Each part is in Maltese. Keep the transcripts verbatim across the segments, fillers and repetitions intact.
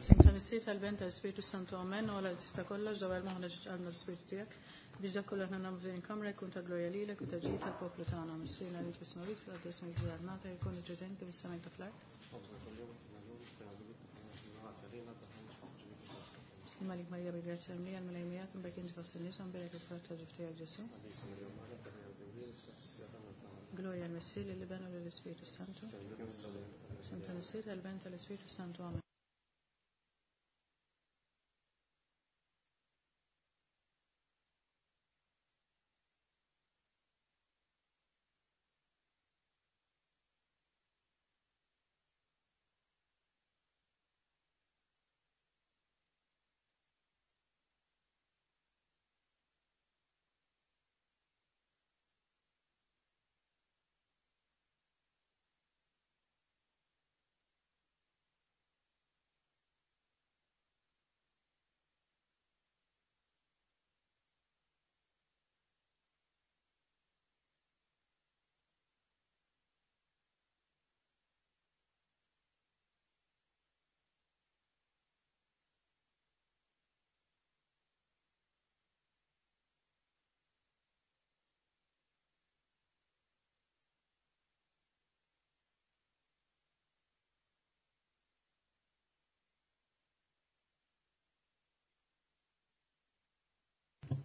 F'isem tal-Missier, tal-Iben, tal-Ispirtu Santu, amen. U Alla li tista' kollox, dawwar moħħna ġiġ qalbna l-Ispirtu tiegħek biex dak kollu aħna nagħmlu f'din il-kamra jkun ta' glorja lilek u ta' ġid tal-poplu tagħna. Missierna li inti fis-smewwiet, fil-qaddis ismek ġie armata, jkun il-ġudent kif is-sema ta' fl-art. Malik Marija bil-grazzja mlija l-Mulej miegħek, imbagħad inti fost in-nisa, mbierek il-frott ta' ġuf tiegħek Ġesù. Glorja l-Missier, lill-Iben u lill-Ispirtu Santu. F'isem tal-Missier, tal-Iben, tal-Ispirtu Santu, amen.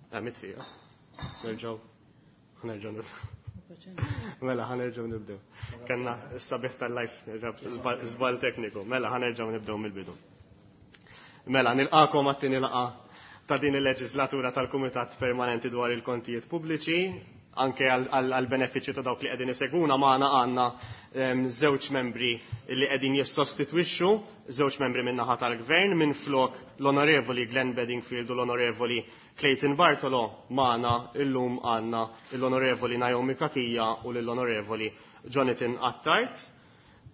Għamit fija. Nerġaw. Nerġaw nibdew. Mela, ħa nerġgħu nibdew. Kellna s-sabiħ tal-live, żball tekniku. Mela, ħa nerġgħu nibdew mill-bidu. Mela, nilqakom għat-tieni laqgħa ta' din il-leġislatura tal-Kumitat Permanenti dwar il-Kontijiet Pubbliċi, anke għal-benefiċċju ta' dawk li qegħdin iseguna magħna għandna żewġ membri li qegħdin jissostitwixxu, żewġ membri min-naħa tal-Gvern, minn flok l-Onorevoli Glenn Bedingfield u l-Onorevoli Clayton Bartolo. Magħna illum għandna l-Onorevoli Naomi Cachia u l-Onorevoli Jonathan Attard.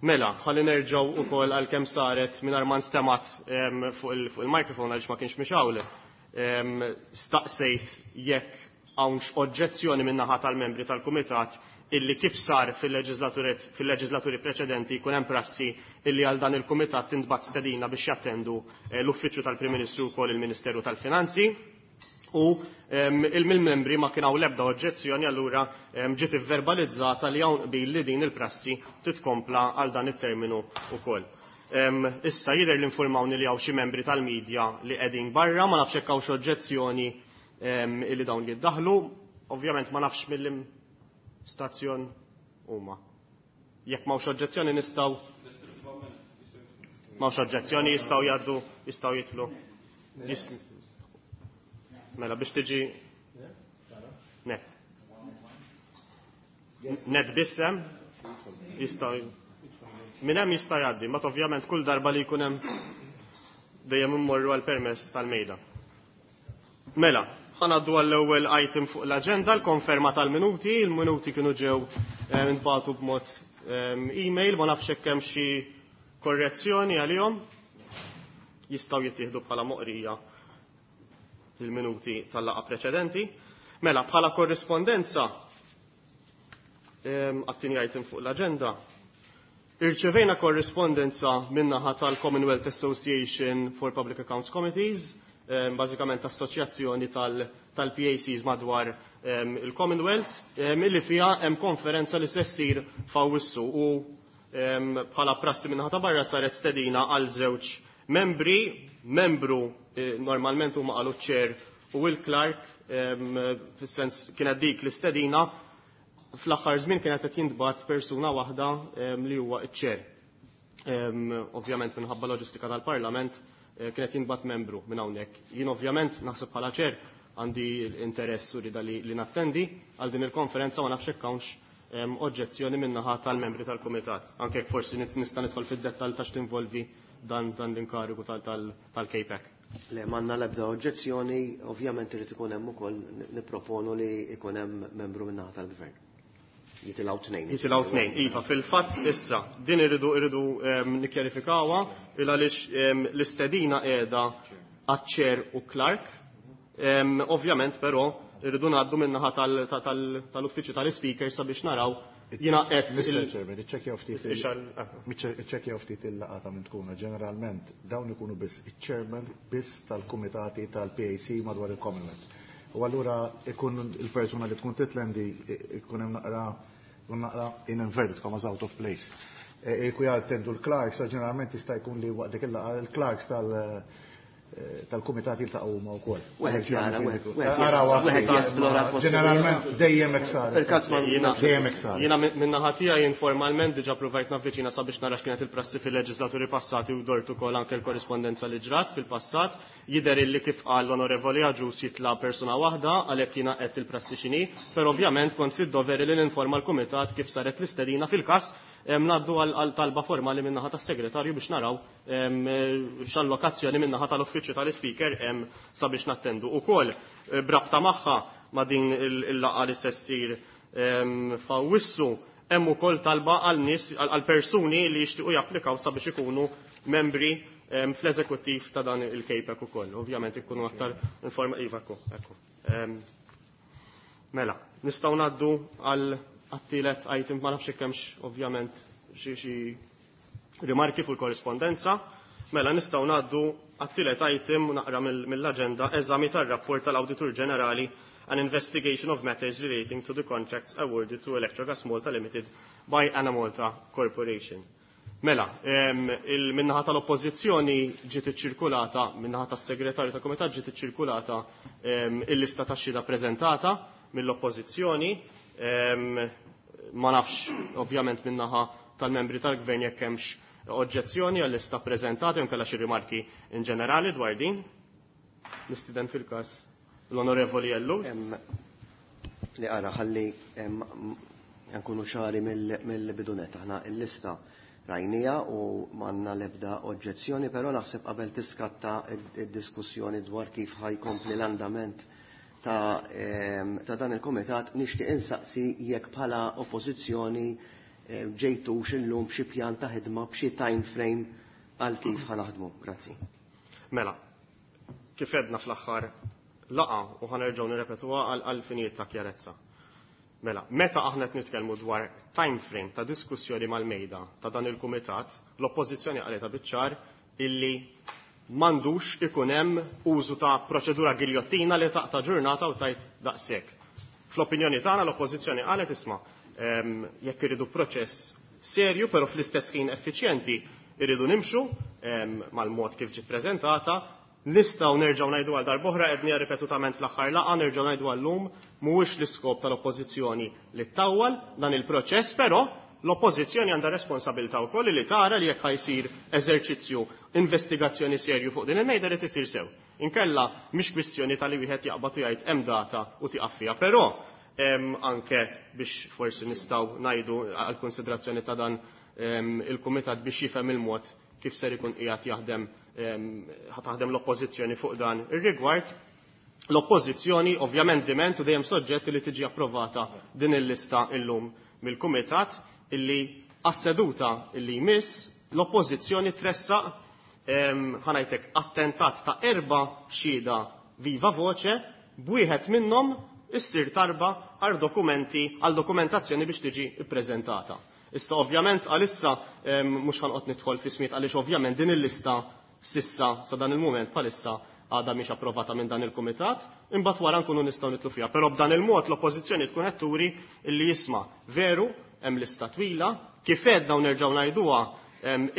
Mela, ħalli nerġgħu ukoll għal kemm saret mingħajr ma nstemat fuq il-mikrofon għaliex ma kienx mixgħul. Staqsejt jekk hawnx oġġezzjoni min-naħa tal-membri tal-Kumitat illi kif sar fil-leġislaturi preċedenti jkun hemm prassi illi għal dan il-Kumitat tintbagħat stedina biex jattendu l-Uffiċċju tal-Prim Ministru wkoll il-Ministeru tal-Finanzi. U il-membri ma kien hawn l-ebda oġġezzjoni, allura ġiet ivverbalizzata li hawn qbil li din il-prassi titkompla għal dan it-terminu wkoll. Issa jidher li informawni li hawn xi membri tal-medja li qegħdin barra, ma nafx hekk hawnx oġġezzjoni illi dawn jiddaħlu. Ovvjament ma nafx mill-stazzjon huma. Jekk m'hawnx oġġezzjoni nistgħu, m'hawnx oġġezzjoni, jistgħu jgħaddu, jistgħu jidħlu. Mela biex tiġi net. Net bissem jistgħu minn hemm jista' jgħaddi, ma ovvjament kull darba li jkun hemm dejjem immorru għal permess tal-mejda. Mela, ħa ngħaddu għall-ewwel item fuq l-aġenda, l-konferma tal-minuti. Il-minuti kienu ġew intbagħtu b'mod email, ma nafx hekk hemm xi korrezzjoni għalihom. Jistgħu jittieħdu bħala moqrija il-minuti tal-laqgħa preċedenti. Mela, bħala korrispondenza għat-tieni item fuq l-aġenda, irċevejna korrispondenza min-naħa tal-Commonwealth Association for Public Accounts Committees, bażikament assoċjazzjoni tal-P A Cs madwar il-Commonwealth, illi fiha hemm konferenza li se ssir f'Awwissu u bħala prassi min-naħa ta' barra saret stedina għal żewġ membri, membru normalment huma qalu chair u il-clerk, fis-sens kienet dik l-istedina, fl-aħħar żmien kienet qed jintbagħat persuna waħda li huwa ċ-chair. Ovvjament minħabba loġistika tal-Parlament kienet jintbagħat membru minn hawnhekk. Jien ovvjament naħseb bħala chair għandi l-interess u rida li, li nattendi għal din il-konferenza, ma nafx hekk hawnx oġġezzjoni min-naħa tal-membri tal-Kumitat. Anke jekk forsi nista' nidħol fid-dettall ta' x'tinvolvi dan, dan l-inkarigu tal-K PAC. Le, m'għandna l-ebda oġġezzjoni, ovvjament irid ikun hemm ukoll, nipproponu li ikun hemm membru min-naħa tal-Gvern. Jitilgħu tnejn. Jitilgħu tnejn, iva, fil-fatt issa din irridu irridu nikkjarifikawha il għaliex l-istedina qiegħda għaċ-chair u clerk. Ovvjament però irridu ngħaddu min-naħa tal-uffiċċju tal-speaker sabiex naraw Jiena qed Mister Chairman, iċċekkjaw ftit iċċekkjaw ftit il-laqgħa ta' min tkunu. Ġeneralment dawn ikunu biss iċ-chairman biss tal-kumitati tal-P A C madwar il-Commonwealth. U allura ikun il-persuna li tkun titlendi ikun hemm naqra ikun naqra in inverted commas out of place. Iku jattendu l-clerks, ġeneralment jista' jkun li waqt dik il-laqgħa il-clerks tal- tal-kumitat jiltaqgħu huma wkoll. Wieħed jara, wieħed jesplora. Ġeneralment dejjem hekk sar. Fil-każ ma Jiena Dejjem hekk sar. Jiena min-naħa tiegħi informalment diġà provajt navviċina sabiex nara x'kienet il-prassi fil-leġislaturi passati u dort ukoll anke l-korrispondenza li ġrat fil-passat. Jidher illi kif qal l-Onorevoli Agius jitla' persuna waħda, għalhekk jiena qed il-prassi x'inhi, però ovvjament kont fid-doveri li ninforma l-kumitat kif saret l-istedina. Fil-każ ngħaddu għal talba formali min-naħa tas-segretarju biex naraw x'allokazzjoni min-naħa tal-uffiċċju tal-ispeaker hemm sabiex nattendu. Ukoll brabta magħha ma' din il-laqgħa li se ssir f'Awwissu hemm ukoll talba għal nies, għal persuni li jixtiequ japplikaw sabiex ikunu membri fl-eżekuttiv ta' dan il-K PAC ukoll. Ovvjament ikunu aktar informa. Iva, ekku, ekku. Mela, nistgħu ngħaddu għal għat-tielet item, ma nafx hemmx ovvjament xi xi rimarki fuq il-korrispondenza. Mela nistgħu ngħaddu għat-tielet item, naqra mill-aġenda, eżami tar-rapport tal-Awditur Ġenerali, an investigation of matters relating to the contracts awarded to Electrogas Malta Limited by Enemalta Corporation. Mela, il-minnaħa tal-oppozizjoni ġiet iċċirkulata, minnaħa tas-segretarju tal-komitat ġiet iċċirkulata il-lista ta' xhieda preżentata mill-oppożizzjoni. Ma nafx ovvjament minnaħa tal-membri tal-gvern jekk hemmx oġġezzjoni għall-lista preżentata jew kellha xi rimarki in ġenerali dwar din. Nistieden fil-każ l-Onorevoli Ellul. Li ara ħalli nkunu ċari mill-bidunet. Aħna il-lista rajnija u m'għandna l-ebda oġġezzjoni, però naħseb qabel tiskatta id-diskussjoni dwar kif ħa jkompli l-andament ta', ta dan il-komitat, nixtieq insaqsi jekk bħala oppożizzjoni ġejtux illum b'xi pjan ta' ħidma, b'xi time frame għal kif ħa naħdmu. Grazzi. Mela, kif edna fl-aħħar laqgħa u ħa nerġgħu nirrepetuha għal finijiet ta' kjarezza. Mela, meta aħna qed nitkellmu dwar time frame ta' diskussjoni mal-mejda ta' dan il-kumitat, l-oppożizzjoni qaleta biċ-ċar illi m'għandux ikun hemm użu ta' proċedura giljottina li taqta' ġurnata u tajt daqshekk. Fl-opinjoni tagħna l-oppożizzjoni qalet, isma', jekk iridu proċess serju però fl-istess ħin effiċjenti, irridu nimxu mal-mod kif ġiet preżentata. Nistgħu nerġgħu ngħidu għal darb'oħra, qedni ripetutament fl-aħħar laqgħa, nerġgħu ngħidu għallum, mhuwiex l-iskop tal-oppożizzjoni li ttawwal dan il-proċess, però l-oppożizzjoni għandha responsabilità wkoll li tara li jekk ħa jsir eżerċizzju investigazzjoni serju fuq din il-mejda li tisir sew. Inkella mhix kwistjoni tal-li wieħed jaqbad u jgħid hemm data u tieqaf fiha, però anke biex forsi nistgħu ngħidu għal konsiderazzjoni ta' dan il-kumitat biex jifhem il-mod kif ser ikun qiegħed jaħdem, taħdem l-oppożizzjoni fuq dan ir-rigward. L-oppożizzjoni ovvjament diment u dejjem soġġett li tiġi approvata din il-lista illum mill-kumitat, illi għas-seduta illi jmiss l-oppożizzjoni tressaq, ħa ngħidlek, attentat ta' erba' xhieda viva voce, b'wieħed minnhom issir talba għal dokumenti, għal dokumentazzjoni biex tiġi ippreżentata. Issa ovvjament għalissa mhux ħa noqgħod nidħol fi smiet għaliex ovvjament din il-lista sissa sa dan il-mument palissa għadha mhix approvata minn dan il-kumitat, imbagħad wara nkunu nistgħu nidħlu fiha. Però b'dan il-mod l-oppożizzjoni tkun qed turi illi jisma' veru hemm lista twila, kif għedna u nerġgħu ngħiduha,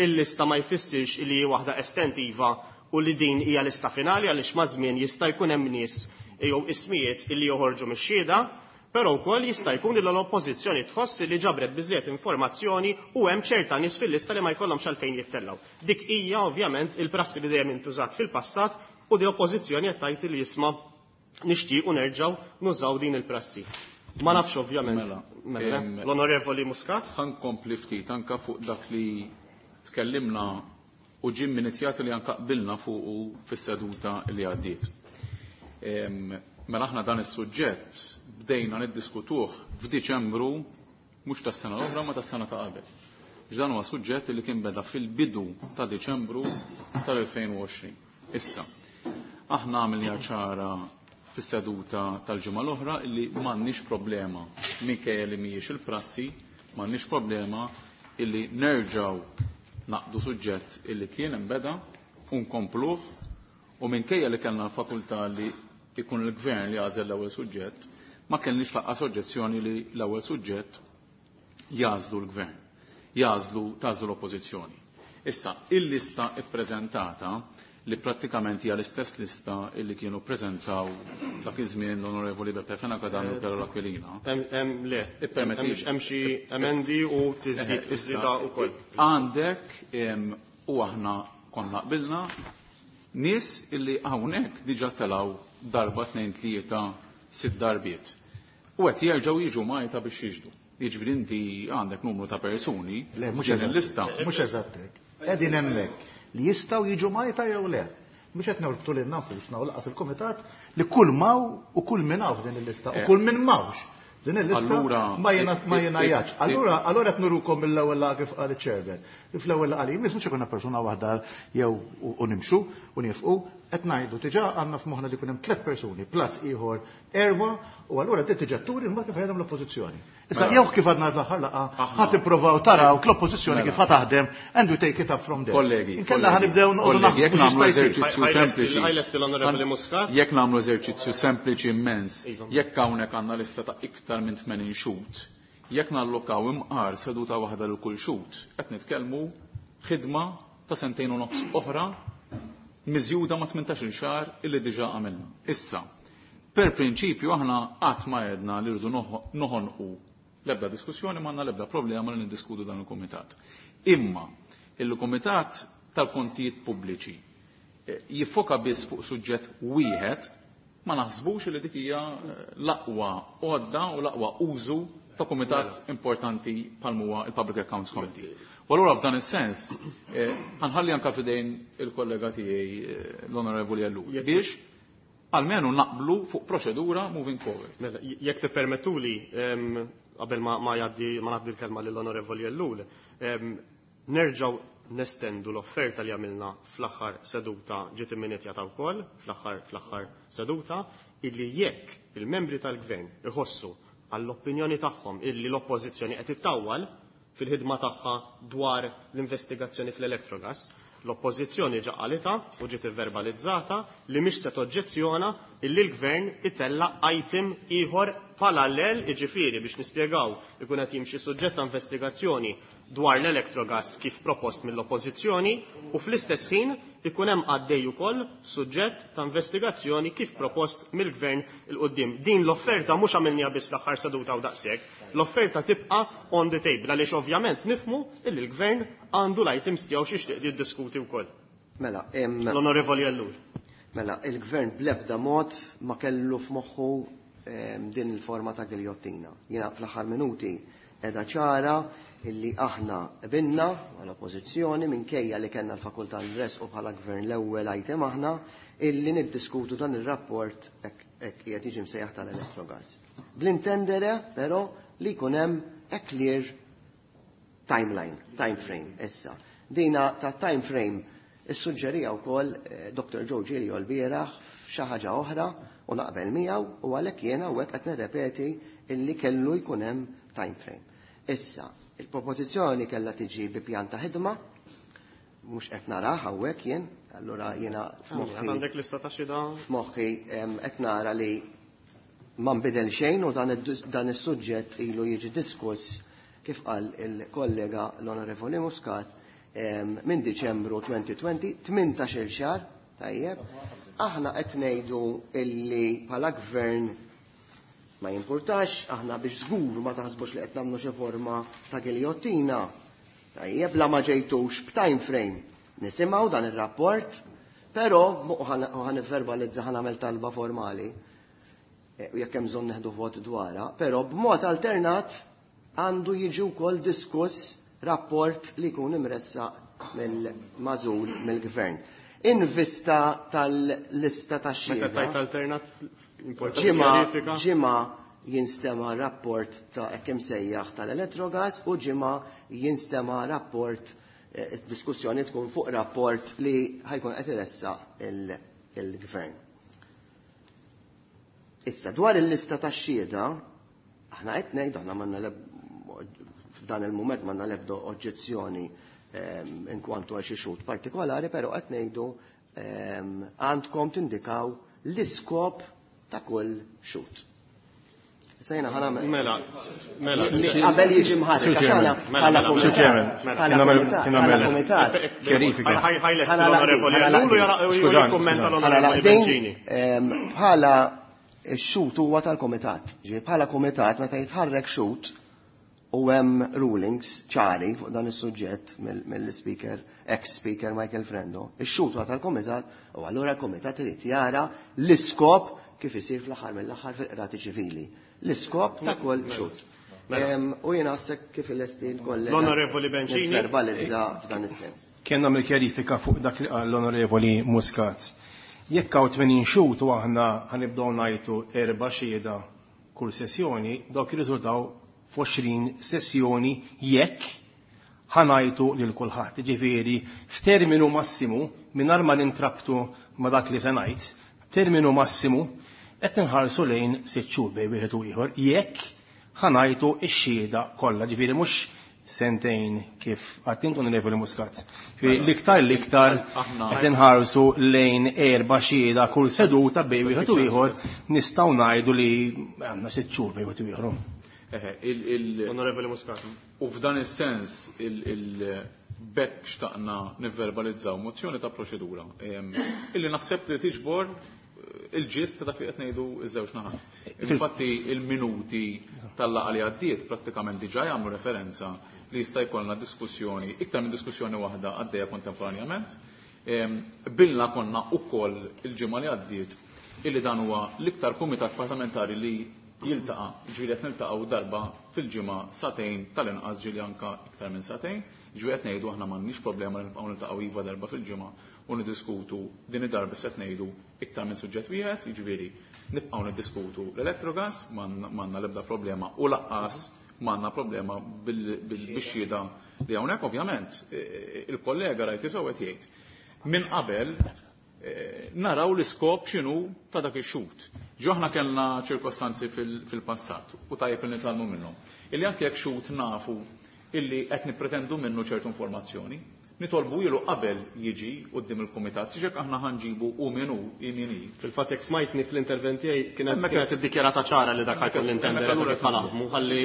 il-lista ma jfissirx li hi waħda estentiva u li din hija lista finali, għaliex ma' żmien jista' jkun hemm nies jew ismijiet illi joħorġu mix-xhieda, però wkoll jista' jkun li l-oppożizzjoni tħoss li ġabret biżżejjed informazzjoni u hemm ċerta nies fil-lista li ma jkollhomx għalfejn jittellgħu. Dik hija ovvjament il-prassi li dejjem intużat fil-passat u di oppożizzjoni qed tgħid li jisma' nixtiequ nerġgħu nużaw din il-prassi. Ma nafx ovvjament. Mela, Mela, em, l-Onorevoli Muscat. Ħa nkompli ftit anka fuq dak li tkellimna u ġie inizjat li anka qbilna fuq fis-seduta li għaddiet. Em, Mela aħna dan is-suġġett bdejna niddiskutuh f'Diċembru mhux tas-sena l-oħra ma tas-sena ta' qabel. X'dan huwa suġġett li kien beda fil-bidu ta' Diċembru tal-elfejn u għoxrin. Issa, aħna għamilna ċara fis-seduta tal-ġimgħa l-oħra illi m'għandniex problema, minkejja li mhijiex il-prassi, M'għandniex problema illi nerġgħu naqdu suġġett illi kien imbeda u nkompluh, u minkejja li kellna l-fakultà li ikun il-gvern li għażel l-ewwel suġġett, ma kellniex laqqas oġġezzjoni li l-ewwel suġġett jażlu l-gvern, jażlu tażlu l-oppożizzjoni. Issa, il-lista ippreżentata li prattikament hija l-istess lista illi kienu ppreżentaw dak iż-żmien l-Onorevoli Beppe Fenech Adami u Carol Aquilina. Le, hemm xi emendi u tiżdied iżida wkoll. Għandek u aħna konna qbilna nies illi hawnhekk diġà telgħu darba tnejn tlieta sitt darbiet. U qed jerġgħu jiġu Malta biex jiġdu. Jiġifieri inti għandek numru ta' persuni. Le, mhux eżatt. Mhux eżatt hekk. Qegħdin hemmhekk li jistgħu jiġu Malta jew le. Mhux qed norbtu lilna nfusna u laqas il-kumitat li kull maw u kull min hawn f'din il-lista u kull min mawx din il-lista ma jingħajatx. Allura allura qed nurukom mill-ewwel laqgħa kif qal iċ-chairman. Fl-ewwel laqgħa li jmiss mhux ikunna persuna waħda jew u nimxu u nifqu, qed ngħidu diġà għandna f'moħħna li jkun hemm tliet persuni plus ieħor erba' u allura din diġà turi mbagħad kif ħajjem l-oppożizzjoni. Issa jew kif għadna l-aħħar laqgħa ħadd ippruvaw taraw l-oppożizzjoni kif ħa taħdem and we take it up from there. Kollegi, inkella ħanibdew noqogħdu naħsbu jekk nagħmlu eżerċizzju sempliċi. L-Onorevoli Muscat. Jekk nagħmlu eżerċizzju sempliċi immens, jekk hawnhekk għandna lista ta' iktar minn tmenin xhud, jekk nallokaw imqar seduta waħda lil kull xhud, qed nitkellmu ħidma ta' sentejn u nofs oħra miżjuda ma' tmintax-il xahar illi diġà għamilna. Issa, per prinċipju aħna qatt ma għedna li rridu noħonqu l-ebda diskussjoni, ma għandna l-ebda problema li niddiskutu dan il-kumitat. Imma il-Kumitat tal-Kontijiet Pubbliċi jiffoka biss fuq suġġett wieħed, ma naħsbux li dik hija l-aqwa għodda u l-aqwa użu ta' kumitat importanti bħal huwa il-Public Accounts Committee. U allura f'dan is-sens ħanħalli anke f'idejn il-kollega tiegħi l-Onorevoli Ellul biex almenu naqblu fuq proċedura moving forward. Mela, jekk tippermettuli, qabel ma jgħaddi ma ngħaddi l-kelma lill-Onorevoli Ellul, nerġgħu nestendu l-offerta li għamilna fl-aħħar seduta ġiet imminetjata wkoll fl-aħħar fl-aħħar seduta illi jekk il-membri tal-gvern iħossu għall-opinjoni tagħhom illi l-oppożizzjoni qed ittawwal fil-ħidma tagħha dwar l-investigazzjoni fl-Electrogas, l-oppożizzjoni ġa qalita u ġiet verbalizzata li mhix se toġġezzjona illi l-gvern itella item ieħor parallel, jiġifieri biex nispjegaw ikun qed jimxi suġġett ta' investigazzjoni dwar l-Electrogas kif propost mill-oppożizzjoni u fl-istess ħin ikun hemm għaddej ukoll suġġett ta' investigazzjoni kif propost mill-gvern il quddiem. Din l-offerta mhux għamilniha biss l-aħħar seduta u daqshekk, l-offerta tibqa' on the table għaliex ovvjament nifhmu illi l-gvern għandu l-items tiegħu x'jixtieq jiddiskuti wkoll. Mela, l-Onorevoli Ellul. Mela, il-gvern bl-ebda mod ma kellu f'moħħu din il-forma ta' giljottina. Jiena fl-aħħar minuti edha ċara illi aħna qbilna għall-oppożizzjoni minkejja li kellna l-fakultà nresqu bħala gvern l-ewwel item aħna illi niddiskutu dan ir-rapport hekk qiegħed jiġi msejjaħ tal-Electrogas. Bl-intendere però li jkun hemm a clear timeline, time frame issa. Dina ta' time frame issuġġerija wkoll Doctor Joe Giglio l-bieraħ f'xi ħaġa oħra u naqbel miegħu u għalhekk jiena hawnhekk qed nirrepeti illi kellu jkun hemm time frame. Issa, il-propożizzjoni kellha tiġi bi pjan ta' ħidma, mhux qed narah hawnhekk jien, allura jiena f'moħħi għandek lista ta' xi da? F'moħħi qed nara li ma nbidel xejn u dan is-suġġett ilu jiġi diskuss kif qal il-kollega l-Onorevoli Muscat minn Diċembru twenty twenty, tmintax-il xahar, tajjeb. Aħna qed ngħidu illi bħala gvern ma jimpurtax, aħna biex żgur ma taħsbux li qed nagħmlu xi forma ta' giljottina. Tajjeb, la ma ġejtux b'time frame. Nisimgħu dan ir-rapport, però u ħanivverbalizza ħa nagħmel talba formali u jekk hemm bżonn neħdu vot dwarha, però b'mod alternat għandu jiġi wkoll diskuss rapport li jkun imressaq mill-mażul mill-gvern. In vista tal-lista ta' xhieda. Meta tajt alternat importanti ġimgħa ġimgħa jinstema' rapport ta' hekk imsejjaħ tal-Electrogas u ġimgħa jinstema' rapport, diskussjoni tkun fuq rapport li ħajkun qed iressaq il-gvern. Issa dwar il-lista ta' xhieda, aħna qed ngħidu aħna m'għandna F'dan il-mument m'għandna l-ebda oġġezzjoni inkwantu għal xi xhud partikolari, però qed ngħidu għandkom tindikaw l-iskop ta' kull xhud. Sejna ħana Mela, mela. Qabel jiġi mħarrek, għax aħna bħala kumitat. Kjarifika. Bħala x-xhud huwa tal-kumitat. Bħala kumitat meta jitħarrek xhud u hemm rulings ċari fuq dan is-suġġett mill-speaker, ex-speaker Michael Frendo, ix-xhud huwa tal-kumitat u allura l-kumitat irid jara l-iskop kif isir fl-aħħar mill-aħħar fil-qrati ċivili. L-iskop ta' kull xhud. U jiena għasek kif il-esti l-kollega. L-Onorevoli Bencini. Verbalizza f'dan is-sens. Kien nagħmel kjarifika fuq dak li qal l-Onorevoli Muscat. Jekk hawn tmenin xhud u aħna ħanibdew ngħidu erba' xhieda kull sessjoni, dawk jirriżultaw f'għoxrin sessjoni jekk ħanajtu lil kulħadd. Ġifieri f'terminu massimu mingħajr ma nintrabtu ma' dak li se ngħid, terminu massimu qed inħarsu lejn sitt xhur bejn wieħed u ieħor jekk ħanajtu x-xhieda kollha, ġifieri mhux sentejn kif qatt intu Onorevoli Muscat. Ġifieri l-iktar l-iktar qed inħarsu lejn erba' xhieda kull seduta bejn wieħed u ieħor, nistgħu ngħidu li għandna sitt xhur bejn wieħed u ieħor. Onorevoli Muscat. U f'dan is-sens il-bekk xtaqna nivverbalizzaw mozzjoni ta' proċedura illi naħseb li tiġbor il-ġist ta' dak li qed ngħidu ż-żewġ naħat. Infatti il-minuti tal-laqgħa li għaddiet prattikament diġà jagħmlu referenza li jista' jkollna diskussjoni, iktar minn diskussjoni waħda għaddejja kontemporanjament. Bilna konna wkoll il-ġimgħa li għaddiet illi dan huwa l-iktar kumitat parlamentari li jiltaqa', ġifieri qed niltaqgħu darba fil-ġimgħa sagħtejn tal-inqas, ġieli anke iktar minn sagħtejn, ġifieri qed ngħidu aħna m'għandniex problema li nibqgħu niltaqgħu iva darba fil-ġimgħa u niddiskutu din id-darba se ngħidu iktar minn suġġett wieħed, jiġifieri nibqgħu niddiskutu l-elettrogas, m'għandna l-ebda problema u laqqas m'għandna problema bix-xhieda li hawnhekk. Ovvjament il-kollega rajt isew qed jgħid minn qabel naraw l-iskop x'inhu ta' dak ix-xhud. Ġo aħna kellna ċirkostanzi fil-passat u tajjeb li nitgħallmu minnhom. Illi anke jekk xhud nafu illi qed nippretendu minnu ċertu informazzjoni, nitolbu ilu qabel jiġi quddiem il-kumitat, siġek aħna ħanġibu u min hu min hi. Fil-fatt jekk smajtni fl-intervent tiegħi kienet kienet iddikjarata ċara li dak ħajkun l-intendere ta' kif ħanaħdmu ħalli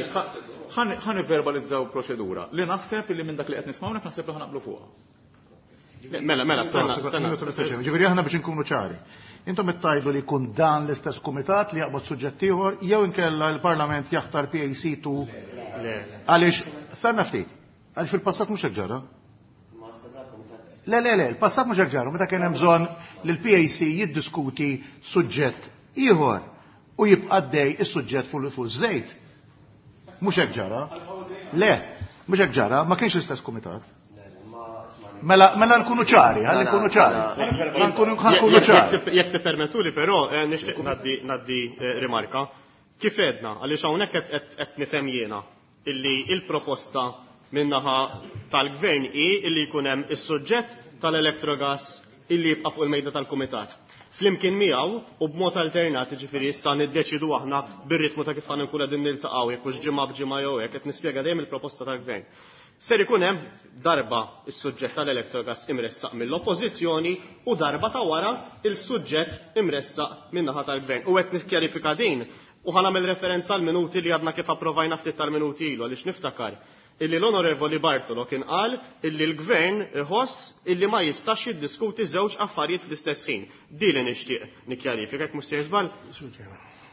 ħa nivverbalizzaw proċedura li naħseb illi minn dak li qed nismgħu hawnhekk naħseb li ħanaqblu fuqha. Mela, mela, stenna, stenna. Ġifieri aħna biex inkunu ċari. Intom ittajdu li jkun dan l-istess kumitat li jaqbad suġġett ieħor jew inkella l-Parlament jaħtar P A C tu. Għaliex, stenna ftit, għaliex fil-passat mhux hekk ġara. Le, le, le, il-passat mhux hekk ġara, meta kien hemm bżonn li l-P A C jiddiskuti suġġett ieħor u jibqa' għaddej is-suġġett fuq fuq żejt. Mhux hekk ġara. Le, mhux hekk ġara, ma kienx l-istess kumitat. Mela, mela nkunu ċari, ħalli nkunu ċari. Nkunu ċari. Jekk tippermettuli però nixtieq ngħaddi rimarka. Kif għedna, għaliex hawnhekk qed nifhem jiena illi il-proposta min-naħa tal-gvern hi illi jkun hemm is-suġġett tal-elettrogas illi jibqa' fuq il-mejda tal-kumitat. Flimkien miegħu u b'mod alternat, jiġifieri issa niddeċidu aħna bir-ritmu ta' kif ħa nkunu qegħdin niltaqgħu jekk hux ġimgħa b'ġimgħa jew hekk, qed nispjega dejjem il-proposta tal-gvern. Ser ikun hemm darba is-suġġett tal-elettrogas imressaq mill-oppożizzjoni u darba ta' wara il-suġġett imressaq min-naħa tal-gvern. U qed nikkjarifika din u ħa nagħmel referenza għal minuti li għadna kif approvajna ftit tal-minuti ilu għaliex niftakar illi l-Onorevoli Bartolo kien qal illi l-gvern iħoss illi ma jistax jiddiskuti żewġ affarijiet fl-istess ħin. Di li nixtieq nikkjarifika jekk mhux sejjer żball.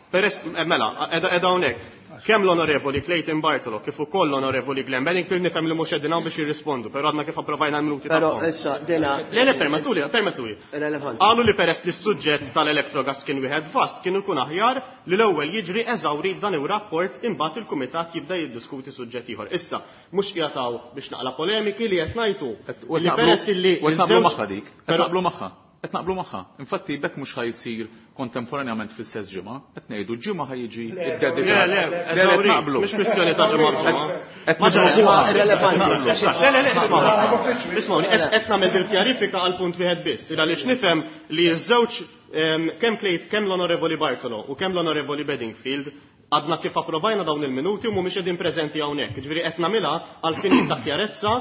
Peress, mela, edha hawnhekk. Kemm l-Onorevoli Clayton Bartolo kif ukoll l-Onorevoli Glenn Bedingfield nifhem li mhux qegħdin hawn biex jirrispondu, però għadna kif approvajna l-minuti Però tagħhom. issa dina Le, le, permettuli, permettuli. Irrelevanti. Qalu li peress li s-suġġett tal-elettrogas kien wieħed vast, kien ikun aħjar li l-ewwel jiġri eżawri dan ir-rapport imbagħad il-kumitat jibda jiddiskuti suġġett ieħor. Issa, mhux qiegħed biex naqla polemiki li qed ngħidu li peress illi U qed naqblu ż-żewġ magħha dik, qed Però naqblu magħha. Qed naqblu magħha. Infatti bekk mhux ħajsir kontemporanjament fl-istess ġimgħa, qed ngħidu ġimgħa ħajjiġi iddedikat. Le, le, Le, le, qed eżawri, naqblu. mhux kwistjoni ta' ġimgħa b'ġimgħa. Qed Ma naqblu. ġimgħa Irrelevanti. Le, le, le, ismgħu. Ismgħuni, qed qed nagħmel dil-kjarifika għal punt wieħed biss, il għaliex nifhem li ż-żewġ kemm Clayton, kemm l-Onorevoli Bartolo u kemm l-Onorevoli Bedingfield Għadna kif approvajna dawn il-minuti u mhumiex qegħdin preżenti hawnhekk. Ġifieri qed nagħmilha għal fini ta' kjarezza.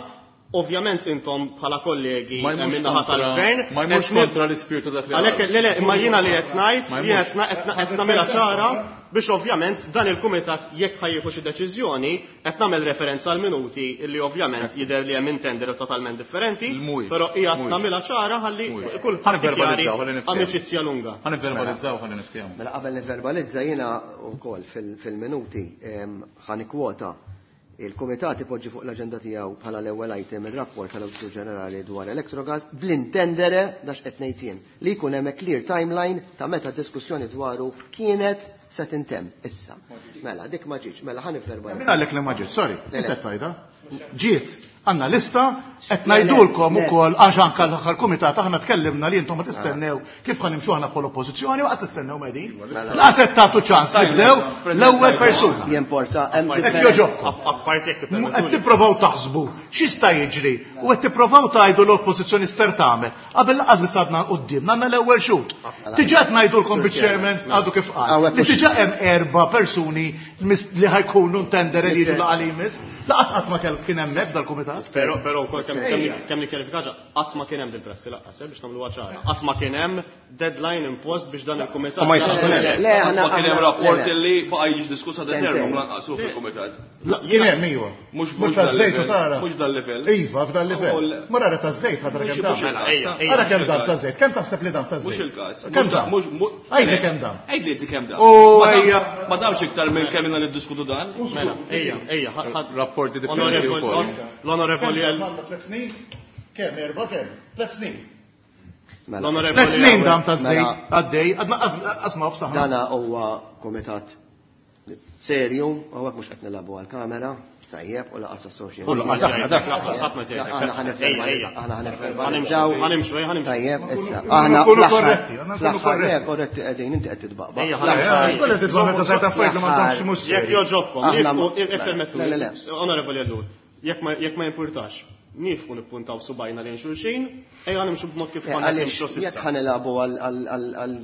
Ovvjament intom bħala kollegi min-naħa tal-gvern. Ma jmurx kontra l-ispirtu dak li. Għalhekk le le, imma jiena li qed ngħid, jiena qed nagħmilha ċara biex ovvjament dan il-kumitat jekk ħa jieħu xi deċiżjoni qed nagħmel referenza għal minuti li ovvjament jidher li hemm intendere totalment differenti, però qiegħed nagħmilha ċara ħalli kulħadd jari amicizia lunga. Ħa nivverbalizzaw ħalli niftehmu. Mela qabel nivverbalizza jiena wkoll fil-minuti ħa nikkwota il-Kumitat ipoġġi fuq l-aġenda tiegħu bħala l-ewwel item ir-rapport tal-Awditur Ġenerali dwar Electrogas bl-intendere dax qed ngħid jien li jkun hemm clear timeline ta' meta diskussjoni dwaru kienet se tintemm issa. Mela dik ma ġietx, mela ħa nivverbalizza. Min għalek li ma ġietx, sorry, inti qed tgħidha. Ġiet, għandna lista qed ngħidulkom ukoll għax anke l-aħħar kumitat aħna tkellimna li intom ma tistennew kif ħa nimxu aħna bħala oppożizzjoni u qatt tistennew medin. Laqas qed tagħtu ċans nibdew l-ewwel persuna. Jimporta hemm Hekk joġobkom. Apparti jekk Qed tipprovaw taħsbu x'jista' jiġri u qed tipprovaw tgħidu l-oppożizzjoni ster tagħmel. Qabel laqas biss għadna quddiem għandna l-ewwel xut. Diġà qed ngħidulkom biċ-chairman għadu kif qal. Li diġà hemm erba' persuni li ħajkunu ntendere li jiġu laqgħa li jmiss. Laqas qatt ma kell kien hemm dal-kumitat. Però però wkoll kemm nikkjarifikaġa qatt ma kien hemm dil-prassi lanqas biex nagħmluha ċara. Qatt ma kien hemm deadline impost biex dan il-kumitat. Ma jistax ikun hemm. Le aħna Ma kien hemm rapport li baqa' jiġi diskussa determinum lanqas fil-kumitat. Kien hemm iva. Mhux mhux taż-żejt u tara. Mhux dal-livell. Iva, f'dal-livell. Mur ara taż-żejt ħadra kemm dam. Ara kemm dam taż-żejt. Kemm taħseb li dam taż-żejt? Mhux il-każ. Kemm dam? Għidli kemm dam. Għidli inti kemm dam. U ejja. Ma damx iktar minn kemm ilna niddiskutu dan. Mela, ejja, ejja, rapporti differenti wkoll. L-Onorevoli Tliet snin? Kemm erba' kemm? Tliet snin. L-Onorevoli Tliet snin dam taż-żejt għaddej, għadna qas nofs aħna. Dana huwa kumitat serju, hawnhekk mhux qed nilagħbu għall-kamera, tajjeb, u laqas association. U laqas aħna dak laqas ħadd ma tgħid. Aħna ħa aħna ħa nivverbalizzaw. Ħa nimxu, ħa nimxu. Tajjeb, issa. Aħna nkunu korretti, aħna nkunu korretti. Korretti qegħdin, inti qed titbaqbaq. Kollha titbaqbaq meta tgħid affarijiet li m'għandhomx mhux. Jekk joġobkom, ippermettu. Onorevoli Ellul, jekk ma jimpurtax, nifqu nippuntaw subajna lejn xulxin, ejja nimxu b'mod kif konna nimxu s'issa. Jekk ħa nilagħbu għal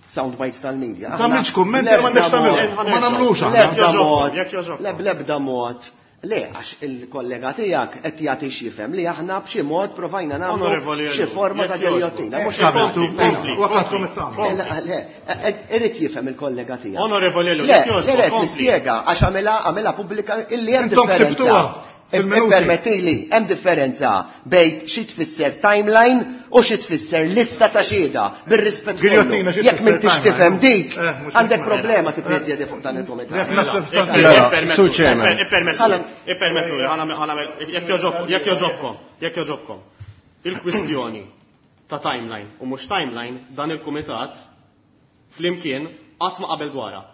sound bites tal-media. Tagħmilx kummenti ma m'għandekx tagħmilhom. Ma nagħmlux aħna. Le bl-ebda mod. Le, għax il-kollega tiegħek qed jagħti x'jifhem li aħna b'xi mod provajna nagħmlu xi forma ta' giljotina. Mhux għamiltu. Waqgħatkom it-tagħmlu. Le, irid jifhem il-kollega tiegħek. Onorevoli Ellul, Le, irid nispjega għax għamilha għamilha pubblika illi hemm differenza. Ippermettili, hemm differenza bejn xi tfisser timeline u xi tfisser lista ta' xhieda bir-rispett kollu. Jekk m'intix tifhem dik, għandek problema tippreżjedi fuq dan il-kumitat. Ippermettu, jekk joġobkom, jekk joġobkom. Il-kwistjoni ta' timeline u mhux timeline dan il-kumitat flimkien qatt ma qabel dwarha.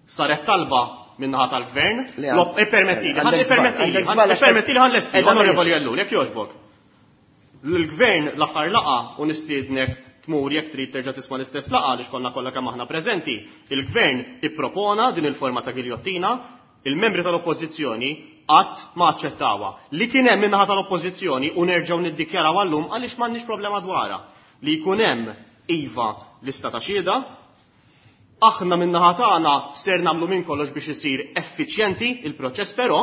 Saret talba minnaħa tal-gvern, ippermettili, ippermettili, ippermettili ħa nlesti, Onorevoli Ellul, jekk jogħġbok. L-gvern l-aħħar laqgħa u nistiednek tmur jekk trid terġa' tisma' l-istess laqgħa għaliex konna kollha kemm aħna preżenti. Il-gvern ippropona din il-forma ta' giljottina, il-membri tal-oppożizzjoni qatt ma aċċettawha. Li kien hemm minnaħa tal-oppożizzjoni u nerġgħu niddikjaraw għallum għaliex m'għandniex problema dwarha. Li jkun hemm iva lista ta' xhieda, aħna minnaħa tagħna ser nagħmlu minn kollox biex isir effiċjenti il-proċess, però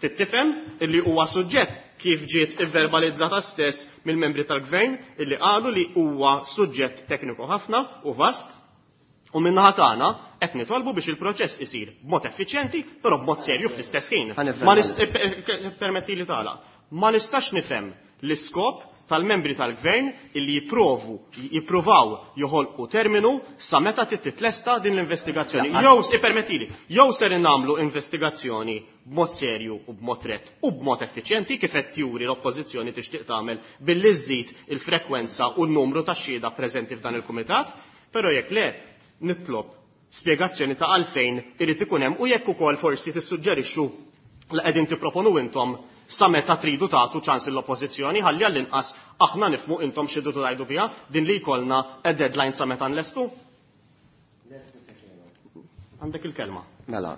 tittifhem illi huwa suġġett kif ġiet ivverbalizzata stess mill-membri tal-gvern illi qalu li huwa suġġett tekniku ħafna u vast, u minnaħa tagħna qed nitolbu biex il-proċess isir b'mod effiċjenti, però b'mod serju fl-istess ħin. Ma permetti li tagħlaq. Ma nistax nifhem l-iskop tal-membri tal-gvern illi jipprovu, jippruvaw joħolqu terminu sa meta titlesta din l-investigazzjoni. Jew ippermettili, jew ser nagħmlu investigazzjoni b'mod serju u b'mod rett u b'mod effiċjenti kif qed juri l-oppożizzjoni tixtieq tagħmel billi żżid il-frekwenza u n-numru ta' xhieda preżenti f'dan il-kumitat, però jekk le nitlob spjegazzjoni ta' għalfejn irid ikun hemm u jekk ukoll forsi tissuġġerixxu li qegħdin tipproponu intom sa meta tridu tagħtu ċans l-oppożizzjoni ħalli għall-inqas aħna nifhmu intom xi tridu tgħidu biha din li jkollna a deadline sa meta nlestu. Għandek il-kelma. Mela,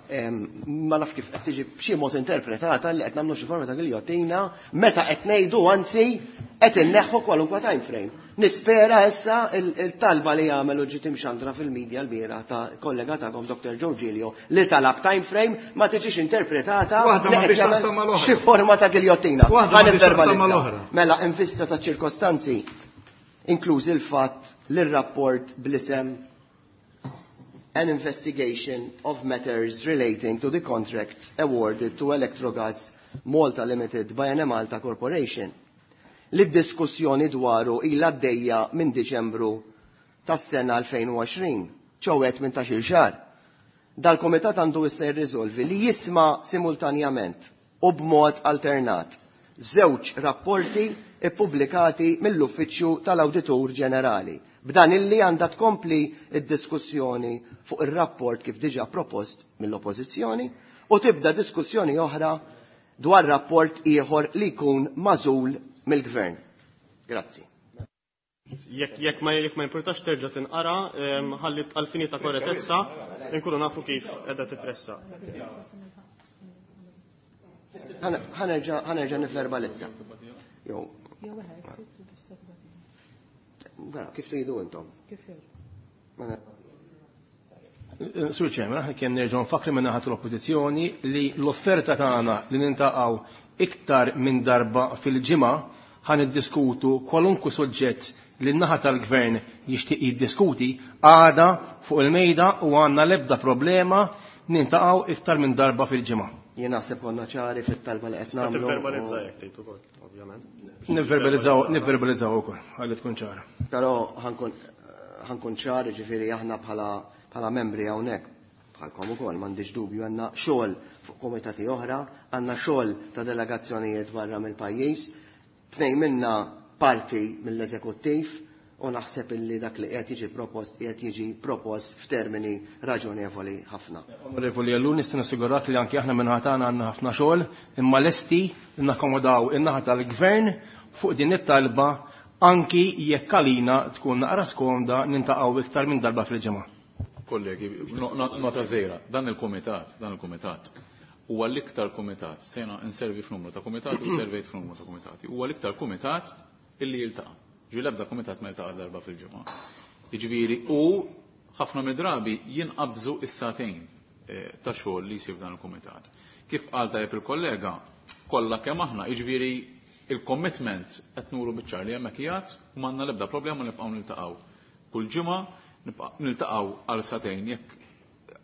ma naf kif qed tiġi b'xi mod interpretata li qed nagħmlu xi forma ta' giljottina meta qed ngħidu anzi qed inneħħu kwalunkwe time frame. Nispera issa il-talba li jagħmel u ġiet imxandra fil-medja l-bieraħ ta' kollega tagħkom Doctor Joe Giglio li talab time frame ma tiġix interpretata xi forma ta' giljottina. Mela, in vista ta' ċirkostanzi, inkluż il-fatt li r-rapport bl-isem An investigation of matters relating to the contracts awarded to Electrogas Malta Limited by Enemalta Corporation. Li d-diskussjoni dwaru ilha għaddejja minn Diċembru tas-sena elfejn u għoxrin, ċowet minn ta' xil xahar. Dal-komitat għandu issa jirriżolvi li jisma' simultanjament u b'mod alternat żewġ rapporti ippubblikati mill-Uffiċċju tal-Awditur Ġenerali. B'dan illi għandha tkompli id-diskussjoni fuq ir-rapport kif diġà propost mill-Oppożizzjoni u tibda diskussjoni oħra dwar rapport ieħor li jkun magħżul mill-Gvern. Grazzi. Jekk jekk ma jekk ma jimpurtax terġa' tinqara, ħalli għall-fini ta' korrettezza nkunu nafu kif qiegħda titressa. Ħanerġa' ħanerġa' nivverbalizza. Jew. Vera, kif tridu intom? Kif Sur Chairman, aħna kemm nerġgħu nfakkru minn naħa l-Oppożizzjoni li l-offerta tagħna li nintaqgħu iktar minn darba fil-ġimgħa ħan niddiskutu kwalunkwe suġġett li n-naħa tal-Gvern jixtieq jiddiskuti għada fuq il-mejda u għandna l-ebda problema nintaqgħu iktar minn darba fil-ġimgħa. Jien naħseb konna ċari fit-talba li qed nagħmlu. Nivverbalizza jekk tgħid ukoll, ovvjament. Nivverbalizzaw, nivverbalizzaw ukoll, ħalli tkun ċara. Però ħankun ċar, ġifieri aħna bħala bħala membri hawnhekk bħalkom ukoll m'għandix dubju għandna xogħol fuq komitati oħra, għandna xogħol ta' delegazzjonijiet barra mill-pajjiż, tnejn minna parti mill-eżekuttiv u naħseb illi dak li qed jiġi propost qiegħed jiġi propost f'termini raġonevoli ħafna. Onorevoli Ellul, nista' nassigurak li anke aħna minn ħatana għandna ħafna xogħol, imma lesti nakkomodaw in-naħa tal-Gvern fuq din it-talba anki jekk għalina tkun naqra skomda nintaqgħu iktar minn darba fil-ġimgħa. Kollegi, nota żgħira, dan il-kumitat, dan il-kumitat huwa l-iktar kumitat, sena inservi f'numru ta' kumitati u servejt f'numru ta' kumitati, huwa l-iktar kumitat illi jiltaqa'. Ġi l-ebda kumitat ma jiltaqa' darba fil-ġimgħa. Jiġifieri u ħafna mid-drabi jinqabżu is-sagħtejn ta' xogħol li jsir f'dan il-kumitat. Kif qal tajjeb il-kollega, kollha kemm aħna, jiġifieri il-commitment qed nuru biċ-ċar li hemmhekk qiegħed u m'għandna l-ebda problema nibqgħu niltaqgħu. Kull ġimgħa niltaqgħu għal sagħtejn jekk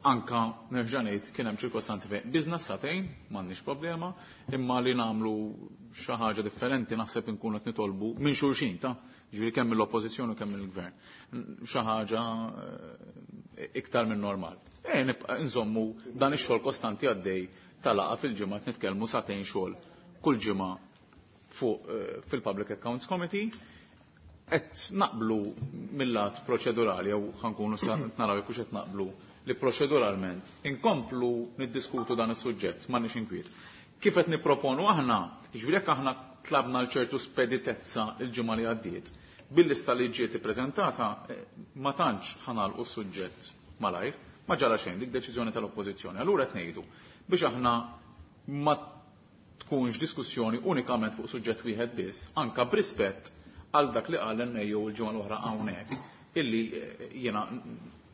anka nerġa' ngħid kien hemm ċirkostanzi fejn biżna sagħtejn m'għandniex problema, imma li nagħmlu xi ħaġa differenti naħseb inkunu qed nitolbu minn xulxin ta' ġifieri kemm mill-oppożizzjoni u kemm mill-gvern. Xi ħaġa iktar minn normal. E nibqa' nżommu dan ix-xogħol kostanti għaddej tal-laqgħa fil-ġimgħa qed nitkellmu sagħtejn xogħol kull ġimgħa fuq fil-Public Accounts Committee. Qed naqblu mill-lat proċedurali jew ħankunu naraw jekk hux qed naqblu li proċeduralment inkomplu niddiskutu dan is-suġġett m'għandniex inkwiet. Kif qed nipproponu aħna, jiġifieri jekk aħna tlabna l ċertu speditezza l-ġimgħa li għaddiet, bil-lista li ġiet ippreżentata ma tantx ħanalqu s-suġġett malajr, ma ġara xejn dik deċiżjoni tal-Oppożizzjoni. Allura qed ngħidu biex aħna ma tkunx diskussjoni unikament fuq suġġett wieħed biss, anka b'rispett għal dak li qal l-N A O l-ġimgħa l-oħra hawnhekk, illi jiena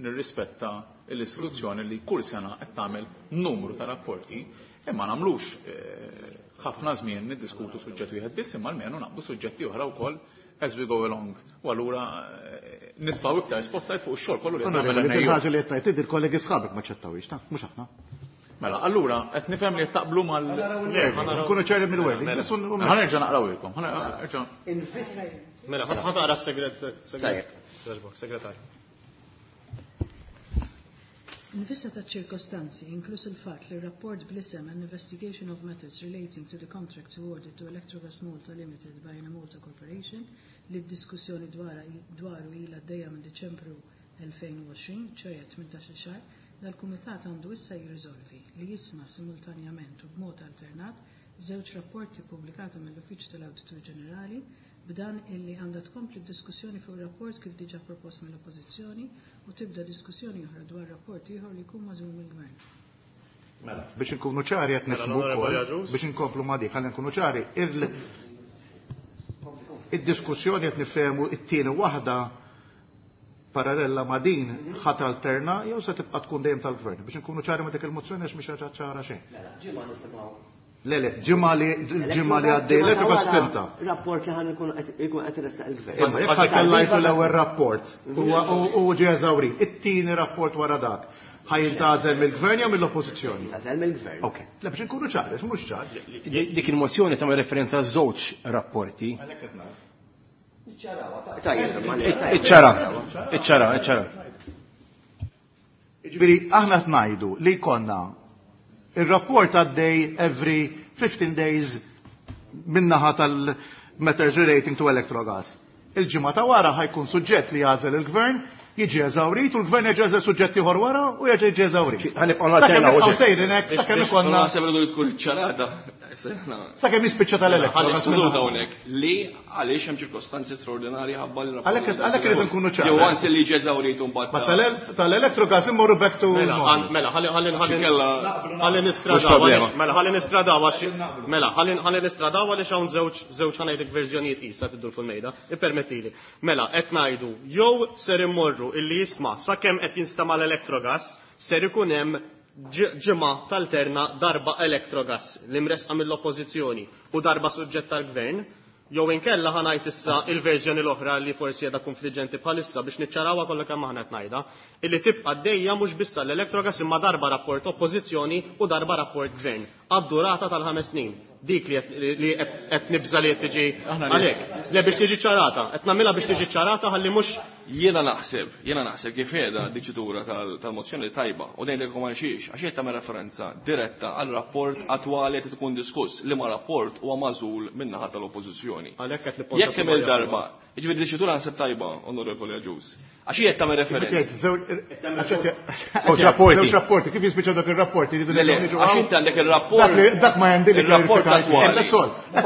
nirrispetta l-istituzzjoni li kull sena qed tagħmel numru ta' rapporti, imma nagħmlux ħafna żmien niddiskutu suġġett wieħed biss, imma almenu naqbdu suġġetti oħra wkoll as we go along. U allura nitfgħu iktar spotlight fuq ix-xogħol kollu li qed tagħmel l-N A O. Il-ħaġa li qed tgħid il-kollegi sħabek ma ċettawhiex, ta' mhux aħna. Mela, allura qed nifhem li qed taqblu mal- Nkunu ċari mill-wording. Ħa nerġa' naqrawilkom. Ħa nerġa'. Mela, ħa taqra s-segret, segret. Segretarju. In vista ta' ċirkostanzi, inkluż il-fatt li r-rapport bl-isem An Investigation of Matters Relating to the Contracts Awarded to Electrogas Malta Limited by Enemalta Corporation, li d-diskussjoni dwaru ilha għaddejja minn Diċembru elfejn u għoxrin, ċoħe tmintax-il xahar, dal-Kumitat għandu issa jirriżolvi li jisma' simultanjament u b'mod alternat żewġ rapporti ppubblikati mill-Uffiċċju tal-Awditur Ġenerali B'dan illi għandha tkompli d-diskussjoni fuq rapport kif diġà propost mill-Oppożizzjoni u tibda diskussjoni oħra dwar rapport ieħor li jkun magħżul mill-Gvern. Mela, biex inkunu ċari qed nifhmu wkoll, biex inkomplu ma' dik, ħalli nkunu ċari, id-diskussjoni qed nifhemu it-tieni waħda parallela ma' din ħadd alterna jew se tibqa' tkun dejjem tal-Gvern. Biex inkunu ċari ma' dik il-mozzjoni għax mhix ċara xejn. Mela, ġimgħa nisimgħu. Le, le, ġimgħa li ġimgħa li għaddej l fimta. Rapport li ħan ikun qed iressaq il-Gvern. Imma jekk ħatellajtu l-ewwel rapport u ġie eżawrit, it-tieni rapport wara dak ħa jintgħażel mill-Gvern jew mill-Oppożizzjoni? Jintgħażel mill-Gvern. Ok, le biex inkunu ċari, mhux ċar. Dik il-mozzjoni tagħmel referenza għal żewġ rapporti. Iċċara, iċċara, iċċara. Jiġifieri aħna qed ngħidu li jkollna ir-rapport għaddej every fifteen days min-naħa tal-matters relating to Electrogas. Il-ġimgħa ta' wara ħajkun suġġett li jagħżel il-Gvern, jiġi eżawrit u l-Gvern jerġa' jagħżel suġġett ieħor wara u jerġa' jiġi eżawrit. Ħanibqgħu nalternaw. Sakemm sejrin hekk, sakemm ikollna. Naħseb li tkun iċċarata. Sakemm jispiċċa tal-Electrogas. Ħalli seduta hawnhekk li għaliex hemm ċirkostanzi straordinarji ħabba li Għalhekk għalhekk irid nkunu ċari. Jew anzi li jiġi eżawrit u mbagħad. Ma tal-Electrogas immorru back to. Mela, ħalli ħalli ħalli nistradaw mela ħalli nistradaw għax mela ħalli ħalli nistradaw għaliex hawn żewġ żewġ ħanejdlek verżjonijiet qisha tiddur fuq il-mejda. Ippermettili. Mela qed ngħidu jew ser immorru illi jisma' sakemm qed jinstema' l-Electrogas ser ikun hemm ġimgħa tal-terna darba Electrogas li mresqa mill-Oppożizzjoni u darba suġġett tal-Gvern, jew inkella ħa ngħid issa il-verżjoni l-oħra li forsi qiegħda konfliġġenti bħalissa biex niċċarawha kollha kemm aħna qed ngħidha, illi tibqa' għaddejja mhux biss l-Electrogas imma darba rapport Oppożizzjoni u darba rapport Gvern għad-durata tal-ħames snin. Dik li qed nibża li qed tiġi għalhekk. Le biex tiġi ċarata, qed nagħmilha biex tiġi ċarata ħalli mhux jiena naħseb, jiena naħseb kif qiegħda diċitura tal-mozzjoni tajba u ngħidilkom għal xiex, għax qed tagħmel referenza diretta għal rapport attwali qed tkun diskuss li ma rapport huwa magħżul min-naħa tal-Oppożizzjoni. Għalhekk qed nipponta. Jekk hemm il-darba, jiġifieri diċitura naħseb tajba, Onorevoli Agius. Għax qed tagħmel referenza. Żewġ rapporti, kif jispiċċaw dak ir-rapporti? Għax inti għandek ir-rapport. Dak ma jandi ir-rapport attwali.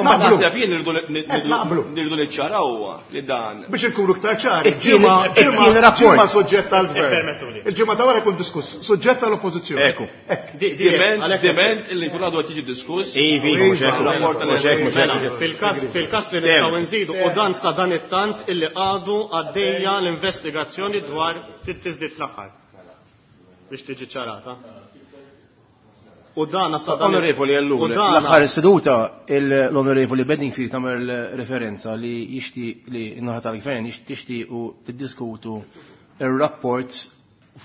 Ma naħseb jien nirridu niċċaraw huwa li dan. Biex inkunu iktar ċari. Ġimgħa suġġett tal-Gvern. Il-ġimgħa ta' wara jkun diskuss suġġett tal-Oppożizzjoni. Ekku. Diment diment illi jkun għadu qed jiġi diskuss. Ivi, mhux hekk. Fil-każ fil-każ li nistgħu nżidu u dan sa dan it-tant illi għadu għaddejja l-investigazzjoni dwar tiżdied fl-aħħar. Biex tiġi ċarata. U dan sa dan Onorevoli Ellul, l-aħħar seduta l-Onorevoli Bedingfield tagħmel referenza li jixtieq li n-naħa tal-Gvern tixtiequ tiddiskutu ir-rapport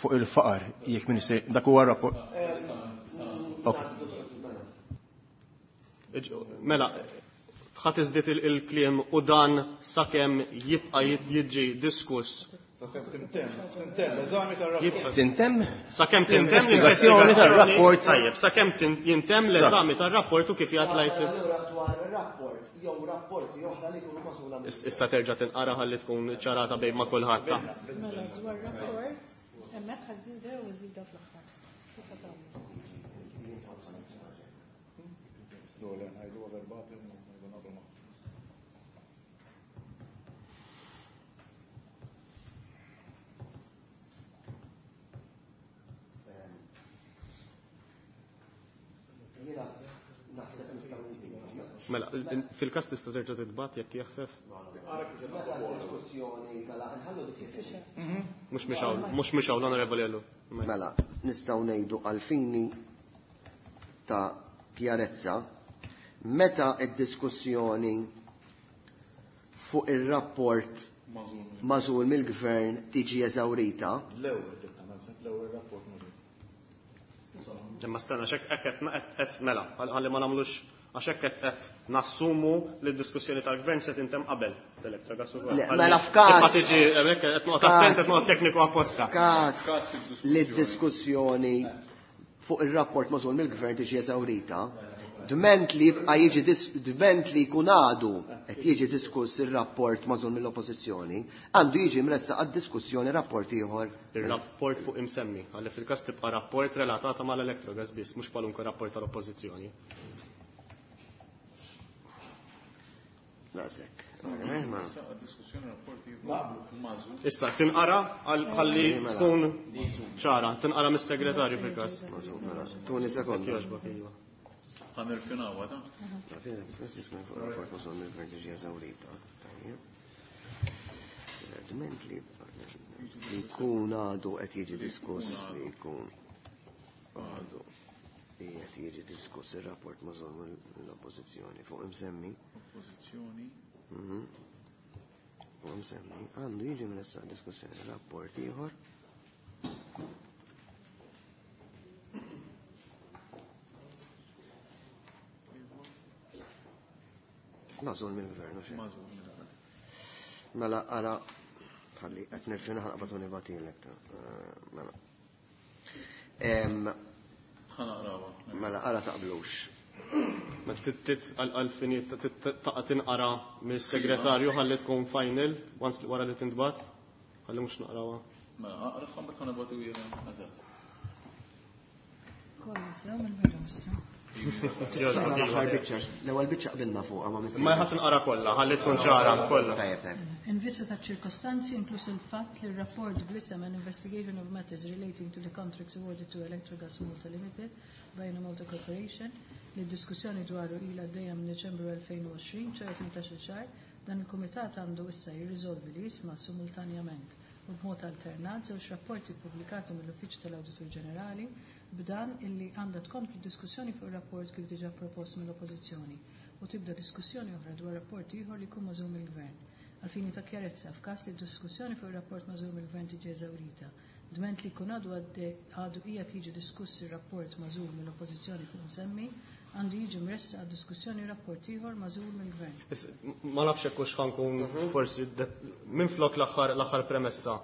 fuq il-faqar jekk minister dak huwa rapport. Mela, ħadd iżdied il-kliem u dan sakemm jibqa' jiġi diskuss. Sakemm tintemm, tintemm l-eżami tar-rapport. Tintemm? Sakemm tintemm l-investigazzjoni tar-rapport. Tajjeb, sakemm jintemm l-eżami tar-rapport u kif jgħid lajt. Dwar ir-rapport jew rapporti oħra li jkunu magħżula. Issa terġa' tinqara ħalli tkun ċarata bejn ma' kulħadd. Mela dwar rapport hemmhekk ħażida u żida fl-aħħar. Mela, fil-każ tista' terġa' titbagħat jekk jaħfef. Mhux mhix hawn, mhux mhix hawn l-Onorevoli Ellul. Mela, nistgħu ngħidu għal fini ta' kjarezza meta d-diskussjoni fuq ir-rapport magħżul mill-Gvern tiġi eżawrita. L-ewwel rapport magħżul. Imma stenna x'hekk qed mela, ħalli ma nagħmlux għax hekk qed nassumu li d-diskussjoni tal-Gvern se tintemm qabel l-Electrogas ukoll. Mela f'każ. Tibqa' tiġi hemmhekk qed noqgħod attent qed noqgħod tekniku apposta. Każ li d-diskussjoni fuq ir-rapport magħżul mill-Gvern tiġi eżawrita, dment li jibqa' jiġi dment li jkun għadu qed jiġi diskuss ir-rapport magħżul mill-Oppożizzjoni, għandu jiġi mressaq għad-diskussjoni rapport ieħor. Ir-rapport fuq imsemmi, għalli fil-każ tibqa' rapport relatata mal-Electrogas biss, mhux kwalunkwe rapport tal-Oppożizzjoni. Daqshekk. Issa, tinqara ħalli tkun ċara, tinqara mis-segretarju fil-każ. Tuni sekonda. Ħa nirfinawha ta'. Dment li jkun għadu qed jiġi diskuss li jkun għadu qed jiġi diskuss ir-rapport mażul mill-oppożizzjoni fuq imsemmi. Oppożizzjoni. Fuq imsemmi għandu jiġi mressaq diskussjoni rapport ieħor. Mażul mill-gvern, u xejn. Mażul mill-gvern. Mela ara ħalli qed nirfina ħanqbad u nibatilek. Mela. Ħa naqrawha. Mela ara taqblux. Ma tittit għal-fini taqa' tinqara mis-segretarju ħalli tkun final once wara li tintbagħat. Ħalli mhux naqrawha. Mela aqra mbagħad ħa nibgħatu jiena eżatt. Kollu sew mill-bidu issa. L-aħħar biċċa, l-ewwel biċċa qbilna fuqha ma Ma ħadd inqara kollha, ħalli tkun ċara kollha. Tajjeb, tajjeb. In vista ta' ċirkostanzi inkluż il-fatt li r-rapport bl-isem an investigation of matters relating to the contracts awarded to Electrogas Malta Limited by Malta Corporation li d-diskussjoni dwaru ilha għaddejja minn Deċembru elfejn u għoxrin, ċoħe tmintax-il xahar, dan il-Kumitat għandu issa jirriżolvi li jisma' simultanjament u b'mod alternat żewġ rapporti ppubblikati mill-Uffiċċju tal-Awditur Ġenerali b'dan illi għandha tkompli diskussjoni fuq ir-rapport kif diġà propost mill-Oppożizzjoni u tibda diskussjoni oħra dwar rapport ieħor li jkun mażum mill-Gvern. Għalfini ta' kjarezza, f'każ li d-diskussjoni fuq ir-rapport mażum mill-Gvern tiġi eżawrita, dment li jkun għadu għadu qiegħed jiġi diskuss ir-rapport mażul mill-Oppożizzjoni fuq msemmi, għandu jiġi mressaq għad diskussjoni rapport ieħor mażul mill-Gvern. Ma nafx hekk hux ħankun forsi minflok l-aħħar l-aħħar premessa,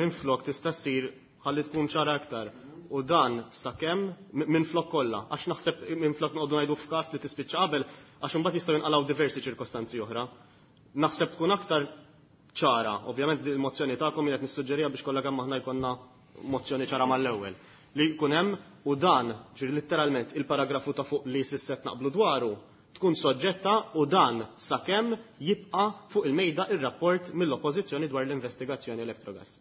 minflok tista' ssir ħalli tkun ċara aktar. U dan sakemm minflok kollha, għax naħseb minflok noqogħdu ngħidu f'każ li tispiċċa qabel, għax imbagħad jistgħu jinqalgħu diversi ċirkostanzi oħra. Naħseb tkun aktar ċara, ovvjament il-mozzjoni tagħkom qed nissuġġerija biex kollha kemm aħna jkollna mozzjoni ċara mal-ewwel. Li jkun hemm u dan, ġifieri letteralment il-paragrafu ta' fuq li s'isset naqblu dwaru, tkun soġġetta u dan sakemm jibqa' fuq il-mejda ir-rapport mill-Oppożizzjoni dwar l-investigazzjoni Electrogas.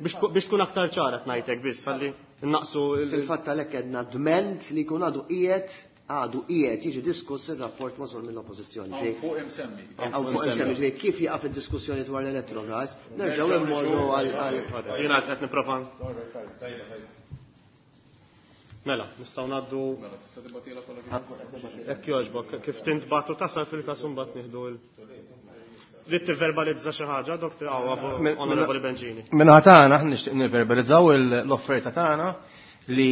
Biex tkun aktar ċara ngħidlek biss ħalli naqsu Fil-fatt għalhekk għedna dment li jkun għadu qiegħed għadu qiegħed jiġi diskuss ir-rapport mażul mill-Oppożizzjoni. Hawn fuq imsemmi. Hawn fuq imsemmi, ġifieri kif jaqaf id-diskussjoni dwar l-Electrogas, nerġgħu immorru għal Jiena qed nipprova. Mela, nistgħu ngħaddu. Mela, tista' tibgħatilha kollha kif. Hekk jogħġbok, kif tintbagħtu tasal fil-każ imbagħad nieħdu l Li tivverbalizza xi ħaġa, Doktor Onorevoli Bencini. Minna tagħna aħna nixtieq nivverbalizzaw l-offerta tagħna li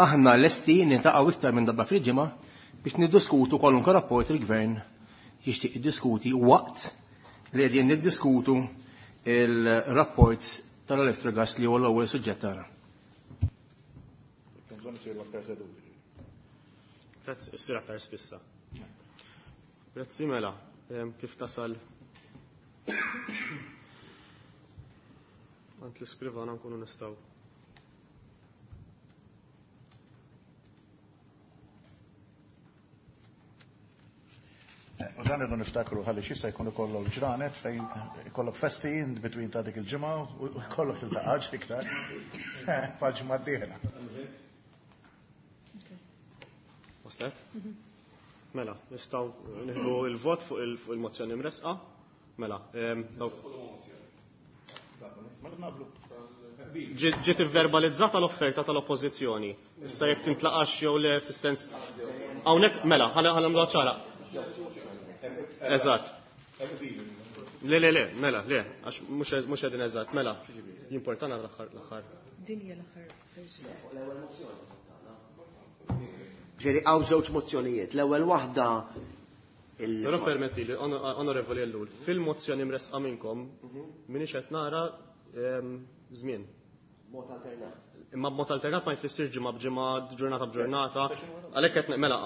aħna lesti niltaqgħu iktar minn darba fil-ġimgħa biex niddiskutu kwalunkwe rapport il-Gvern jixtieq jiddiskuti waqt li qegħdin niddiskutu il-rapport tal-Electrogas li huwa l-ewwel suġġett tagħna. Grazzi, issir aktar spissa. Grazzi mela, kif tasal Għand l-iskrivana nkunu nistgħu. U dan irridu niftakru ħalli x'issa jkun ikollok ġranet fejn ikollok festi in between ta' dik il-ġimgħa u jkollok tiltaqax iktar. Bħal-ġimgħa d-dieħla. Waslet? Mela, nistgħu nieħdu l-vot fuq il-mozzjoni mresqa. Mela, dawk. Ġiet ivverbalizzata l-offerta tal-Oppożizzjoni. Issa jekk tintlaqax jew le fis-sens hawnhekk mela, ħa nagħmluha ċara. Eżatt. Le, le, le, mela, le, għax mhux qegħdin eżatt, mela. Jimportana l-aħħar l-aħħar. Din hija l-aħħar verżjoni. Ġifieri hawn żewġ mozzjonijiet. L-ewwel waħda il- Però permetti li, Onorevoli Ellul, fil-mozzjoni mresqa minnkom minix qed nara żmien. Mod alternat. Imma b'mod alternat ma jfissirx ġimgħa b'ġimgħa, ġurnata b'ġurnata. Għalhekk qed mela,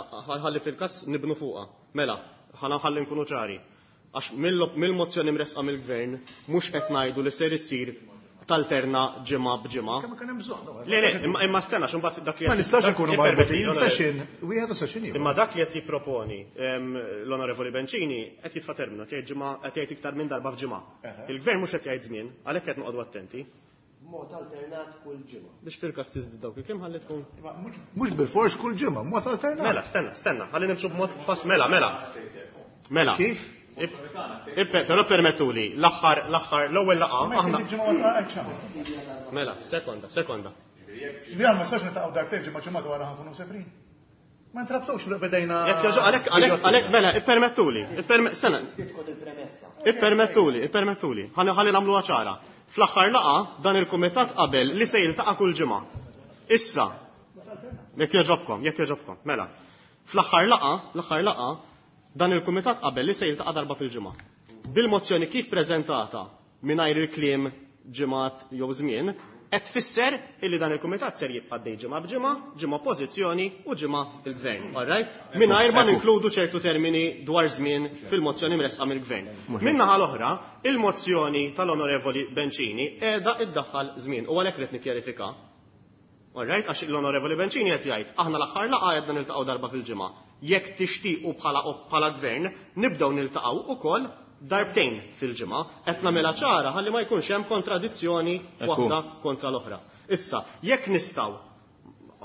ħalli fil-każ nibnu fuqha. Mela, ħalli ħalli nkunu ċari. Għax mill-mozzjoni mresqa mill-Gvern mhux qed ngħidu li ser isir Talterna ġimgħa b'ġimgħa. Kemm kien hemm bżonn. Le, le, imma stenna x'imbagħad dak li Ma nistax inkunu marbutin session wieħed u session ieħor. Imma dak li qed jipproponi l-Onorevoli Bencini qed jitfa' terminu, qed jgħid ġimgħa qed jgħid iktar minn darba f'ġimgħa. Il-gvern mhux qed jgħid żmien, għalhekk qed noqogħdu attenti. Mod alternat kull ġimgħa. Biex fil-każ tiżdied dawk il-kliem ħalli tkun. Mhux bilfors kull ġimgħa, mod alternat. Mela, stenna, stenna, ħalli nimxu b'mod pass mela, mela. Mela. Kif? Però permettuli, l-aħħar, l-aħħar, l-ewwel laqgħa aħna. Mela, sekonda, sekonda. Ġifieri ma nistax niltaqgħu darbtejn ġimgħa ġimgħa wara ħankunu sefrin. Ma ntrabtux li bdejna. Jekk jogħġob għalhekk għalhekk għalhekk mela, ippermettuli, sena. Ippermettuli, ippermettuli. Ħalli ħalli nagħmluha ċara. Fl-aħħar laqgħa dan il-kumitat qabel li se jiltaqa' kull ġimgħa. Issa, jekk jogħġobkom, jekk jogħġobkom, mela. Fl-aħħar laqgħa, l-aħħar laqgħa dan il-kumitat qabel li se jiltaqa' darba fil-ġimgħa. Bil-mozzjoni kif preżentata mingħajr il-kliem ġimgħat jew żmien, qed tfisser illi dan il-kumitat ser jibqa' dej ġimgħa b'ġimgħa, ġimgħa oppożizzjoni u ġimgħa il-gvern. All right? Mingħajr ma ninkludu ċertu termini dwar żmien fil-mozzjoni mresqa mill-gvern. Min-naħa l-oħra, il-mozzjoni tal-Onorevoli Bencini qiegħda iddaħħal żmien u għalhekk rid nikkjarifika. All right, għax l-Onorevoli Bencini qed jgħid aħna l-aħħar laqgħa qegħdna niltaqgħu darba fil-ġimgħa. Jekk tixtiequ bħala bħala gvern, nibdew niltaqgħu ukoll darbtejn fil-ġimgħa, qed nagħmilha ċara ħalli ma jkunx hemm kontradizzjoni waħda kontra l-oħra. Issa, jekk nistgħu,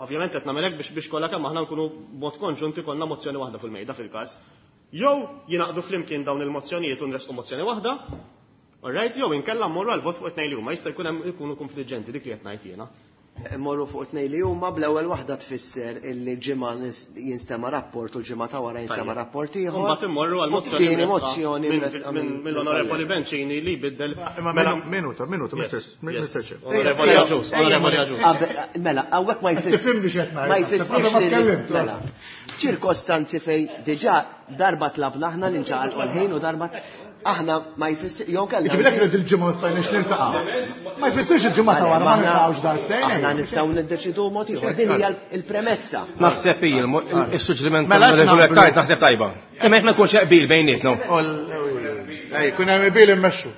ovvjament qed nagħmel hekk biex biex kollha kemm aħna nkunu mod konġunt ikollna mozzjoni waħda fil-mejda fil-każ. Jew jingħaqdu flimkien dawn il-mozzjonijiet u nresqu mozzjoni waħda, all right, jew inkella mmorru għal vot fuq it-tnejn li huma, jista' jkun hemm ikunu konfliġġenti dik li qed ngħid jiena. Morru fuq tnejn li huma bl-ewwel waħda tfisser illi ġimgħa jinstema' rapport u l-ġimgħa ta' wara jinstema' rapport ieħor. Imbagħad immorru għal mozzjoni mill-Onorevoli Bencini li jbiddel. Mela minuta, minuta, Mister Chair. Onorevoli Agius, Onorevoli Agius. Mela, hawnhekk ma jfissirx. Ma jfissirx. Mela. Ċirkostanzi fejn diġà darba tlabna aħna li nċaqalqu l-ħin u darba aħna ma jfissir jew kellna. Ġifieri jekk il-ġimgħa stajniex niltaqgħu. Ma jfissirx il-ġimgħa ta' wara ma niltaqgħux darbtejn. Aħna nistgħu niddeċidu mod ieħor. Din hija l-premessa. Naħseb hi is-suġġeriment tal-Onorevoli Attard naħseb tajba. Imma jekk ma jkunx qbil bejnietna. Ej, kun hemm qbil immexxu.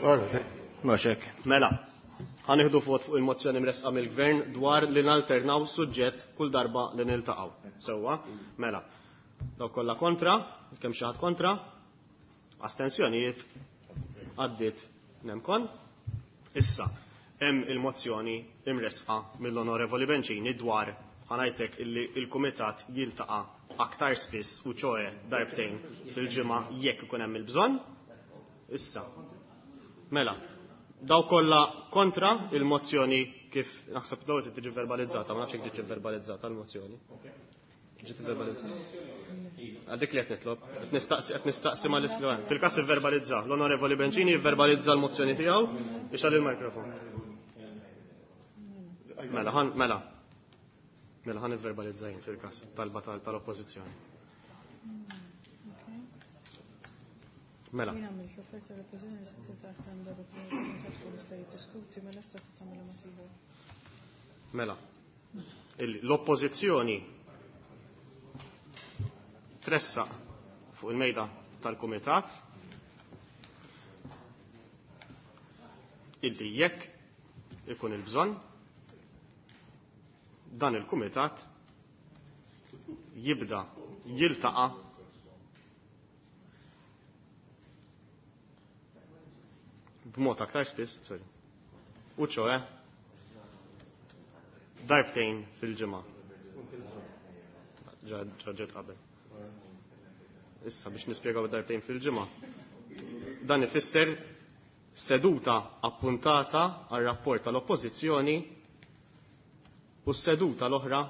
Mhux hekk. Mela, ħanieħdu vot fuq il-mozzjoni mresqa mill-gvern dwar li nalternaw suġġett kull darba li niltaqgħu. Sewwa, mela. Dawk kollha kontra, kemm xi ħadd kontra? Astensjonijiet għaddiet nemkon. Issa, hemm il-mozzjoni imresqa mill-Onorevoli Bencini dwar ħanajtek illi il-Kumitat jiltaqa' aktar spiss u ċoe darbtejn fil-ġimgħa jekk ikun hemm il-bżonn. Issa, mela, daw kollha kontra il-mozzjoni kif naħseb daw qed tiġi verbalizzata, ma nafx jekk tiġi verbalizzata l-mozzjoni. Ġiet verbalizzata. Għadik li qed nitlob, qed nistaqsi qed nistaqsi mal-iskrivan. Fil-każ ivverbalizza, l-Onorevoli Bencini jivverbalizza l-mozzjoni tiegħu ixgħal il-mikrofon. Mela, ħan mela. Mela ħan ivverbalizza jien fil-każ talba tal-oppożizzjoni. Mela. Jien għamilt l-offerta l-oppożizzjoni li se tiltaqa' aktar minn darba fil-ġimgħa tkun jista' jiddiskuti mela issa tagħmilha mod ieħor. Mela. L-oppożizzjoni tressaq fuq il-mejda tal-kumitat illi jekk ikun il-bżonn dan il-kumitat jibda jiltaqa' b'mod aktar spiss, sorry, u ċoe darbtejn fil-ġimgħa. Ġa ġiet qabel. Issa biex nispjegaw darbtejn fil-ġimgħa. Dan ifisser seduta appuntata għal rapport tal-Oppożizzjoni u seduta l-oħra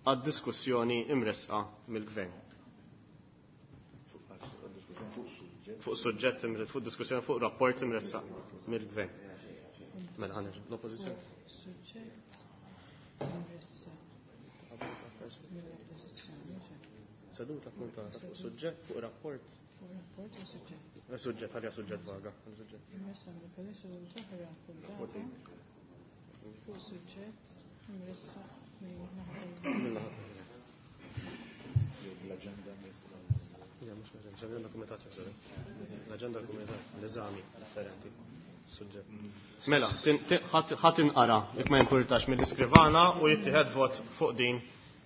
għad diskussjoni imresqa mill-gvern. Fuq suġġett fuq diskussjoni fuq rapport imressaq mill-gvern. Mela ħanerġa' l-Oppożizzjoni. Suġġett imressaq mill-Oppożizzjoni. Seduta appuntata fuq suġġett fuq rapport. Fuq rapport u suġġett. Suġġett, ħalja suġġett vaga. Imressaq mill-Oppożizzjoni oħra appuntata fuq suġġett imressaq mill-naħa. L-aġenda Ja, mhux l-aġenda, l-aġenda kumitat jaħseb. L-aġenda l-kumitat, l-eżami differenti. Mela, ħa tinqara jekk ma jimpurtax mill-iskrivana u jittieħed vot fuq din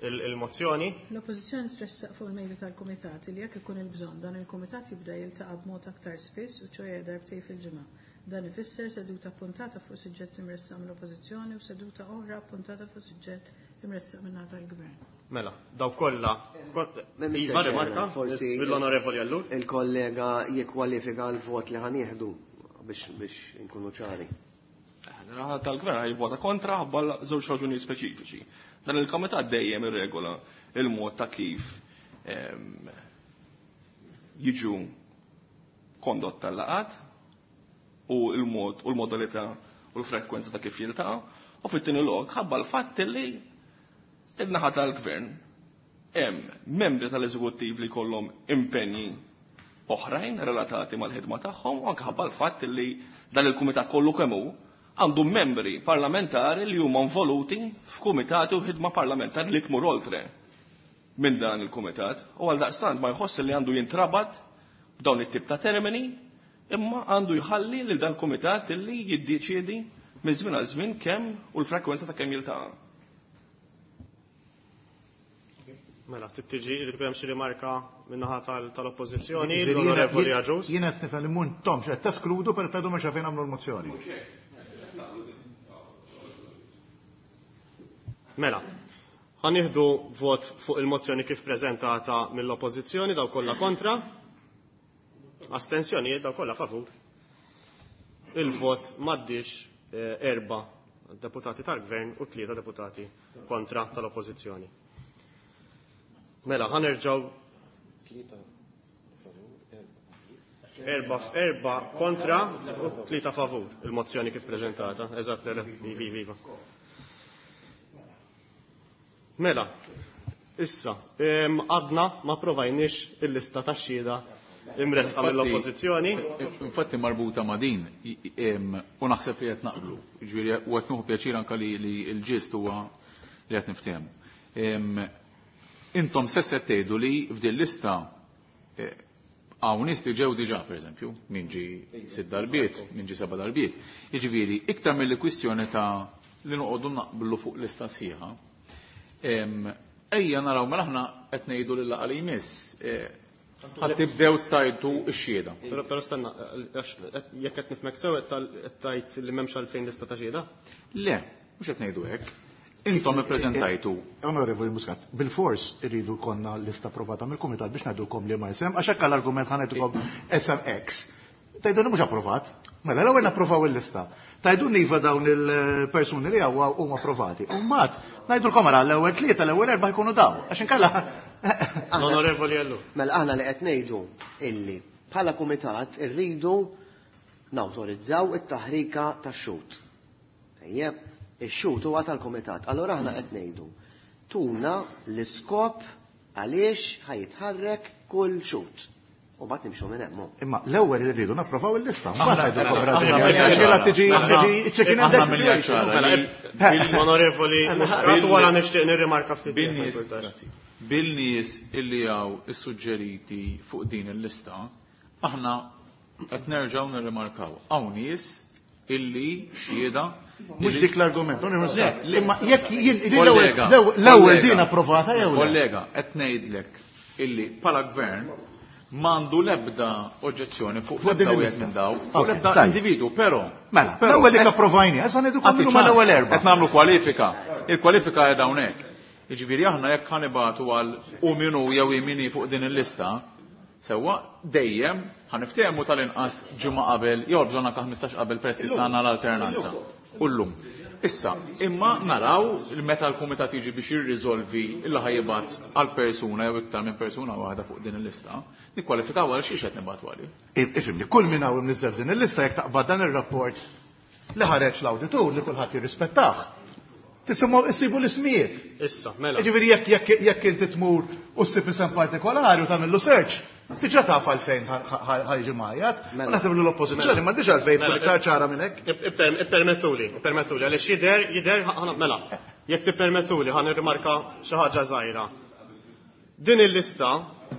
il-mozzjoni. L-Oppożizzjoni tressaq fuq il-mejda tal-Kumitat li jekk ikun il-bżonn dan il-Kumitat jibda jiltaqa' b'mod aktar spiss u ċoħe darbtejn fil-ġimgħa. Dan ifisser seduta appuntata fuq suġġett imressaq mill-Oppożizzjoni u seduta oħra appuntata fuq suġġett imressaq min-naħa tal-Gvern. Mela, daw kollha. Iva, rimarka, Forsi mill-Onorevoli Ellul. Il-kollega jikkwalifika l-vot li ħanieħdu biex biex inkunu ċari. Naħa tal-gvern ħajvota kontra ħabba żewġ raġunijiet speċifiċi. Dan il-komitat dejjem irregola il-mod ta' kif ehm, jiġu kondotta l-laqat u l-mod u l-modalità u l-frekwenza ta' kif jiltaqa' u fit-tieni lok ħabba l-fatt li il-naħa tal-gvern hemm membri tal-eżekuttiv li jkollhom impenji oħrajn relatati mal-ħidma tagħhom u anke ħabba l-fatt li dan il-kumitat kollu kemm hu għandu membri parlamentari li huma involuti f'kumitati u ħidma parlamentari li tmur oltre minn dan il-kumitat u għal daqstant ma jħoss li għandu jintrabat b'dawn it-tip ta' termini imma għandu jħalli lil dan il-kumitat li jiddeċiedi minn żmien għal żmien kemm u l-frekwenza ta' kemm jiltaqa'. Mela, tiġi irid ikun hemm xi rimarka min-naħa tal-Oppożizzjoni, l-Onorevoli Agius. Jiena qed nifhem li m'intomx qed teskludu per tgħidu mhux fejn nagħmlu l-mozzjoni. Mela, ħa nieħdu vot fuq il-mozzjoni kif preżentata mill-Oppożizzjoni, daw kollha kontra. Astensjonijiet daw kollha favur. Il-vot m'għaddix erba' deputati tal-Gvern u tlieta deputati kontra tal-Oppożizzjoni. Mela, ħa nerġgħu erba' erba' kontra u tlieta favur il-mozzjoni kif preżentata. Eżatt, viva, viva. Mela, issa, għadna ma provajniex il-lista tax-xhieda imresqa mill-Oppożizzjoni. Infatti marbuta ma' din, u naħseb li qed naqblu, jiġifieri u qed nieħu pjaċir anke li l-ġist huwa li qed niftehmu. Intom stess qed tgħidu li f'din lista hawn nies li ġew diġà pereżempju, min ġi sitt darbiet, min ġi seba' darbiet. Jiġifieri iktar mill kwistjoni ta' li noqogħdu naqblu fuq lista sħiħa. Ejja naraw mela aħna qed ngħidu lil laqgħa li jmiss ħadd tibdew tajtu x-xhieda. Però stenna, jekk qed nifhmek sew qed tgħid li m'hemmx għalfejn lista ta' xhieda? Le, mhux qed ngħidu hekk. Intom ippreżentajtu. Onorevoli Muscat, bil-fors irridu konna lista approvata mill-Kumitat biex ngħidulkom li ma isem, għax hekk l-argument ħa ngħidulkom S M X. Tgħidulni mhux approvat. Mela l-ewwel napprovaw il-lista. Tgħidulni iva dawn il-persuni li hawn huma approvati. U mbagħad ngħidulkom ara l-ewwel tlieta, l-ewwel erba' jkunu daw. Għax inkella Onorevoli Ellul. Mela aħna li qed ngħidu illi bħala kumitat irridu nawtorizzaw it-taħrika tax-xhud. Ejjeb, ix-xhud huwa tal-kumitat. Allura aħna qed ngħidu tuna l-iskop għaliex ħajitħarrek kull xhud. U mbagħad nimxu minn hemm. Imma l-ewwel irridu napprovaw il-lista. Aħna Onorevoli Muscat, wara nixtieq nirrimarka ftit. Bil-nies illi hawn issuġġeriti fuq din il-lista, aħna qed nerġgħu nirrimarkaw. Hawn nies illi xhieda Mhux dik l-argument, imma jekk l-ewwel din approvata jew le. Kollega, qed ngħidlek illi bħala gvern m'għandu l-ebda oġġezzjoni fuq l-ebda wieħed minn daw, fuq l-ebda individu, però. Mela, l-ewwel dik approvajni, issa ngħidukom huma l-ewwel erba'. Qed nagħmlu kwalifika. Il-kwalifika qiegħda hawnhekk. Jiġifieri aħna jekk ħanibatu għal u min hu jew min hi fuq din il-lista, sewwa dejjem ħaniftehmu tal-inqas ġimgħa qabel jew bżonn anke ħmistax qabel peress li għandna l-alternanza. U llum. Issa, imma naraw meta l-kumitat jiġi biex jirriżolvi illa ħajibgħat għal persuna jew iktar minn persuna waħda fuq din il-lista, nikkwalifikaw għal xiex qed nibgħatu għalih. Ifhimni, kull min hawn imniżżel f'din il-lista jekk taqbad dan ir-rapport li ħareġ l-awditur li kulħadd jirrispettah. Tisimgħu issibu l-ismijiet. Issa, mela. Jiġifieri jekk jekk jekk inti tmur u ssib isem partikolari u tagħmillu search, diġà taf għalfejn ħajġi majjat. Ma naħseb li l-oppożizzjoni ma diġà għalfejn tkun iktar ċara minn hekk. Ippermettuli, ippermettuli, għaliex jidher, jidher, mela, jekk tippermettuli ħa nirrimarka xi ħaġa żgħira. Din il-lista,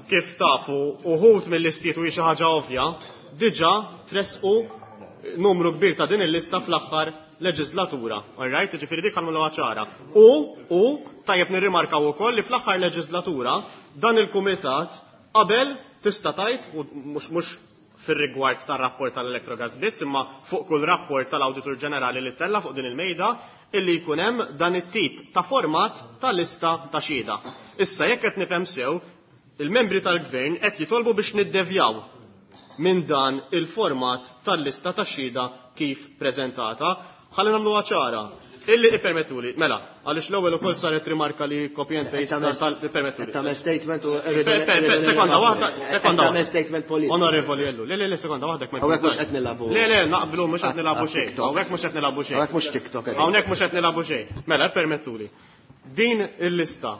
kif tafu, uħud mill-listiet u hi xi ħaġa ovvja, diġà tresqu numru kbir ta' din il-lista fl-aħħar leġislatura. All right, ġifieri dik ħanmlu ċara. U u tajjeb nirrimarkaw ukoll li fl-aħħar leġislatura dan il-kumitat qabel tista' tgħid u mhux mhux fir-rigward tar-rapport tal-Electrogas biss, imma fuq kull rapport tal-Awditur Ġenerali li tella fuq din il-mejda illi jkun hemm dan it-tip ta' format ta' lista ta' xhieda. Issa jekk qed nifhem sew, il-membri tal-gvern qed jitolbu biex niddevjaw minn dan il-format tal-lista ta' xhieda kif preżentata. Ħalli nagħmluha ċara. Illi ippermettuli, mela, għaliex l-ewwel ukoll saret rimarka li copy and paste tal ippermettuli. Tagħmel statement u Sekonda waħda, sekonda Tagħmel statement politiku. Onorevoli Ellu, le le le sekonda waħda kemm. Hawnhekk mhux qed nilagħbu. Le le naqblu mhux qed nilagħbu xejn. Hawnhekk mhux qed nilagħbu xejn. Hawnhekk mhux TikTok. Hawnhekk mhux qed nilagħbu xejn. Mela, ippermettuli. Din il-lista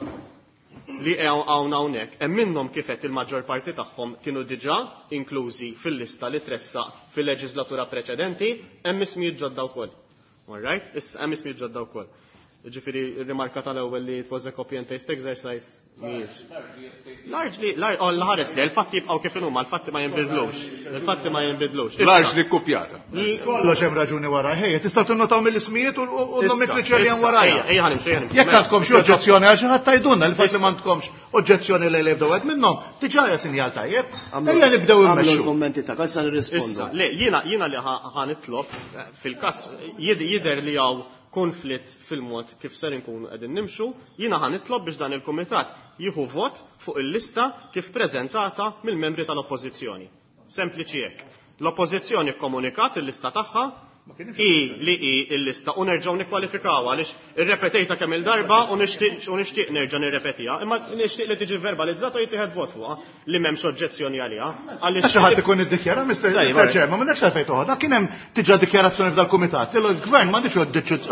li hawn hawnhekk hemm minnhom kif qed il-maġġor parti tagħhom kienu diġà inklużi fil-lista li tressaq fil-leġislatura preċedenti, hemm ismijiet ġodda wkoll. All right? Issa hemm ismijiet ġodda wkoll. Ġifieri r-rimarka tal-ewwel li it was a copy and paste exercise mhijiex. Largely, oh, l-ħares li, il-fatti jibqgħu kif inhuma, l-fatti ma jinbidlux. Il-fatti ma jinbidlux. Largely kopjata. Kollox hemm raġuni wara. Ejja, tista' tinnotaw mill-ismijiet u n-nomenkliċi li hemm warajha. Ejja ħanimxu, ejja ħanimxu. Jekk għandkom xi oġġezzjoni għal xi ħadd tgħidulna li fatt li m'għandkomx oġġezzjoni li jibdew wieħed minnhom, diġà hija sinjal tajjeb. Ejja nibdew Għamlu immexxu. l-kummenti ta' issa nirrispondu. Issa, le, jiena jiena li ħa nitlob fil-każ jidher li hawn konflitt fil-mod kif ser inkunu qegħdin nimxu, jiena ħa nitlob biex dan il-kumitat jieħu vot fuq il-lista kif preżentata mill-membri tal-Oppożizzjoni. Sempliċi hekk. L-Oppożizzjoni kkomunikat il-lista tagħha i li i il-lista u nerġgħu nikkwalifikaw għaliex irrepetejta kemm il-darba u nixtieq u nixtieq nerġa' nirrepetiha, imma nixtieq li tiġi verbalizzata u jittieħed vot fuqha li m'hemmx oġġezzjoni għaliha. Għaliex xi ħadd ikun iddikjara Mister Chairman, m'għandekx għalfejn toħodha, kien hemm diġà dikjarazzjoni f'dal-kumitat. Il-gvern m'għandix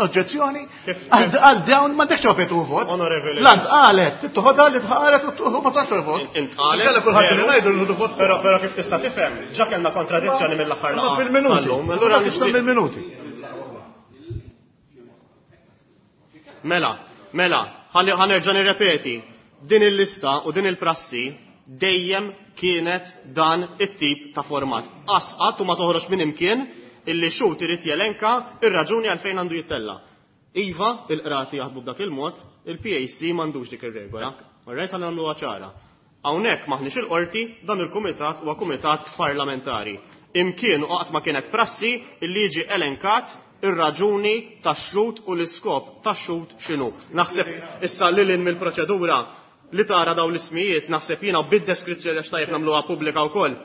oġġezzjoni għal dawn m'għandekx għalfejn tuħu vot. Onorevoli. Lant qalet, toħodha li tħaret u ma tax vot. Intqalet. Inkella kulħadd li ngħidu nħudu vot. Però però kif tista' tifhem, ġa kellna kontradizzjoni mill-aħħar laqgħa. Fil-minuti. Allura nixtieq mill-minuti. Mela, mela, ħa nerġa' nirrepeti. Din il-lista u din il-prassi dejjem kienet dan it-tip ta' format. Asqat u ma toħroġ minn imkien illi xhud irid jelenka ir-raġuni għalfejn għandu jittella. Iva, il-qrati jaħdmu b'dak il-mod, il-P A C m'għandux dik ir-regola. Orrejt ħa nagħmluha ċara. Hawnhekk maħniex il-qorti, dan il-kumitat huwa kumitat parlamentari. Imkien u qatt ma kienet prassi illi jiġi elenkat ir-raġuni tax-xhud u l-iskop tax-xhud x'inhu. Naħseb issa lil hinn mill-proċedura li tara dawn l-ismijiet, naħseb jiena bid-deskrizzjoni għax tajjeb nagħmluha pubblika wkoll.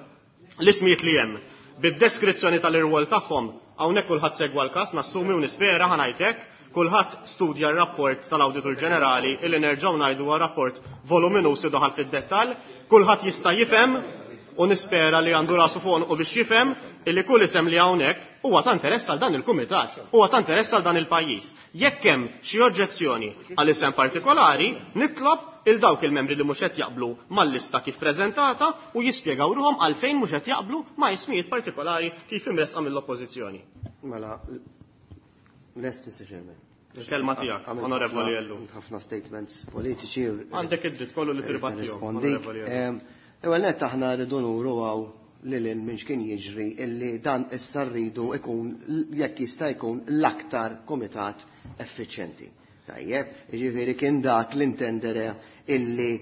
L-ismijiet li hemm bid-deskrizzjoni tal-irwol tagħhom, hawnhekk kulħadd segwa l-każ, nassumi u nispera ħa ngħidlek, kulħadd studja r-rapport tal-Awditur Ġenerali illi nerġgħu ngħidu huwa rapport voluminuż daħal fid-dettall, kulħadd jista' jifhem u nispera li għandu rasu fuq u biex jifhem illi kull isem li hawnhekk huwa ta' interess għal dan il-kumitat, huwa ta' interess għal dan il-pajjiż. Jekk hemm xi oġġezzjoni għal isem partikolari, nitlob il dawk il-membri li mhux qed jaqblu mal-lista kif preżentata u jispjegaw ruhom għalfejn mhux qed jaqblu ma' ismijiet partikolari kif imresqa mill-oppożizzjoni. Mela, lest Mister Chairman. Il-kelma tiegħek, Għamilt Onorevoli ħafna- Ellu. ħafna statements politiċi. Għandek id-dritt kollu li tirbattihom, Nirrispondik. Onorevoli Ellu. Ewwel nett aħna rridu nuru għaw lil hinn minn x'kien jiġri illi dan issa rridu ikun jekk jista' jkun l-aktar kumitat effiċjenti. Tajjeb, jiġifieri kien dak l-intendere illi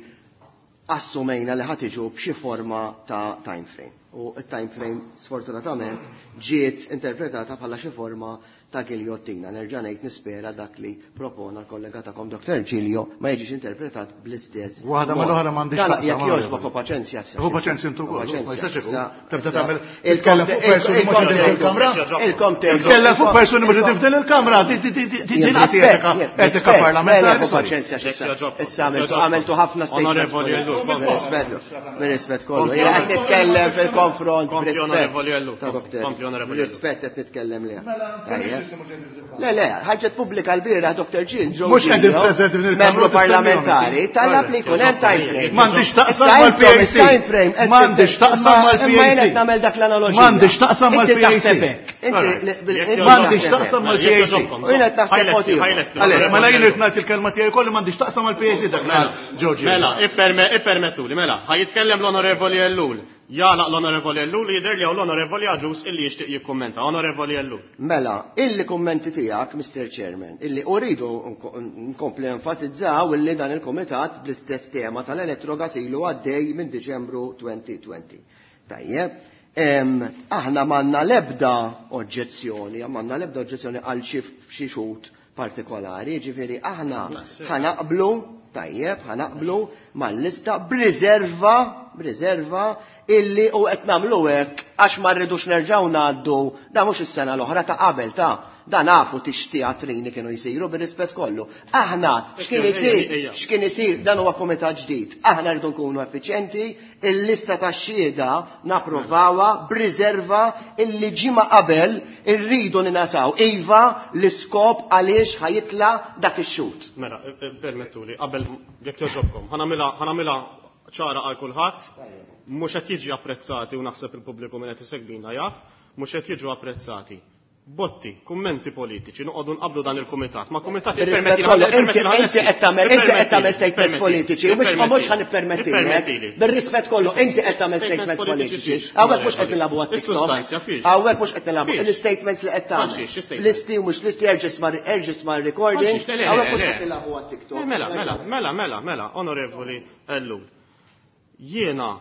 assumejna li ħad iġu b'xi forma ta' time frame. U t-time frame sfortunatament ġiet interpretata bħala xi forma ta' giljottina. Nerġa' ngħid nispera dak li propona l-kollega tagħkom Doktor Giglio ma jiġix interpretat bl-istess Waħda mod. mal-oħra m'għandix Dan taqsam, jekk ma jogħġbok u paċenzja issa. Hu paċenzja intu wkoll, Paċenzja. ma jistax ikun. Issa, Tibda issa, tagħmel il-kom titkellem fuq persuni mhux il-kom qegħdin fil-kamra. Il-kom tgħidu. Titkellem fuq persuni mhux qegħdin f'din il-kamra. Di- di- di- di- Din Jien qed etika rispett, etika rispett, parlamentari. mela, paċenzja x'issa. Jekk jogħġobkom. Issa għamiltu għamiltu ħafna statements. Onorevoli Ellu, Bir-rispett, bir-rispett kollu. Kompli, Jiena qed nitkellem fil-konfront Kompli, b'rispett. Onorevoli Ellu. Ta' Doktor. Kompli, Onorevoli Ellu. Rispett qed nitkellem liha. Le, le, ħarġet pubblika l-bieraħ Doktor Gill, Joe Mhux qegħdin Giglio, preżenti f'din il-kamra membru u tistennihom. parlamentari, talab li jkun hemm time frame. M'għandix taqsam Issa mal-P A C. intom is-time frame qed M'għandix taqsam imma- mal-P A C. Imma jien qed nagħmel dak l-analoġija. M'għandix taqsam Inti mal-P A C. taħseb hekk. Inti li- bil- inti M'għandix taħseb taqsam hekk. mal-P A C. U jien qed naħseb mod ieħor. Għalek, mela jien irid ngħid il-kelma tiegħi kolli m'għandix taqsam mal-P A C dak Mela, Joe Giglio. mela, ipperme-, ippermettuli, mela, ħa jitkellem l-Onorevoli Ellul. Jagħlaq l-Onorevoli Ellul li jidher li hawn l-Onorevoli Agius illi jixtieq jikkummenta. Onorevoli Ellul. Mela, illi kummenti tiegħek, Mister Chairman, illi uridu nkompli enfasizzaw illi dan il-kumitat bl-istess tema tal-Electrogas ilu għaddej minn Diċembru elfejn u għoxrin. Tajjeb, aħna m'għandna l-ebda oġġezzjoni, m'għandna l-ebda oġġezzjoni għal xi xhud partikolari, ġifieri aħna ħanaqblu, tajjeb, ħanaqblu mal-lista b'riserva, b'riserva illi u qed nagħmlu hekk għax ma rridux nerġgħu ngħaddu, da mhux is-sena l-oħra ta' qabel ta' da nafu tixtiatrini kienu jsiru bir-rispett kollu. Aħna x'kien isir, x'kien isir dan huwa kumitat ġdid. Aħna rridu nkunu effiċjenti, il-lista tax-xhieda napprovawha b'riserva illi ġimgħa qabel irridu ningħataw iva l-iskop għaliex ħajitla dak ix-xhud. Mela, permettuli, qabel jekk jogħġobkom, ħanamilha ċara għal kulħadd, mhux qed jiġi apprezzati u naħseb il-pubbliku minn qed isegwina jaf, mhux qed jiġu apprezzati. Botti, kummenti politiċi, noqogħdu nqablu dan il-kumitat. Ma kumitat ippermetti inti qed tagħmel inti qed tagħmel statements politiċi, u mhux mhux ħanippermettilek. Bir-rispett kollu inti qed tagħmel statements politiċi. Hawnhekk mhux qed nilagħbu għat-TikTok. Hawnhekk mhux qed nilagħbu l-istatements li qed tagħmel. Listi u mhux listi erġa' sma' recording. Hawnhekk mhux qed nilagħbu għat-TikTok. Mela, mela, mela, mela, mela, Onorevoli Ellul. Jiena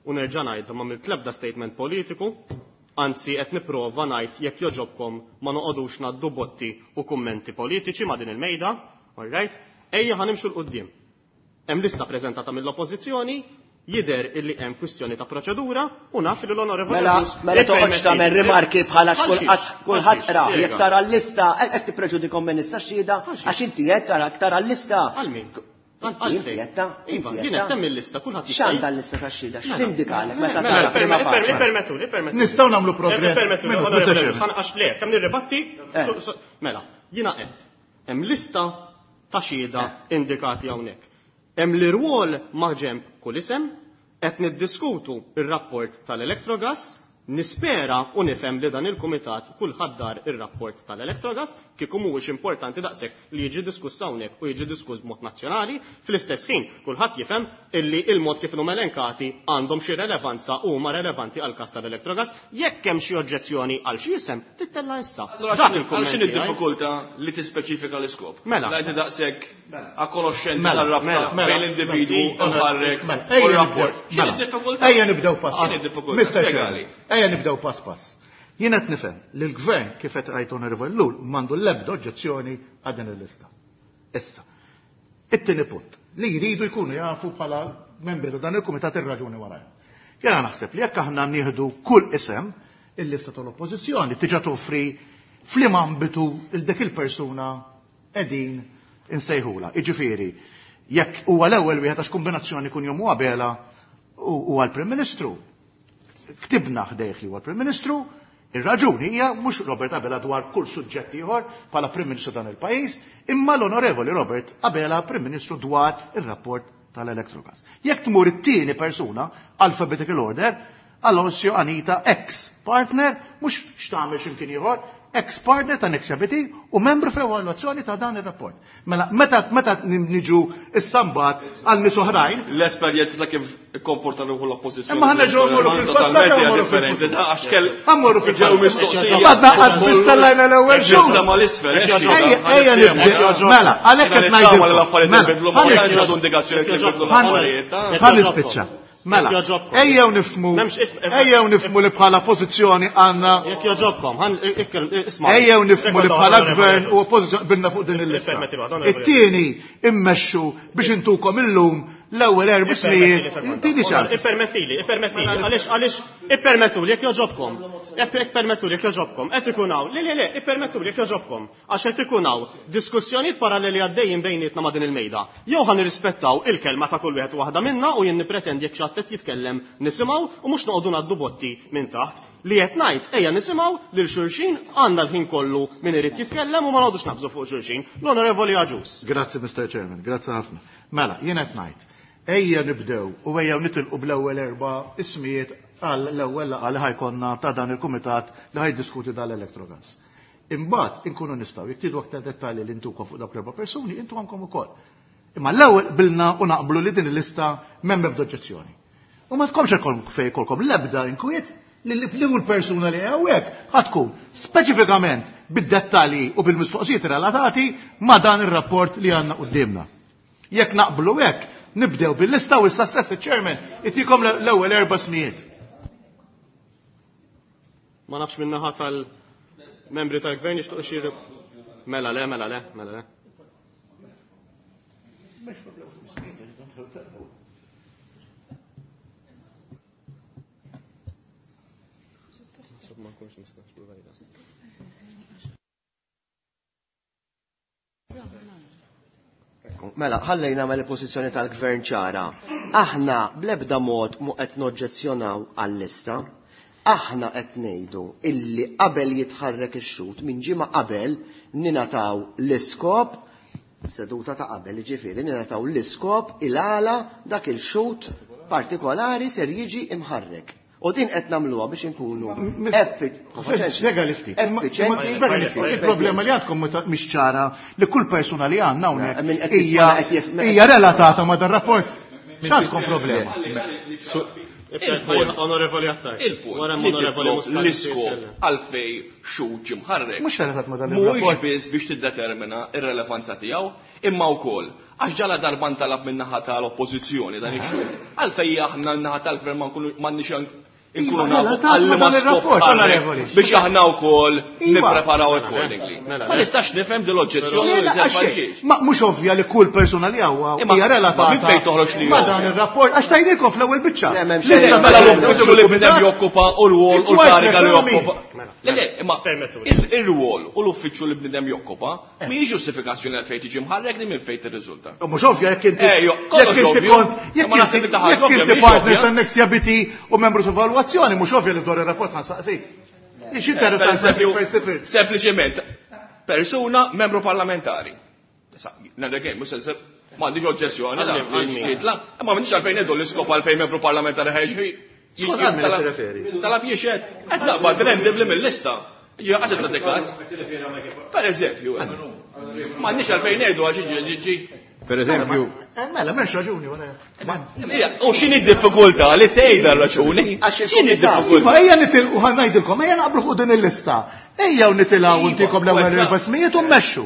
u nerġa' ngħid ma mill-tlebda statement politiku, anzi qed nipprova ngħid jekk joġobkom ma noqogħdux ngħaddu botti u kummenti politiċi ma' din il-mejda, all right? Ejja ħa nimxu 'l quddiem. Hemm lista preżentata mill-Oppożizzjoni, jidher illi hemm kwistjoni ta' proċedura u naf li l-Onorevoli Mela, mela toqgħodx tagħmel rimarki bħala kulħadd qra, jekk tara l-lista qed tippreġudikom minn issa xhieda għax inti qed tara tara l-lista. Għal min? Iva, jien qed hemm il-lista, kulħadd jista' x'għandha l-lista tax-xhieda, x'tindikalek meta tara prima faċi. Ippermettuli, ippermettuli. Nistgħu nagħmlu progress. Ippermettuli, għax le, kemm nirribatti? Mela, jiena qed hemm lista ta' xhieda indikati hawnhekk. Hemm l-irwol ma' ġenb kull isem, qed niddiskutu ir-rapport tal-Electrogas, nispera u nifhem li dan il-kumitat kulħadd dar ir-rapport tal-Electrogas kieku mhuwiex importanti daqshekk li jiġi diskuss hawnhekk u jiġi diskuss b'mod nazzjonali, fl-istess ħin kulħadd jifhem illi il-mod kif huma elenkati għandhom xi relevanza u huma relevanti għal każ tal-Electrogas, jekk hemm xi oġġezzjoni għal xi isem tittella' issa. Dak il-kumment. X'inhi d-diffikultà li tispeċifika l-iskop? Mela. La inti daqshekk akkonoxxenti tar-rabta bejn l-individwu u l-ħarrek u r-rapport. X'inhi d-diffikultà? Ejja nibdew pass. X'inhi d-diffikultà? Spjegali. Ejja nibdew pass pass. Jien qed nifhem li l-gvern kif qed qajt Onorevoli Ellul m'għandu l-ebda oġġezzjoni għal din il-lista. Issa, it-tieni punt li jridu jkunu jafu bħala membri ta' dan il-kumitat ir-raġuni warajha. Jiena naħseb li jekk aħna nieħdu kull isem il-lista tal-oppożizzjoni tiġa toffri f'liem ambitu il dik il-persuna qegħdin insejħula. Jiġifieri, jekk huwa l-ewwel wieħed għax kombinazzjoni kun jom Abela u għall-Prim Ministru, ktibna ħdejh li huwa l-Prim Ministru, ir-raġuni hija mhux Robert Abela dwar kull suġġett ieħor bħala Prim Ministru dan il-pajjiż, imma l-Onorevoli Robert Abela Prim Ministru dwar ir-rapport tal-Electrogas. Jekk tmur it-tieni persuna, alphabetical order, Alosio Anita, ex-partner, mhux x'tagħmel x'imkien ieħor, ex-partner ta' Nexia B T u membru fl-evalwazzjoni ta' dan ir-rapport. Mela, meta, meta niġu issa mbagħad għal nies oħrajn. L-esperjenza ta' kif ikkomporta ruħu l-oppożizzjoni. Imma ħa nerġgħu mmorru fil-passat, Totalment mmorru differenti, fil-futur. ta' għax kell Ħa mmorru fil-ġew ġew mistoqsija. Għadna qatt biss tellajna l-ewwel Ġista xhur. mal-isfel, Ejja, eh, xi ħaġa. ejja Ħa nibdew. niftehmu. Mela, għalhekk qed Jiena nittama ngħidilkom. li l-affarijiet Mela, inbidlu, ma ħa tantx nispiċċa. għadu indikazzjoni li nbidlu Ħa l-affarijiet, ta' ħa nispiċċa. Mela, Jekk joġobkom. ejjew nifhmu, M'hemmx ism- ejjew nifhmu li bħala pożizzjoni għandna Jekk joġobkom, ħan ikkel isma'. Ejjew nifhmu li bħala Onorevoli gvern Agius. u oppożizzjoni bilna fuq din il-lista. Ippermetti waħda, onorevoli It-tieni immexxu biex intukom illum l-ewwel erba' Ippermettili snijiet. sekonda. Tini ċans. Ippermettili, ippermettili, għaliex, għaliex, ippermettuli jekk joġobkom. Ippermettuli jekk joġobkom. Qed ikun hawn, le, le, le, ippermettuli jekk joġobkom. Għax qed ikun hawn diskussjonijiet paralleli għaddejjin bejnietna ma' din il-mejda. Jew ħa nirrispettaw il-kelma ta' kull wieħed u waħda minna u jien nippretendi jekk xi ħadd qed jitkellem nisimgħu u mhux noqogħdu ngħaddu botti minn taħt. Li qed ngħid ejja nisimgħu lil xulxin, għandna l-ħin kollu min irid jitkellem u ma noqogħdux nabżu fuq xulxin. L-Onorevoli Agius. Grazzi, Mister Chairman, grazzi ħafna. Mela, jien qed ngħid, ejja nibdew u ejja nitilqu bl-ewwel erba' ismijiet għal l-ewwel laqgħa li ħajkonna ta' dan il-kumitat li ħajdiskuti dal-Electrogas. Imbagħad inkunu nistgħu jekk tridu aktar dettalji li ntukom fuq dawk l-erba' persuni, intu għandkom ukoll. Imma l-ewwel qbilna u naqblu li din il-lista m'hemm ebda oġġezzjoni. U ma tkomx fejn ikolkom l-ebda inkwiet li l-persuna li hawnhekk ħa tkun speċifikament bid-dettalji u bil-mistoqsijiet relatati ma' dan ir-rapport li għandna quddiemna. Jekk naqblu hekk, nibdew bil-lista u issa stess iċ-chairman itikom l-ewwel erba' smijiet. Ma nafx min-naħa tal-membri tal-gvern jixtiequ xi mela le, mela le, mela le. Mela, ħallejna mal pożizzjoni tal-gvern ċara. Aħna bl-ebda mod mu qed noġġezzjonaw għall-lista. Aħna qed ngħidu illi qabel jitħarrek ix-xut minn ġimgħa qabel ninataw l-iskop seduta ta' qabel, jiġifieri ninataw l-iskop il-għala dak il-xut partikolari ser jiġi imħarrek. U din qed nagħmluha biex inkunu effiċjenti. Il-problema li għandkom mhix ċara li kull persuna li għandna hawnhekk hija relatata ma' dan rapport. X'għandkom problema? Onorevoli Attard. L-iskop għalfej xut ġie mħarrek. Mhux relatat ma' dan ir-rapport. Mhuwiex biss biex tiddetermina r-relevanza tiegħu, imma wkoll għax ġala darba ntalab min-naħa tal-oppożizzjoni dan ix-xut. Għalfej aħna n-naħa tal-gvern ma nkunux inkunu nafu għal ma skop biex aħna wkoll nippreparaw accordingly. Ma nistax nifhem din l-oġġezzjoni. Ma mhux ovvja li kull persuna li hawn hija relatata ma' dan ir-rapport għax tgħidilkom fl-ewwel biċċa. Mela l-uffiċċju li bnedem jokkupa u l-wol u l-kariga li jokkupa. Le le, imma ir-rwol u l-uffiċċju li bnedem jokkupa mhijiex ġustifikazzjoni għal fejn tiġi mħarrek li minn fejn tirriżulta. Mhux ovvja jekk inti jekk inti kont jekk inti partner tan-Nexia B T u membru evalwazzjoni mhux ovvja li dwar ir-rapport ħansaqsik. Ix interessanti sempliċement persuna membru parlamentari. Ngħidlek mhux m'għandix oġġezzjoni, imma m'għandix għalfejn ngħidu l-iskop għalfejn membru parlamentari ħeġri. Talab jixed, qed naqbad rendibli mill-lista. Ġi għax qed każ. Per eżempju, m'għandix għalfejn ngħidu għax ġi. Per eżempju, mela m'hemmx raġuni wara. U x'inhi d-diffikultà li tgħidha raġuni? X'inhi d-diffikultà? Ejja nitilqu ħa ngħidilkom, ejja naqblu fuq din il-lista. Ejja nitilgħu ntikom l-ewwel erba' smijiet u mmexxu.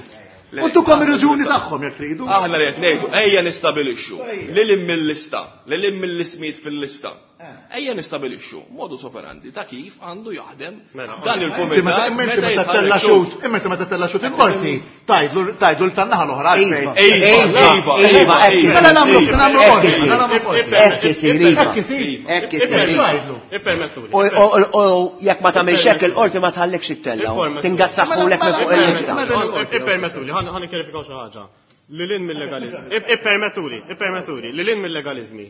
U ntukom ir-raġuni tagħhom jekk tridu. Aħna li qed ngħidu ejja nistabilixxu lil hemm mill-lista, lil hemm mill-ismijiet fil-lista. Ejja nistabilixxu modus operandi ta' kif għandu jaħdem dan il-kumitat. Imma inti meta tella xut, imma inti meta tella xut il-qorti, tgħidlu tgħidlu l tan-naħa l-oħra għalfejn. Iva, iva, mela nagħmlu nagħmlu qorti, nagħmlu qorti. Hekk isir, iva. Hekk isir. Hekk isir. Ippermettuli. U jekk ma tagħmilx hekk il-qorti ma tħallikx ittella. Tingassaħħulek minn fuq il-lista. Ippermettuli, ħa nikkjarifikaw xi ħaġa. Lil hinn mill-legaliżmi. Ippermettuli, ippermettuli, lil hinn mill-legaliżmi.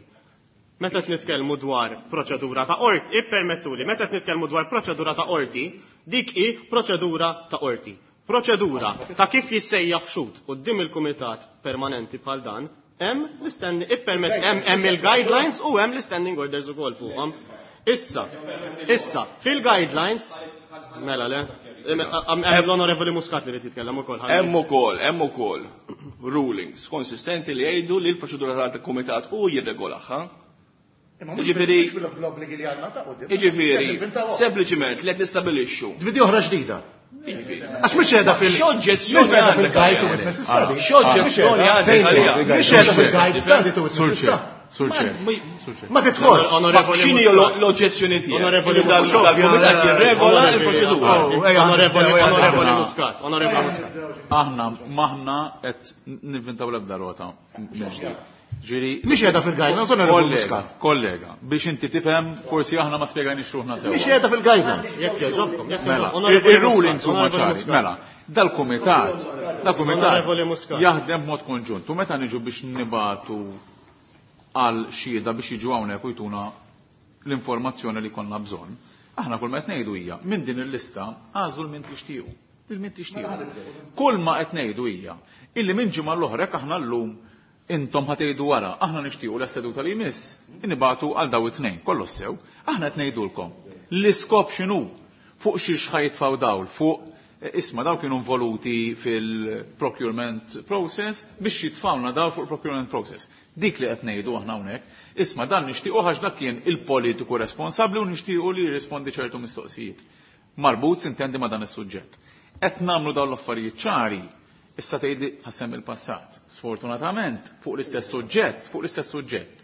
Meta qed nitkellmu dwar proċedura ta' qorti, ippermettuli, meta qed nitkellmu dwar proċedura ta' qorti, dik hi proċedura ta' qorti. Proċedura ta' kif jissejjaħ xut quddiem il-kumitat permanenti bħal dan, hemm l-istanding ippermett hemm hemm il-guidelines u hemm l-standing orders ukoll fuqhom. Issa, issa, fil-guidelines mela le, hemm l-Onorevoli Muscat li qed jitkellem ukoll. Hemm ukoll, hemm ukoll rulings konsistenti li jgħidu li l-proċedura tal-kumitat hu jirregolaha. Jiġifieri, jiġifieri, sempliċiment li qed nistabilixxu. Dvidi oħra ġdida. Għax mhux qiegħda fil X'oġġezzjoni għandek? X'oġġezzjoni għandek? Mhux qiegħda fil-guide study to Surċe, surċe. Ma tidħolx. X'inhi l-oġġezzjoni tiegħek? Onorevoli Dal-kumitat jirregola l-proċedura. Onorevoli Onorevoli Muscat, Onorevoli Muscat. Aħna maħna qed nivvintaw l-ebda rota mill-ġdid. Ġiri, mhix qiegħda fil-guidelines, Onorevoli Muscat. Kollega, biex inti tifhem, forsi aħna ma spjegajniex ruħna sew. Mhix qiegħda fil-guidelines. Jekk jogħġobkom, jekk Mela, jogħġobkom. ir-rulings huma ċari. Mela, dal-kumitat, dal-kumitat Onorevoli Muscat. jaħdem b'mod konġunt. U meta niġu biex nibatu għal xhieda biex jiġu hawnhekk u jtuna l-informazzjoni li konna bżonn, aħna kull ma qed ngħidu hija minn din il-lista għażlu l-min tixtiequ. Il-min tixtiequ. Kull ma qed ngħidu hija illi minn ġimgħa l-oħra jekk aħna llum intom ħatejdu wara, aħna nixtiequ l-seduta li jmiss, nibatu għal daw it-tnejn, kollox sew, aħna qed ngħidulkom. L-iskop x'inhu? Fuq xiex ħajtfaw dawl, fuq Isma' daw kienu involuti fil-procurement process biex jitfawna daw fuq procurement process. Dik li qed ngħidu aħna hawnhekk, isma' dan nixtiequ għax dak kien il-politiku responsabbli u nixtiequ li jirrispondi ċertu mistoqsijiet. Marbut sintendi ma' dan is-suġġett. Qed nagħmlu dawn l-affarijiet ċari, issa tgħidli ħassem il-passat. Sfortunatament, fuq l-istess suġġett, fuq l-istess suġġett.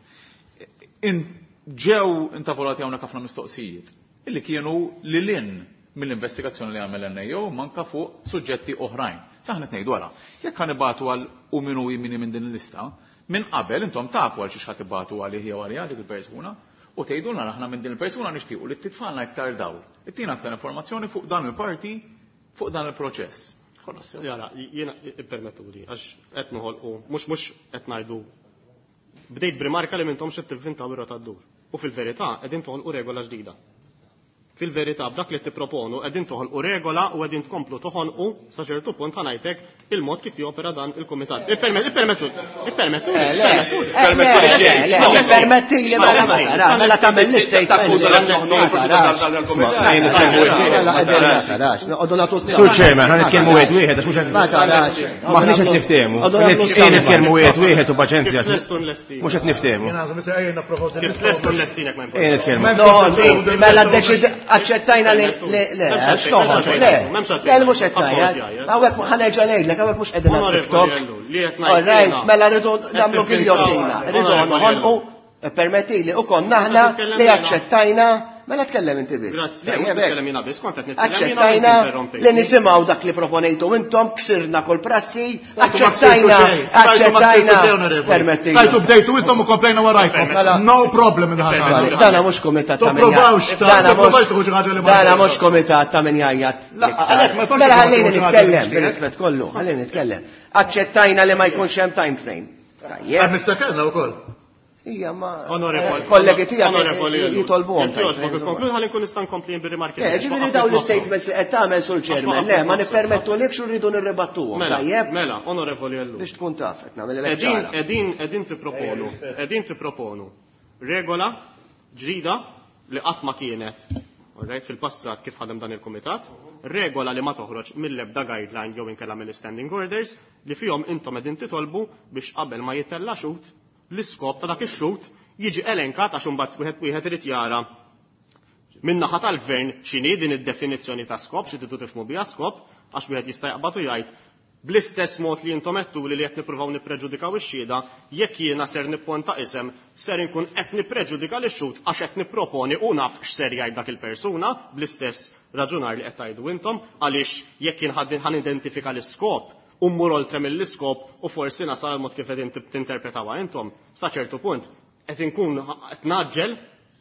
Ġew intavolati hawnhekk ħafna mistoqsijiet illi kienu lil hinn mill-investigazzjoni li għamel N A O manka fuq suġġetti oħrajn. Saħna qed ngħidu wara, jekk ħanibatu għal u min hu min minn din il-lista, minn qabel intom tafu għal xiex ħadd ibatu għalih jew għaliha dik il-persuna u tgħidulna aħna minn din il-persuna nixtiequ li titfalna iktar dawl, ittina aktar informazzjoni fuq dan il-parti, fuq dan il-proċess. Jara, jiena ippermettuli għax qed noħolqu, mhux mhux qed ngħidu bdejt b'rimarka li m'intomx qed tivvintaw ir-rota ddur. U fil-verità qegħdin toħolqu regola ġdida. Fil-verità b'dak li tipproponu qegħdin toħolqu regola u qegħdin tkomplu toħonqu sa ċertu punt ħa ngħidlek il-mod kif jopera dan il-kumitat. Ippermettu, ippermettu, ippermettu. Permetti li mela tagħmel l-istejt. Takkuża li noħnoq il-proċedura tal-kumitat. Sur Chairman, ħa nitkellmu wieħed wieħed għax mhux qed maħniex qed niftehmu. Nitkellmu wieħed wieħed u paċenzja. Mhux qed niftehmu. Kif lestu nlestinek ma nitkellmu. Mela ddeċid aċċettajna li le, le, le, mhux qed ngħid. Hawnhekk ħa nerġa' ngħidlek, hawnhekk mhux qegħdin TikTok. All right, mela rridu nagħmlu giljottina, rridu noħolqu, permettili, u konna aħna li aċċettajna. Mela tkellem inti biss. Aċċettajna li nisimgħu dak li proponejtu intom, ksirna kull prassi, aċċettajna, aċċettajna. Permettili. Tajtu bdejtu intom u komplejna warajkom. No problem. Dana mhux kumitat ta' min. Dana mhux kumitat ta' min jgħajjat. Mela ħallini nitkellem, bir-rispett kollu, ħallini nitkellem. Aċċettajna li ma jkunx hemm time frame. Tajjeb. Mistakenna wkoll. Ija, ma kollegi tiegħek jitolbuhom. Konkludi ħalli nkun nista' nkompli bir-rimarki. Le, ġifieri dawn l-istatements li qed tagħmel sur Chairman, le, ma nippermettulikx u rridu nirribattuhom. Tajjeb? Mela, onorevoli Ellul. Biex tkun taf qed nagħmel ċara. Qegħdin qegħdin tipproponu, qegħdin tipproponu regola ġdida li qatt ma kienet alright, fil-passat kif ħadem dan il-kumitat, regola li ma toħroġ mill-ebda guideline jew inkella mill-standing orders li fihom intom qegħdin titolbu biex qabel ma jitella' xut l-iskop ta' dak ix-xut jiġi elenkat għax imbagħad wieħed wieħed irid jara min-naħa tal-gvern x'inhi din id-definizzjoni ta' skop, xi tridu tifhmu biha skop, għax wieħed jista' jaqbad u jgħid bl-istess mod li intom għedtuli li qed nippruvaw nippreġudikaw ix-xhieda, jekk jiena ser nipponta isem, ser inkun qed nippreġudika lix-xhud għax qed nipproponi u naf x'ser jgħid dak il-persuna bl-istess raġunar li qed tgħidu intom, għaliex jekk jien ħa nidentifika l-iskop u mmur oltre mill-iskop u forsi nasal mod kif qegħdin tinterpretawha intom, sa ċertu punt qed inkun qed naġġel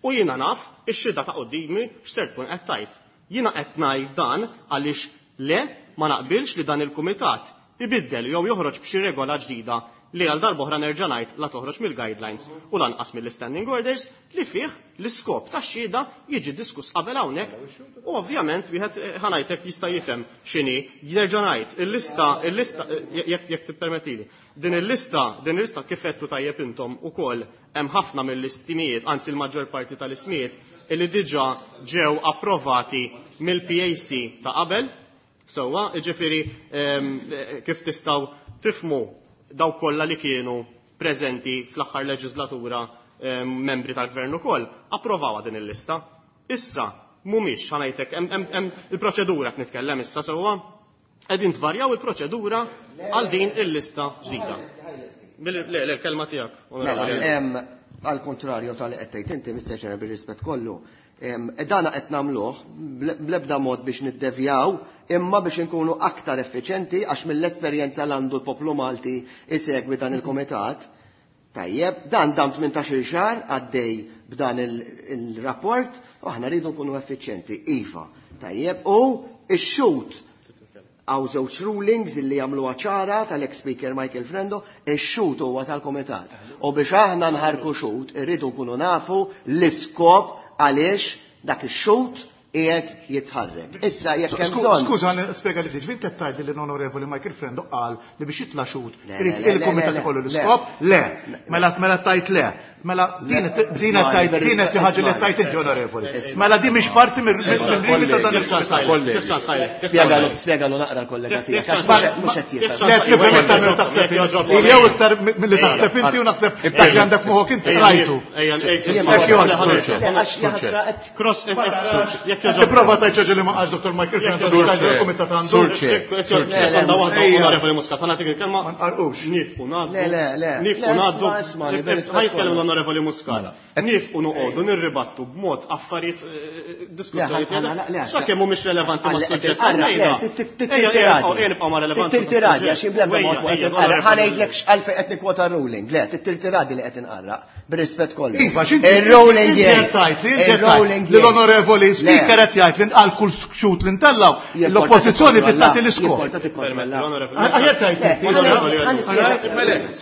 u jiena naf ix-xhieda ta' qudiemi x'ser tkun qed tgħid. Jiena qed ngħid dan għaliex le ma naqbilx li dan il-kumitat ibiddel jew joħroġ b'xi regola ġdida li għal darb'oħra nerġa' ngħid la toħroġ mill-guidelines u lanqas mill-standing orders li fih l-iskop tax-xhieda jiġi diskuss qabel hawnhekk u ovvjament wieħed ħa ngħidlek jista' jifhem x'inhi. Nerġa' ngħid il-lista, il-lista jekk jekk tippermettili. Din il-lista, din il-lista kif għedtu tajjeb intom ukoll hemm ħafna mill-istimijiet, anzi l-maġġor parti tal-ismijiet illi diġà ġew approvati mill-P A C ta' qabel. Sewwa, jiġifieri kif tistgħu tifhmu daw kollha li kienu preżenti fl-aħħar leġislatura membri tal-gvern ukoll approvawha din il-lista. Issa mhumiex ħa ngħidlek hemm hemm il-proċedura qed nitkellem issa sewwa qegħdin tvarjaw il-proċedura għal din il-lista ġdida. Le, le, l-kelma tiegħek. Mela, għal kontrarju tal-li qed tgħid inti, Mister Chairman, bir-rispett kollu, dana qed nagħmluh bl-ebda mod biex niddevjaw, imma biex inkunu aktar effiċenti għax mill-esperjenza l għandu l-poplu Malti isegwi dan il-komitat. Tajjeb, dan dam tmintax-il xahar għaddej b'dan il-rapport u aħna rridu nkunu effiċenti, iva. Tajjeb, u x-xut għaw żewġ rulings illi jagħmluha ċara tal-ex-speaker Michael Frendo, ix-xut huwa tal-komitat. U biex aħna nħarku xut, irridu nkunu nafu l-iskop għaliex dak ix-xut qiegħed jitħarrek. Issa jekk hemm bżonn. Skuża, spjega li ftit, ġifieri qed tgħidli li l-Onorevoli Michael Frendo qal li biex jitla' xut Le, irid le, le, il-kumitat le, ikollu le. l-iskop? Le. Mela, mela tajt le. Mela din din qed din qed ħaġa li tajt inti onorevoli. Mela din mhix parti mill-limit ta' dan il-kumitat. Spjegalu spjegalu naqra l-kollega tiegħek għax mhux qed jifhem. Le tifhem iktar milli taħseb jew iktar milli taħseb inti u naħseb dak li għandek moħħok inti rajtu. Cross jekk Tipprova tgħid xi li ma qalx Dottor Michael Frendo il-kumitat għandu. Sekonda waħda onorevoli Muscat, ħa nagħtik il-kelma. Ma nqarqux. Nifqu ngħaddu. Le, le, le. Nifqu ngħaddu. Ħa jitkellem l-onorevoli Muscat. Nifqu noqogħdu nirribattu b'mod affarijiet diskussjonijiet. Sakemm mhumiex relevanti mas-suġġett. Ejja nibqgħu ma' relevanti. Tirtiradi għax bl-ebda mod qed inqarraq. Ħa ngħidlek x'għalfejn qed nikkwota r-ruling. Le, tirtiradi li qed inqarraq bir-rispett kollu. Iva, x'inti Ir-ruling jgħid li l-onorevoli speaker qed jgħid li nqal kull xut li ntellgħu l-oppożizzjoni tagħti l-iskop. Aħjar tajt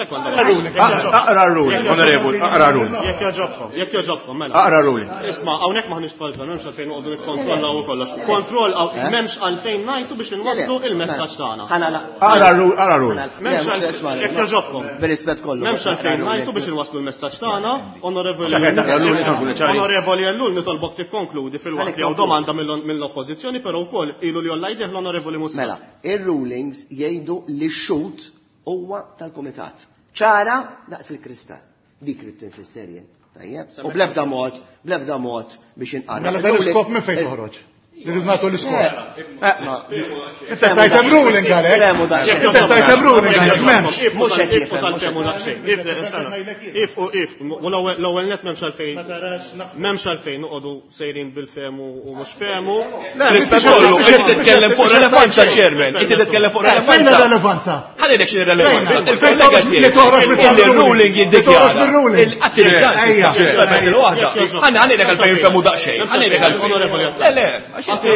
Aqra r-ruling, onorevoli, aqra r-ruling. Jekk jogħġobkom, jekk jogħġobkom, mela. Aqra r-ruling. Isma', hawnhekk m'aħniex tfal żgħar, m'hemmx għalfejn noqogħdu nikkontrollaw u kollox. Kontroll m'hemmx għalfejn ngħidu biex inwasslu il-messaġġ tagħna. Aqra r-ruling. M'hemmx jekk jogħġobkom. Bir-rispett kollu. M'hemmx għalfejn ngħidu biex inwasslu l-messaġġ tagħna, onorevoli. Onorevoli Ellul nitolbok tikkonkludi fil-waqt li hawn domanda mill-oppożizzjoni, però wkoll ilu li jolla jdeh l-onorevoli Muscat. Mela, ir-rulings jgħidu li x-xut huwa tal-kumitat. Ċara daqs il-kristall. Dik li tinfisser jien. Tajjeb. U bl-ebda mod, bl-ebda mod biex inqarraq. Mela dan l-iskop minn fejn toħroġ? Li rrid nagħtu l-iskop. Inti tajt hemm ruling għalhekk. Inti tajt hemm ruling għalhekk m'hemmx. Mhux qed jifhem. Tal-femu daqsxejn. If u if, l-ewwel net m'hemmx għalfejn. M'hemmx għalfejn noqogħdu sejrin bil-femu u mhux femu. Rispett kollu, inti titkellem fuq relevanza, Chairman. Inti titkellem fuq Fejn relevanza. relevanza? Ħa ngħidlek x'inhi relevanza. Il-kollega Li toħroġ il-ruling jiddikjara. Ejja. Il-waħda. Ħa ngħidlek għalfejn femu daqsxejn. Ħa ngħidlek għalfejn. Le, le, għax inti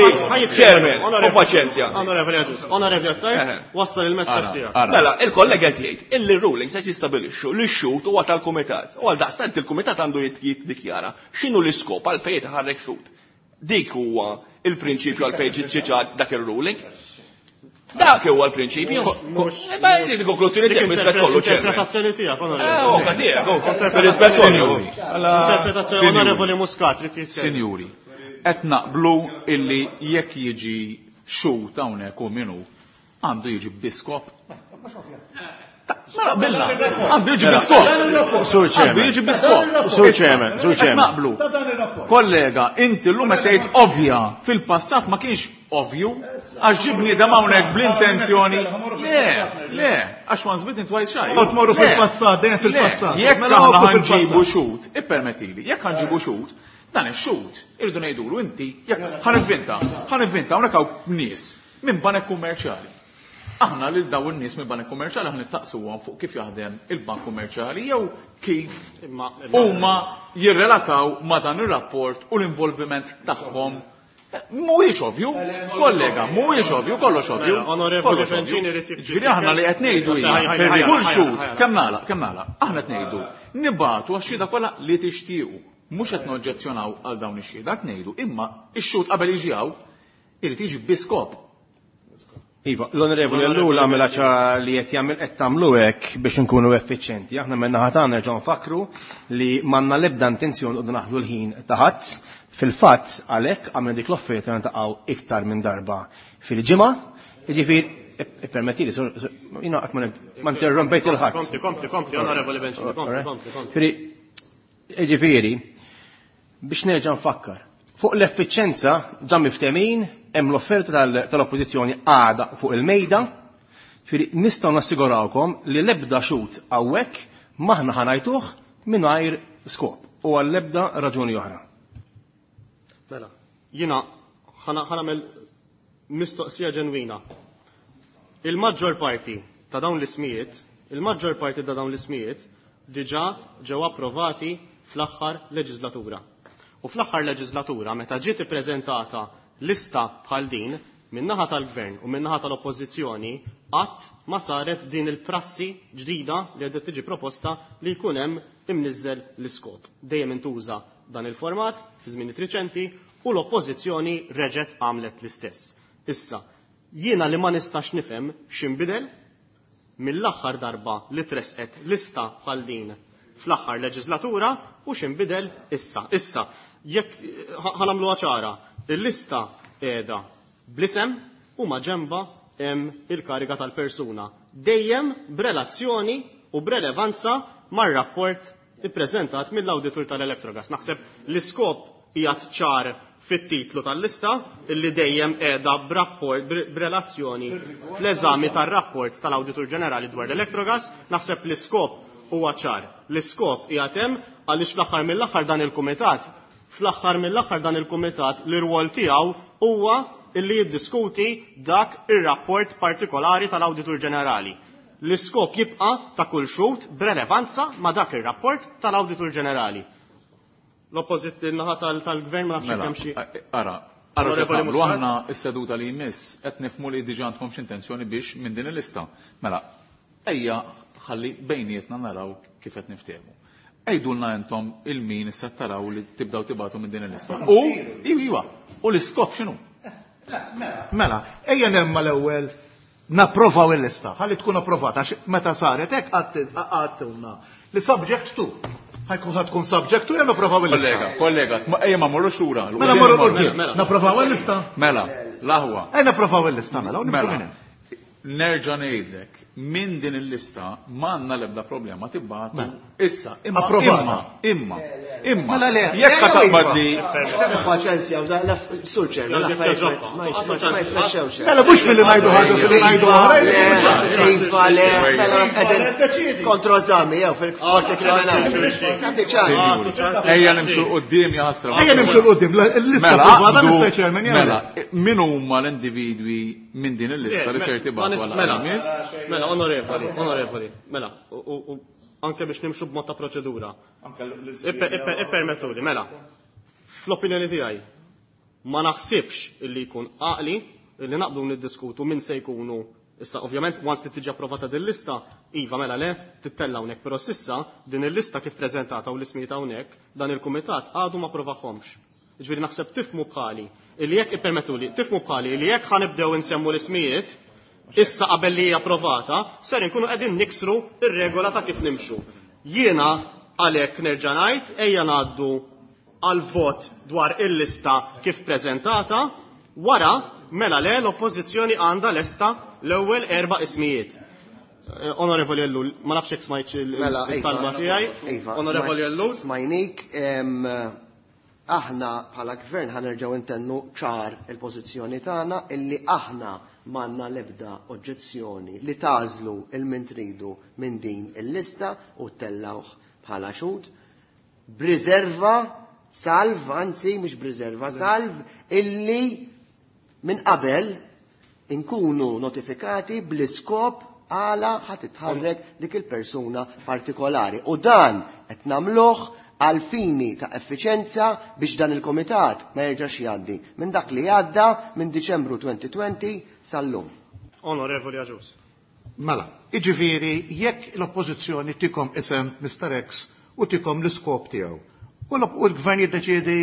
Chairman, u paċenzja. Onorevoli Agius, onorevoli Attard, wassal il-messaġġ tiegħek. Mela, il-kollega qed jgħid illi r-ruling se jistabilixxu li x-xut huwa tal-kumitat. U għal daqstant il-kumitat għandu jiddikjara x'inhu l-iskop għalfejn jitħarrek xut. Dik huwa il-prinċipju għalfejn ġiet dak ir-ruling. Dak huwa l-prinċipju. Ma dik il-konklużjoni tiegħek rispett kollu, Chairman. Interpretazzjoni tiegħek, onorevoli. Eh, oka tiegħek, rispett kollu. Interpretazzjoni onorevoli Muscat, trid jitkellem. Sinjuri, qed naqblu illi jekk jiġi xut hawnhekk u minnu għandu jiġi biskop. Mela qbilna, għandu jiġi biskop. Sur Għandu Chairman. jiġi biskop. Sur Chairman, Sur Qed Chairman. naqblu. Kollega, inti llum qed tgħid ovvja, fil-passat ma kienx ovvju, għax ġie bniedem hawnhekk bl-intenzjoni. Le, le, għax once bitten twice shy. Qed tmorru Le, fil-passat, dejjem fil-passat. Le, jekk Mela aħna oqgħu ħanġibu fil-passat. xut, ippermettili, jekk ħanġibu xut, dan ix-xut, irridu ngħidulu inti, jekk ħanivvinta, ħanivvinta hawnhekk hawn nies minn banek kummerċjali. Aħna lil dawn in-nies minn banek kummerċjali aħna nistaqsuhom fuq kif jaħdem il-bank kummerċjali jew kif huma jirrelataw ma' dan ir-rapport u l-involviment tagħhom. Mhuwiex ovvju, kollega, mhuwiex ovvju, kollox ovvju. Mela, onorevoli Kollox ovvju. Bencini irid jibdi. Ġifieri aħna li qed ngħidu hija, Ħaj, ħaj, ħaj, kull ħaj, xhud, ħaj, ħaj. kemm nagħlaq, kemm nagħlaq, aħna qed ngħidu, nibatu għax-xhieda kollha li tixtiequ. Mhux qed noġġezzjonaw għal dawn ix-xhieda, qed ngħidu, imma x-xhud qabel jiġi hawn irid jiġi bi skop. Iva, l-onorevoli Ellul għamela ċa li qed jagħmel qed tagħmlu hekk biex inkunu effiċjenti. Aħna minn naħa tagħna nerġgħu nfakru li m'għandna l-ebda intenzjon noqogħdu naħlu l-ħin ta' ħadd. Fil-fatt għalhekk għamilna dik l-offerta niltaqgħu iktar minn darba fil-ġimgħa. Jiġifieri, ippermettili, jiena qatt ma interrompejt il-ħadd. Kompli, kompli, kompli, onorevoli Bencini, kompli, kompli, kompli. Jiġifieri, biex nerġa' nfakkar, fuq l-effiċenza ġa miftemin hemm l-offerta tal-oppożizzjoni għada fuq il-mejda, ġifieri nistgħu nassigurawkom li l-ebda xut hawnhekk maħna ħanajtuh mingħajr skop u għall-ebda raġuni oħra. Mela, jiena ħanamel mistoqsija ġenwina. Il-maġġor parti ta' dawn l-ismijiet, il-maġġor parti ta' dawn l-ismijiet diġà ġew approvati fl-aħħar leġislatura. U fl-aħħar leġislatura meta ġiet ippreżentata lista bħal din min-naħa tal-gvern u min-naħa tal-oppożizzjoni qatt ma saret din il-prassi ġdida li qed tiġi proposta li jkun hemm imniżżel l-iskop. Dejjem intuża dan il-format fi żmien riċenti u l-oppożizzjoni reġgħet għamlet l-istess. Issa, jiena li ma nistax nifhem x'inbidel mill-aħħar darba li tresqet lista bħal din fl-aħħar leġislatura u x'inbidel issa. Issa, jekk ħa nagħmluha ċara, il-lista qiegħda bl-isem u ma ġemba hemm il-kariga tal-persuna. Dejjem b'relazzjoni u b'relevanza mar-rapport ippreżentat mill-awditur tal-Electrogas. Naħseb l-iskop qiegħed ċar fit-titlu tal-lista illi dejjem qiegħda b'rapport b'relazzjoni fl-eżami tar-rapport tal-Awditur Ġenerali dwar l-Electrogas. Naħseb l-iskop huwa ċar. L-iskop qiegħed hemm għaliex fl-aħħar mill-aħħar dan il-kumitat fl-aħħar mill-aħħar dan il-kumitat l-irwol tiegħu huwa illi jiddiskuti dak ir-rapport partikolari tal-Awditur Ġenerali. L-iskop jibqa' ta' kull xhud b'relevanza ma' dak ir-rapport tal-Awditur Ġenerali. L-oppożit naħa tal-gvern ma nafx kemm xi. Ara, ara nagħmlu aħna s-seduta li jmiss qed nifhmu li diġà għandkom x'intenzjoni biex minn din il-lista. Mela, ejja ħalli bejnietna naraw kif qed niftehmu. Għidulna intom il-min issa taraw li tibdaw tibatu minn din il-lista. U iwa, u l-iskop x'inhu? Mela, ejja nemma l-ewwel napprovaw il-lista, ħalli tkun approvata, għax meta saret hekk għadtilna li subject to. Ħajkun ħad tkun subject to jew napprovaw il-lista. Kollega, kollega, ejja ma mmorrux lura. Mela mmorru quddiem. Napprovaw il-lista? Mela, l-aħwa. Ejja napprovaw il-lista mela, u nimxu minn hemm. Nerġa' ngħidlek, minn din il-lista m'għandna l-ebda problema tibgħatu issa. Imma imma imma imma jekk taqbad li paċenzja sur ċer ma jitmexxewx. Mela mhux milli ngħidu ħaġa filli ngħidu oħra. Iva le, mela qegħdin kontrożami jew fil-qorti kriminali. Ejja nimxu quddiem ja ħasra. Ejja nimxu quddiem, il-lista approvata Mister Chairman. Mela, min huma l-individwi minn din il-lista li ser tibgħatu? Mela, mela, onorevoli, onorevoli, mela, u anke biex nimxu b'mod ta' proċedura. Ippermettuli, mela, fl-opinjoni tiegħi, ma naħsibx illi jkun għaqli illi naqblu niddiskutu min se jkunu. Issa, ovvjament, once li tiġi approvata din lista, iva mela le, tittella hawnhekk, però s'issa din il-lista kif preżentata u l-ismijiet hawnhekk, dan il-kumitat għadu ma approvahomx. Ġifieri naħseb tifhmu bħali illi jekk ippermettuli, tifhmu bħali illi jekk ħanibdew insemmu l-ismijiet issa qabel li hija approvata, ser inkunu qegħdin niksru ir-regola ta' kif nimxu. Jiena għalhekk nerġa' ngħid ejja ngħaddu għal vot dwar il-lista kif preżentata, wara mela le l-oppożizzjoni għandha lesta l-ewwel erba' ismijiet. Onorevoli Ellul, ma nafx jekk smajtx il-talba tiegħi. Onorevoli Ellul. Smajnik, aħna bħala gvern ħanerġgħu intennu ċar il-pożizzjoni tagħna illi aħna m'għandna l-ebda oġġezzjoni li tażlu il-min tridu minn din il-lista u tellawh bħala xhud b'riserva salv, anzi mhux b'riserva, salv illi minn qabel inkunu notifikati bl-iskop għala ħa titħarrek dik il-persuna partikolari. U dan qed nagħmluh għal fini ta' effiċenza biex dan il-komitat ma jerġax jgħaddi minn dak li għadda minn Diċembru twenty twenty sal-lum. Onorevoli Agius. Mela, iġifieri jekk l-oppożizzjoni tikom isem Mister X u tikom l-iskop tiegħu. U l-gvern jiddeċiedi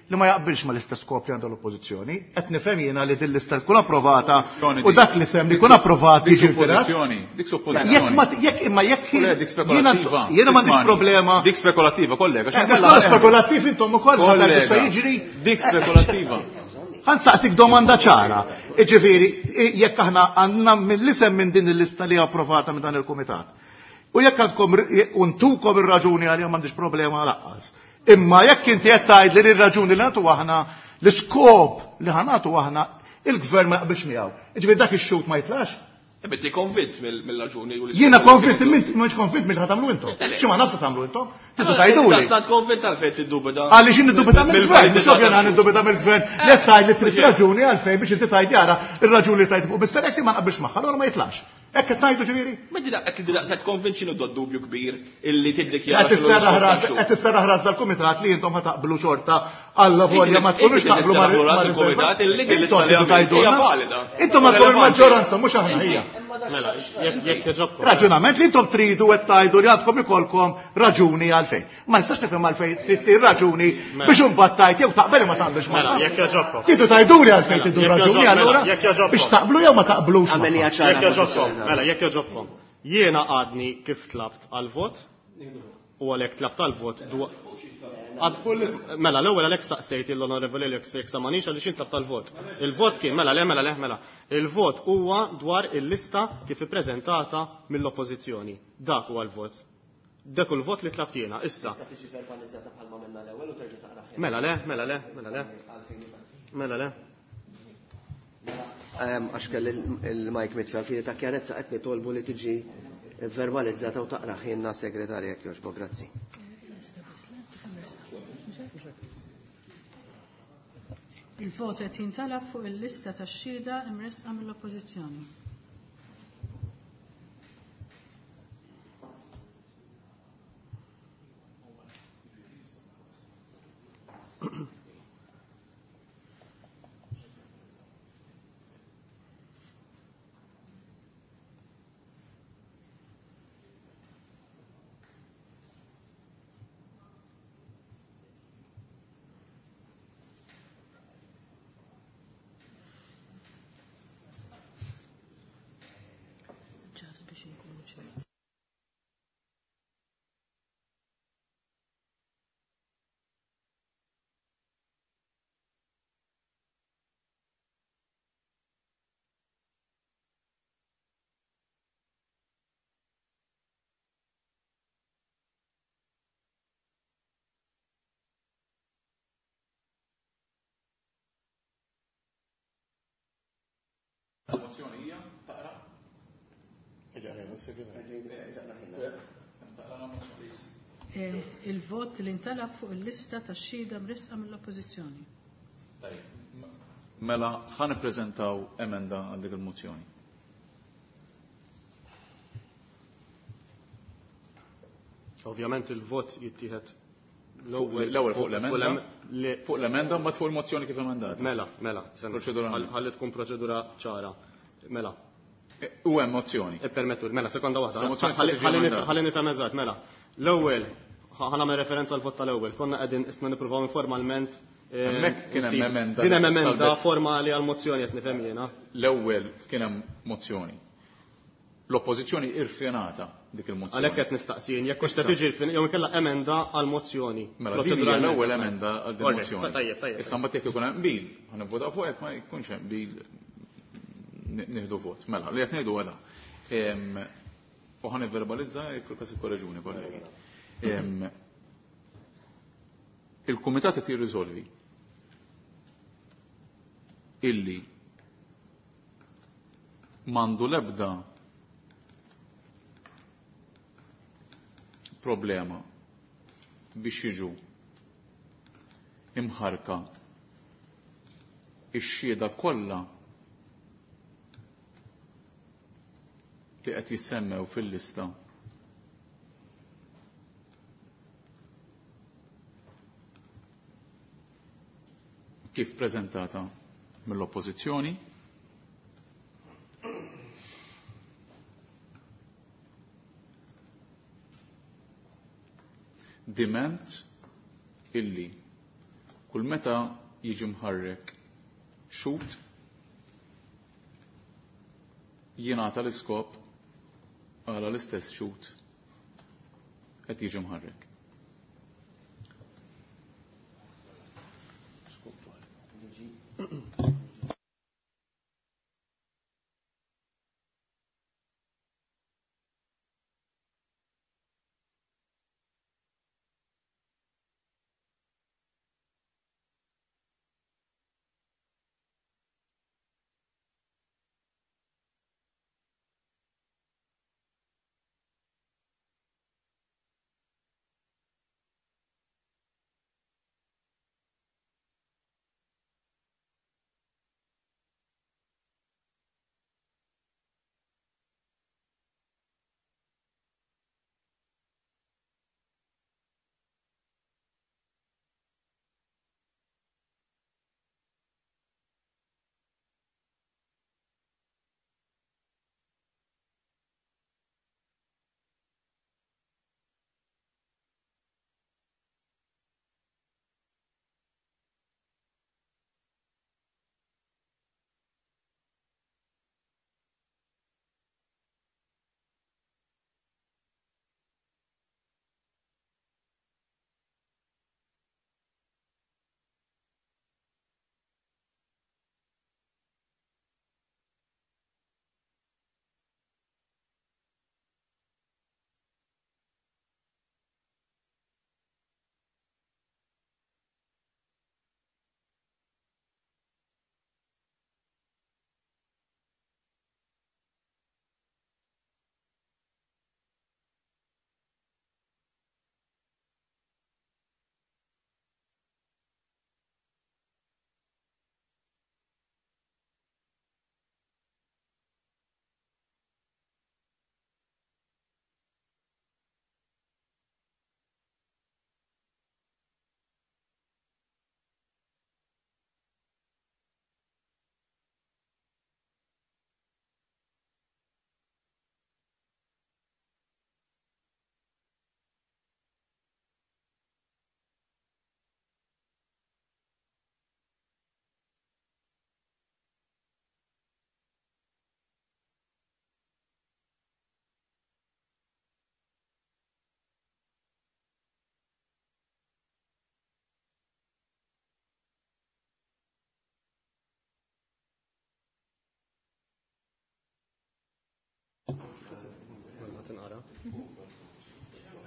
li ma jaqbilx ma l-istess skop li għandu l-oppożizzjoni, qed nifhem jiena li din l-lista tkun approvata u dak li sem li jkun approvat jiġi rtirat. Dik suppożizzjoni. Jekk imma jekk jiena m'għandix problema. Dik spekulattiva, kollega. Mhux spekulattiv intom ukoll ħadd se jiġri. Dik spekulattiva. Ħansaqsik domanda ċara. Jiġifieri jekk aħna għandna mill-isem minn din il-lista li approvata minn dan il-kumitat. U jekk għandkom untukom ir-raġuni għalihom m'għandix problema laqqas. Imma jekk inti qed tgħid li r-raġuni li nagħtu aħna, l-iskop li ħanatu aħna, il-gvern ma jaqbilx miegħu. Jiġifieri dak ix-xhud ma jitlax? Inti konvint mill-raġuni u l-iskop. Jiena konvint, mhux konvint mill-ħa tagħmlu intom. Xi ma nafx tagħmlu intom? Tidu tgħiduli. Stant konvint għalfejn tiddubita. Għaliex niddubita mill-gvern, mhux ovvja niddubita mill-gvern. Li tgħid li trid raġuni għalfejn biex inti tgħid jara ir-raġuni li tgħid fuq Mister X ma naqbilx magħha, allura ma jitlax. Hekk qed ngħidu ġifieri? Ma di daqq di daqshekk konvinċi nuddu dubju kbir illi tiddikjara. Qed tisterraħ ras dal-kumitat li intom ħa taqblu xorta alla volja ma tkunux taqblu mal-kumitat illi hija valida. Intom għandkom il-maġġoranza mhux aħna hija. Mela, jekk jogħġobkom. Raġunament li intom tridu qed tgħidu li għandkom ikolkom raġuni għalfejn. Ma nistax nifhem għalfejn trid raġuni biex imbagħad tgħid jew taqbel ma taqbilx ma. Mela, jekk jogħġobkom. Tridu tgħiduli għalfejn tridu raġuni allura biex taqblu jew ma taqblux. Jekk jogħġobkom. Mela, jekk jogħġobkom. Jiena għadni kif tlabt għal-vot U għalhekk tlab tal-vot Mela, l-ewwel għalhekk staqsejt l-Onorevoli Alex jekk samanix għaliex intlab tal-vot. Il-vot kien, mela le, mela le, mela. Il-vot huwa dwar il-lista kif ippreżentata mill-Oppożizzjoni. Dak huwa l-vot. Dak hu l-vot li tlabt jiena, issa. Mela le, mela le, mela le. Mela le. Għax kelli il-mike mitfi għal ta' kjarezza qed nitolbu li tiġi verbalizzata u taqra ħinna segretarja jekk jogħġbok, grazzi. Il-vot qed jintalab fuq il-lista tax-xhieda imressqa mill-Oppożizzjoni. Ġas biex inkunu ċerti. Il-mozzjoni hija taqra? Il-vot li ntalab fuq il-lista tax-xhieda mressqa mill-Oppożizzjoni. Mela ħa nippreżentaw emenda għal dik il-mozzjoni. Ovvjament il-vot jittieħed l-ewwel l-ewwel fuq l-emenda, fuq l-emenda mbagħad fuq il-mozzjoni kif emendata. Mela, mela, Proċeduralment. ħalli tkun proċedura ċara. Mela. U hemm mozzjoni. Ippermettu, mela, sekonda waħda. Sa mozzjoni Ħalli se tiġi emendata. ħalli nifhem eżatt, mela. L-ewwel, ħa nagħmel referenza għal vot tal-ewwel. Konna qegħdin isna nippruvaw informalment, eh, Hemmhekk kien hemm nsibu. emenda Din hemm emenda talbet. formali għal mozzjoni qed nifhem jiena. L-ewwel kien hemm mozzjoni. L-oppożizzjoni irfjenata dik il-mozzjoni. Għalhekk qed nistaqsin, jekk hux se tiġi rfin, jew inkella emenda għal mozzjoni. Mela, din hija l-ewwel emenda għal din Alright, mozzjoni. Tajjeb, tajjeb. Issa mbagħad jekk ikun hemm qbil, ħa nivvotaw fuq hekk ma jkunx hemm qbil nieħdu vot. Mela, li qed ngħidu għala. U ħa nivverbalizza jekk fil-każ ikkoreġuni, kollegi. Em, Il-kumitat qed jirriżolvi illi m'għandu l-ebda problema biex jiġu imħarka ix-xhieda kollha li qed jissemmew fil-lista kif preżentata mill-Oppożizzjoni. Diment illi kull meta jiġi mħarrek xhud jingħata l-iskop għala l-istess xhud qed jiġi mħarrek.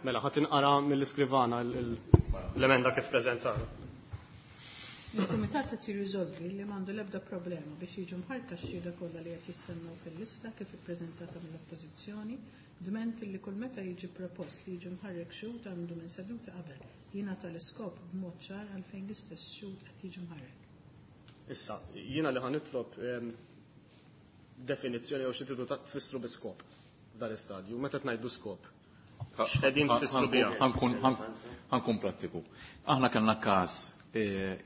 Mela, ħa tinqara mill-iskrivana l-emenda kif preżentata. Il-Kumitat qed jirriżolvi li m'għandu l-ebda problema biex jiġu mħarka x-xhieda kollha li qed jissemmew fil-lista kif ippreżentata mill-Oppożizzjoni, dment li kull meta jiġi propost li jiġi mħarrek xhud għandu minn seduta qabel jingħata l-iskop b'mod ċar għalfejn l-istess xhud qed jiġi mħarrek. Issa, jiena li ħa nitlob definizzjoni jew xi tridu tfissru bi skop f'dan l-istadju, meta tngħidu skop. X'qegħdin tfissru biha? Ħa nkun prattiku. Aħna kellna każ,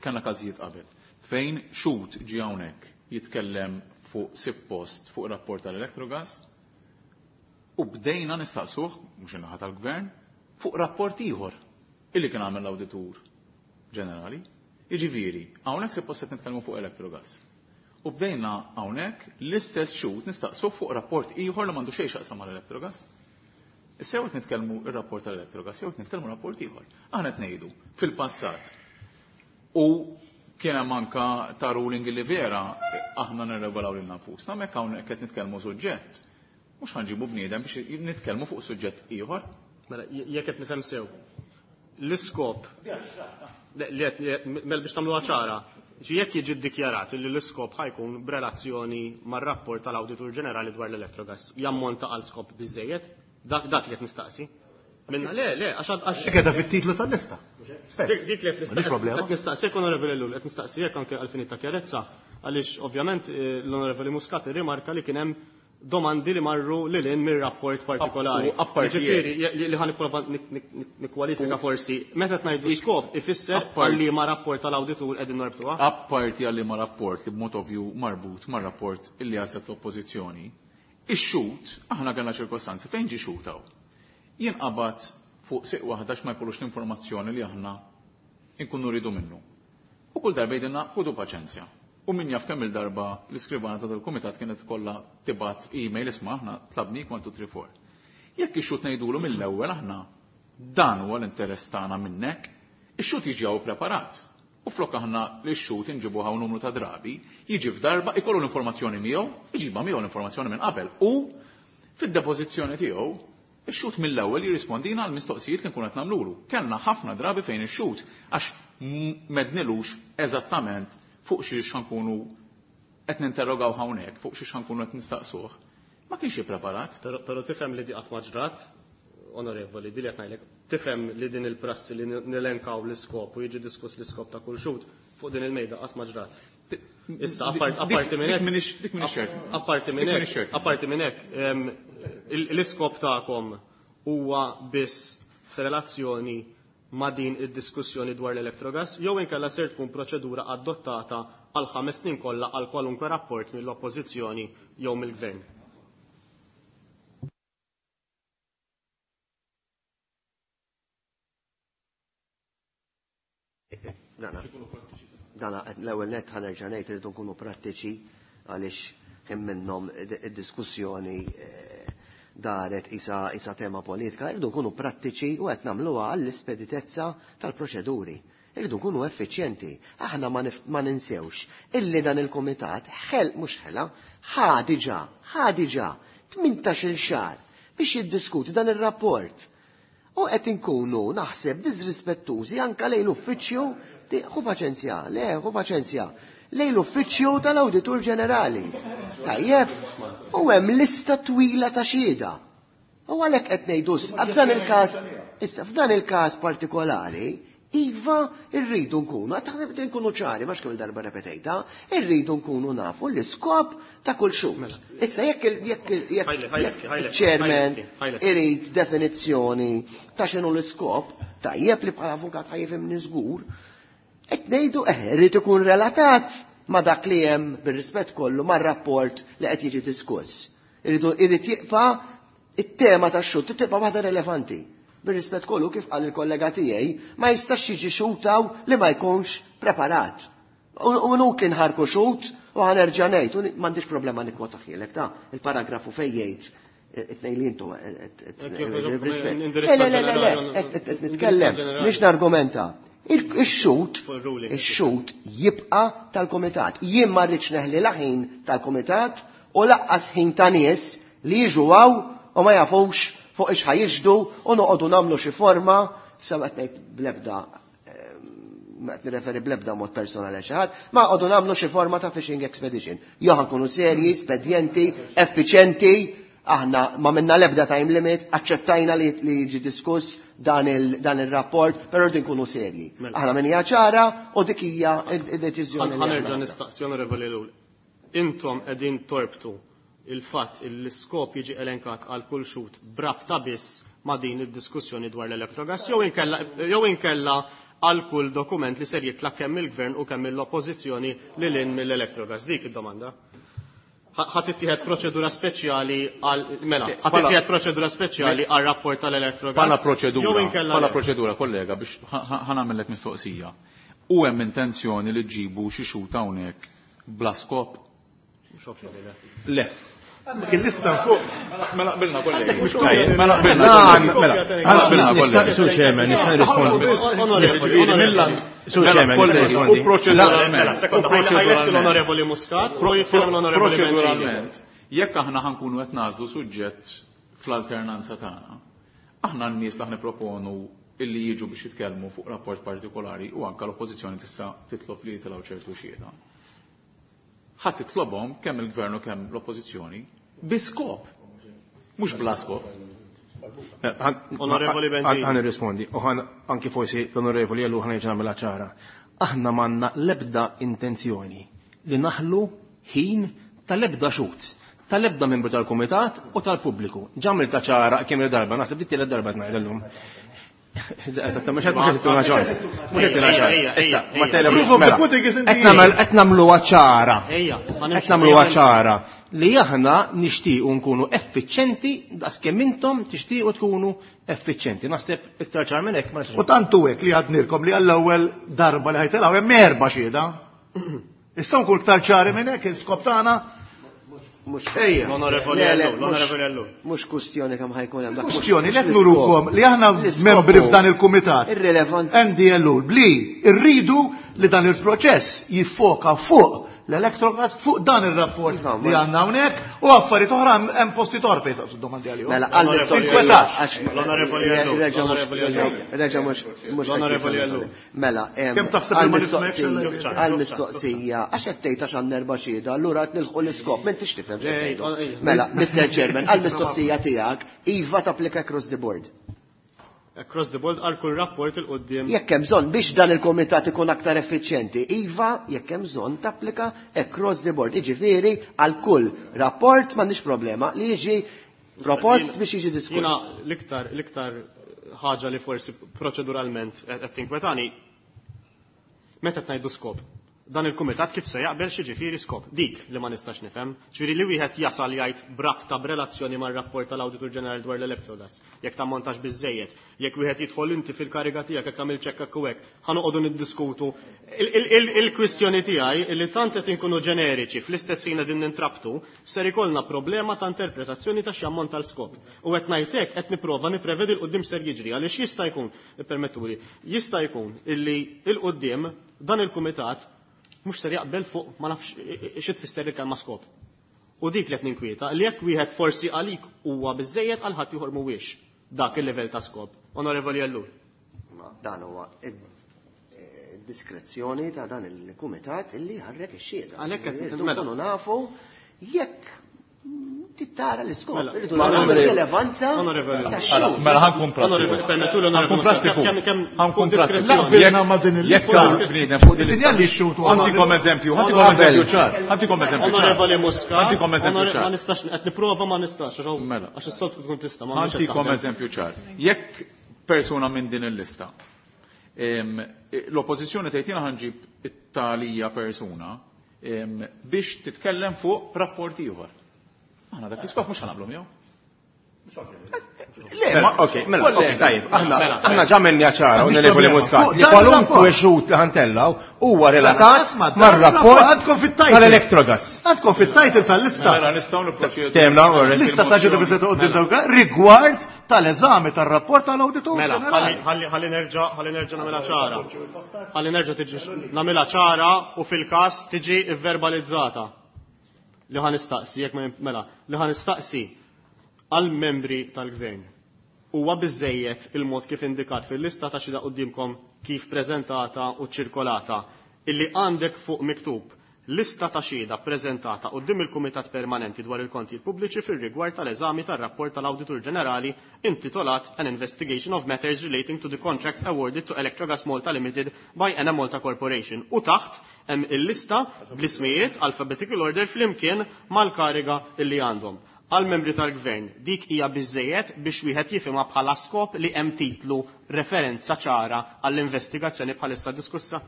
kellna każijiet qabel fejn xhud ġie hawnhekk jitkellem fuq sib post fuq rapport tal-Electrogas u bdejna nistaqsuh, mhux in-naħa tal-gvern, fuq rapport ieħor illi kien għamel l-Awditur Ġenerali. Jiġifieri, hawnhekk suppost qed nitkellmu fuq Electrogas. U bdejna hawnhekk l-istess xhud nistaqsuh fuq rapport ieħor li m'għandu xejn x'jaqsam mal-Electrogas. Issa jew qed nitkellmu ir-rapport tal-Electrogas jew qed nitkellmu rapport ieħor. Aħna qed ngħidu fil-passat u kien hemm anka ta' ruling li vera aħna nirregolaw lil nfusna, hemmhekk hawnhekk qed nitkellmu suġġett. Mhux ħa nġibu bniedem biex nitkellmu fuq suġġett ieħor. Mela, jekk qed nifhem sew, l-iskop mela biex tagħmluha ċara, jekk jiġi ddikjarat li l-iskop ħa jkun b'relazzjoni mar-rapport tal-Awditur Ġenerali dwar l-Electrogas, jammonta għal skop biżejjed? Dak dak li qed nistaqsi. Minna le, le, għax għax Qiegħda fit-titlu tal-lista. Stess. Dik li qed nistaqsi Onorevoli Ellul, qed nistaqsi jekk anke għal finita kjarezza, għaliex ovvjament l-Onorevoli Muscat irrimarka li kien hemm domandi li marru lil hinn mir-rapport partikolari. Ġifieri li ħa nipprova nikkwalifika forsi, meta ngħidu skop ifisser għal ma rapport tal-awditur qegħdin norbtuha. Apparti għal ma rapport li b'mod ovvju marbut mar-rapport illi għażlet l-Oppożizzjoni, ix-xhud aħna kellna ċirkostanzi fejn ġie xhud hawn. Jinqabad fuq siq waħda x'ma jkollux l-informazzjoni li aħna nkunu rridu minnu. U kull darba jgħidilna ħudu paċenzja. U min jaf kemm il-darba l-iskrivana ta' dal-kumitat kienet kollha tibgħat email isma' aħna tlabnik one two three four. Jekk ix-xhud ngħidulu mill-ewwel aħna dan huwa l-interess tagħna minnek, ix-xhud jiġi hawn preparat. U flok aħna li x-xhud inġibuha hawn numru ta' drabi, jiġi f'darba ikollu l-informazzjoni miegħu, iġibha miegħu l-informazzjoni minn qabel u fid-depożizzjoni tiegħu ix-xhud mill-ewwel jirrispondina għal mistoqsijiet li nkunu qed nagħmlulu. Kellna ħafna drabi fejn ix-xhud għax mednilux eżattament fuq xiex ħankunu qed ninterrogaw hawnhekk, fuq xiex ħankunu qed nistaqsuh. Ma kienx ippreparat. Però tifhem li di qatt ma ġrat, onorevoli, di li qed ngħidlek, tifhem li din il-prassi li nilenkaw l-iskop u jiġi diskuss l-iskop ta' kull xhud fuq din il-mejda qatt ma ġrat. Issa, apparti minn hekk, apparti minn hekk, apparti minn hekk, l-iskop tagħkom huwa biss f'relazzjoni ma' din id-diskussjoni dwar l-Electrogas, jew inkella ser tkun proċedura adottata għal ħames snin kollha għal kwalunkwe rapport mill-Oppożizzjoni jew mill-Gvern. Dana, dana l-ewwel nett ħa nerġa' ngħid irridu nkunu prattiċi għaliex hemm minnhom id-diskussjoni daret isa, isa tema politika, irridu nkunu prattiċi u qed nagħmluha għall-ispeditezza tal-proċeduri. Irridu nkunu effiċjenti. Aħna ma ninsewx illi dan il-kumitat ħel mhux ħela, ħa diġà, ħa diġà tmintax-il xahar biex jiddiskuti dan ir-rapport. U qed inkunu naħseb disrispettużi anke lejn l-uffiċċju, ħu paċenzja, le, ħu paċenzja, lejn l-uffiċċju tal-Awditur Ġenerali. Tajjeb, u hemm lista twila ta' xhieda. U għalhekk qed ngħidu f'dan il-każ, issa f'dan il-każ partikolari, iva rridu nkunu, taħseb nkunu ċari, ma kemm darba repetejta, irridu nkunu nafu l-iskop ta' kull xhud. Issa jekk jekk jekk chairman irid definizzjoni ta' x'inhu l-iskop, tajjeb li bħala avukat ħa jifhimni żgur, qed ngħidu eh irid ikun relatat ma' dak li hemm bir-rispett kollu mar-rapport li qed jiġi diskuss. Irridu irid jibqa' it-tema tax-xhud tibqa' waħda relevanti. Bir-rispett kollu kif qal il-kollega tiegħi, ma jistax jiġi xutaw li ma jkunx preparat. U nutli nħarku xut u ħa nerġa' ngħid, u m'għandix problema nikkwota ħielek ta' il-paragrafu fejn jgħid it-tnejn li intom Le, le, le, le, qed nitkellem, mhix nargumenta. Ix-xut, ix-xut jibqa' tal-kumitat. Jien ma rridx neħli la ħin tal-kumitat u laqqas ħin ta' nies li jiġu hawn u ma jafux fuq ix ħajixdu u noqogħdu nagħmlu xi forma, sa qed ngħid bl-ebda ma qed nirreferi bl-ebda mod personali xi ħadd, ma qogħdu nagħmlu xi forma ta' fishing expedition. Jew ħankunu serji, spedjenti, effiċenti, aħna ma minna l-ebda time limit, aċċettajna li jiġi diskuss dan il-rapport, però rridu nkunu serji. Aħna min hija ċara u dik hija d-deċiżjoni. Ħa nerġa' nistaqsi, Onorevoli Ellul. Intom qegħdin torbtu il-fatt l-iskop jiġi elenkat għal kull xhud brabta biss ma' din id-diskussjoni dwar l-Electrogas jew inkella jew inkella għal kull dokument li ser jitla' kemm il-gvern u kemm l-oppożizzjoni lil hinn mill-Electrogas. Dik id-domanda. Ħa tittieħed proċedura speċjali għal mela, ħa tittieħed proċedura speċjali għal rapport tal-Electrogas. Bħala proċedura, bħala proċedura, kollega, biex ħa nagħmellek mistoqsija. U hemm intenzjoni li ġġibu xi xhud hawnhekk bla skop? Le. Il-lista fuq. Mela qbilna, kollegi. Mela qbilna. Mela qbilna, kollegi. Sur Chairman, nista' nirrispondi. Sur Chairman, nista' nirrispondi. U proċeduralment. Mela, sekonda, ħajlesti l-Onorevoli Muscat, u jitkellem l-Onorevoli Bencini. Proċeduralment, jekk aħna ħankunu qed nagħżlu suġġett fl-alternanza tagħna, aħna n-nies li proponu illi jiġu biex jitkellmu fuq rapport partikolari u anke l-oppożizzjoni tista' titlob li jitilgħu ċertu xhieda. Ħadd titlobhom kemm il-gvern u kemm l-oppożizzjoni bi skop, mhux bla skop. Onorevoli Bencini. Ħa nirrispondi, u ħan anki forsi l-Onorevoli Ellul ħa nerġa' nagħmilha ċara. Aħna m'għandna l-ebda intenzjoni li naħlu ħin tal-ebda xhud, tal-ebda membru tal-kumitat u tal-pubbliku. Ġamilta ċara kemm il-darba, naħseb dit tielet darba ngħid illum. Eżatt, mhux qed mhux qed tuna ċans. Mhux qed tuna ċans. Issa, ma tele qed nagħmluha ċara. Qed nagħmluha ċara li aħna nixtiequ nkunu effiċjenti daqskemm intom tixtiequ tkunu effiċjenti. Naħseb iktar ċar minn hekk ma nistax. U tantu hekk li għadnilkom li għall-ewwel darba li ħajtilgħu hemm erba' xhieda. Issa nkun iktar ċari minn hekk il-skop tagħna. Mhux L-Onorevoli Ellul, l-Onorevoli Ellul. Mhux kustjoni kemm ħajkun hemm. Kustjoni li qed nurukom li aħna membri f'dan il-kumitat. Irrelevanti. Andy Ellul bli rridu li dan il-proċess jiffoka fuq l-Electrogas, fuq dan il-rapport li għandna hawnhekk u affarijiet oħra hemm posti oħra fejn saqsu domandi għalihom. Mela għall-mistoqsija. L-Onorevoli Ellul. Reġa' mhux L-Onorevoli Ellul. Mela, kemm taħseb li ma nifhmekx għall-mistoqsija għax qed tgħid għax għandna erba' xhieda, allura qed nilħqu l-iskop, m'intix tifhem x'qed. Mela, Mister Chairman, għall-mistoqsija tiegħek iva tapplika across the board. Across the board għal kull rapport il-qoddim. Jekk hemm bżonn biex dan il-komitat ikun aktar effiċjenti, iva jekk hemm bżonn tapplika across the board. Jiġifieri għal kull rapport m'għandix problema li jiġi propost biex jiġi diskuss. Jiena l-iktar l-iktar ħaġa li forsi proċeduralment qed tinkwetani meta qed ngħidu skop. Dan il-kumitat kif se jaqbel xi skop. Dik li ma nistax nifhem. Ġifieri li wieħed jasal jgħid brabta b'relazzjoni mar-rapport tal-Awditur Ġenerali dwar l-Electrogas. Jekk tammontax biżejjed, jekk wieħed jidħol inti fil-kariga tiegħek jekk tagħmel ċekk hekk u hekk, ħa noqogħdu niddiskutu. Il-kwistjoni tiegħi li tant qed inkunu ġeneriċi fl-istess ħin qegħdin nintrabtu, ser ikollna problema ta' interpretazzjoni ta' x'ammont tal-skop. U qed ngħid hekk qed nipprova nipprevedi l-quddiem ser jiġri għaliex jista' jkun, ippermettuli, jista' jkun illi il-quddiem dan il-kumitat mhux ser jaqbel fuq ma nafx xi tfisser il-kelma skop. U dik li qed ninkwieta li jekk wieħed forsi għalik huwa biżejjed għal ħadd ieħor mhuwiex dak il-livell ta' skop. Onorevoli Ellul. Dan huwa diskrezzjoni ta' dan il-kumitat illi ħarrek ix-xhieda. Għalhekk qed nkunu nafu jekk tittara l-iskop, irridu nagħmlu rilevanza tax-xogħol. Mela ħankun prattiku. Ħankun prattiku. Ħankun prattiku. Jekk bniedem fuq din Sinjal li x-xut Ħantikom eżempju, ħantikom eżempju ċar. Ħantikom eżempju ċar. Onorevoli Muscat. Ħantikom eżempju ċar. Ma nistax qed nipprova ma nistax għax Mela. Għax is-soltu tkun tista' ma Ħantikom eżempju ċar. Jekk persuna minn din il-lista l-oppożizzjoni tgħid jiena ħanġib it-talija persuna biex titkellem fuq rapport ieħor. Aħna dak l-iskop mhux ħanaqblu miegħu. Le, ok, mela, ok, tajjeb, aħna aħna ġa ċara, Onorevoli Muscat, li kwalunkwe xhud li ħantellaw huwa relatat mar-rapport tal-Electrogas. Għandkom fit-title tal-lista. Mela nistgħu nipproċedu. Temna, Lista ta' ġedu biżgħet qudiem dawk rigward tal-eżami tar-rapport tal-Awditur. Mela, ħalli nerġa' ħalli nerġa' nagħmilha ċara. Ħalli nerġa' tiġi nagħmilha ċara u fil-każ tiġi vverbalizzata. Li ħa nistaqsi jekk mela, li ħa nistaqsi għal membri tal-gvern. Huwa biżejjed il-mod kif indikat fil-lista ta' xhieda quddiemkom kif preżentata u ċirkolata illi għandek fuq miktub lista ta' xhieda preżentata quddiem il-Kumitat Permanenti dwar il-Kontijiet Pubbliċi fir-rigward tal-eżami tar-rapport tal-Awditur Ġenerali intitolat An Investigation of Matters Relating to the Contracts Awarded to Electrogas Malta Limited by Enemalta Corporation. U taħt hemm il-lista bl-ismijiet alphabetical order flimkien mal-kariga illi għandhom. Għal membri tal-gvern, dik hija biżejjed biex wieħed jifhimha bħala skop li hemm titlu referenza ċara għall-investigazzjoni bħalissa diskussa?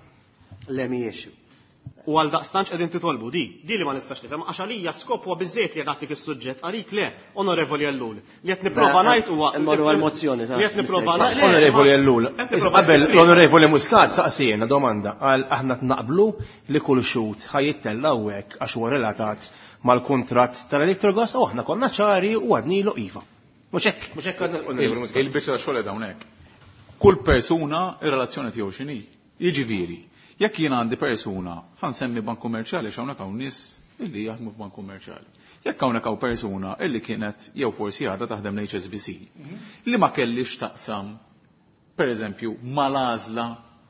Le mhijiex. U għal daqstanċ qegħdin titolbu di, di li ma nistax nifhem għax għalija skop huwa biżejjed li nagħtik is-suġġett għalik le, Onorevoli Ellul. Li qed nipprova ngħid huwa Immorru għall-mozzjoni Li qed nipprova ngħid. Onorevoli Ellul, qabel l-Onorevoli Muscat saqsijena domanda għal aħna naqblu li kull xut ħajittella hawnhekk għax huwa relatat mal-kuntratt tal-Electrogas u aħna konna ċari u għadnilu iva. Mhux hekk, mhux hekk għadna Onorevoli Muscat. Il-biċċa xogħol hawnhekk. Kull persuna ir-relazzjoni tiegħu x'inhi. Jiġifieri, jekk jien għandi persuna, ħa nsemmi bank kummerċjali x'hawnhekk hawn nies illi jaħdmu f'bank kummerċjali. Jekk hawnhekk hawn persuna illi kienet jew forsi għadha taħdem l-H S B C, li ma kellix taqsam, pereżempju, mal-għażla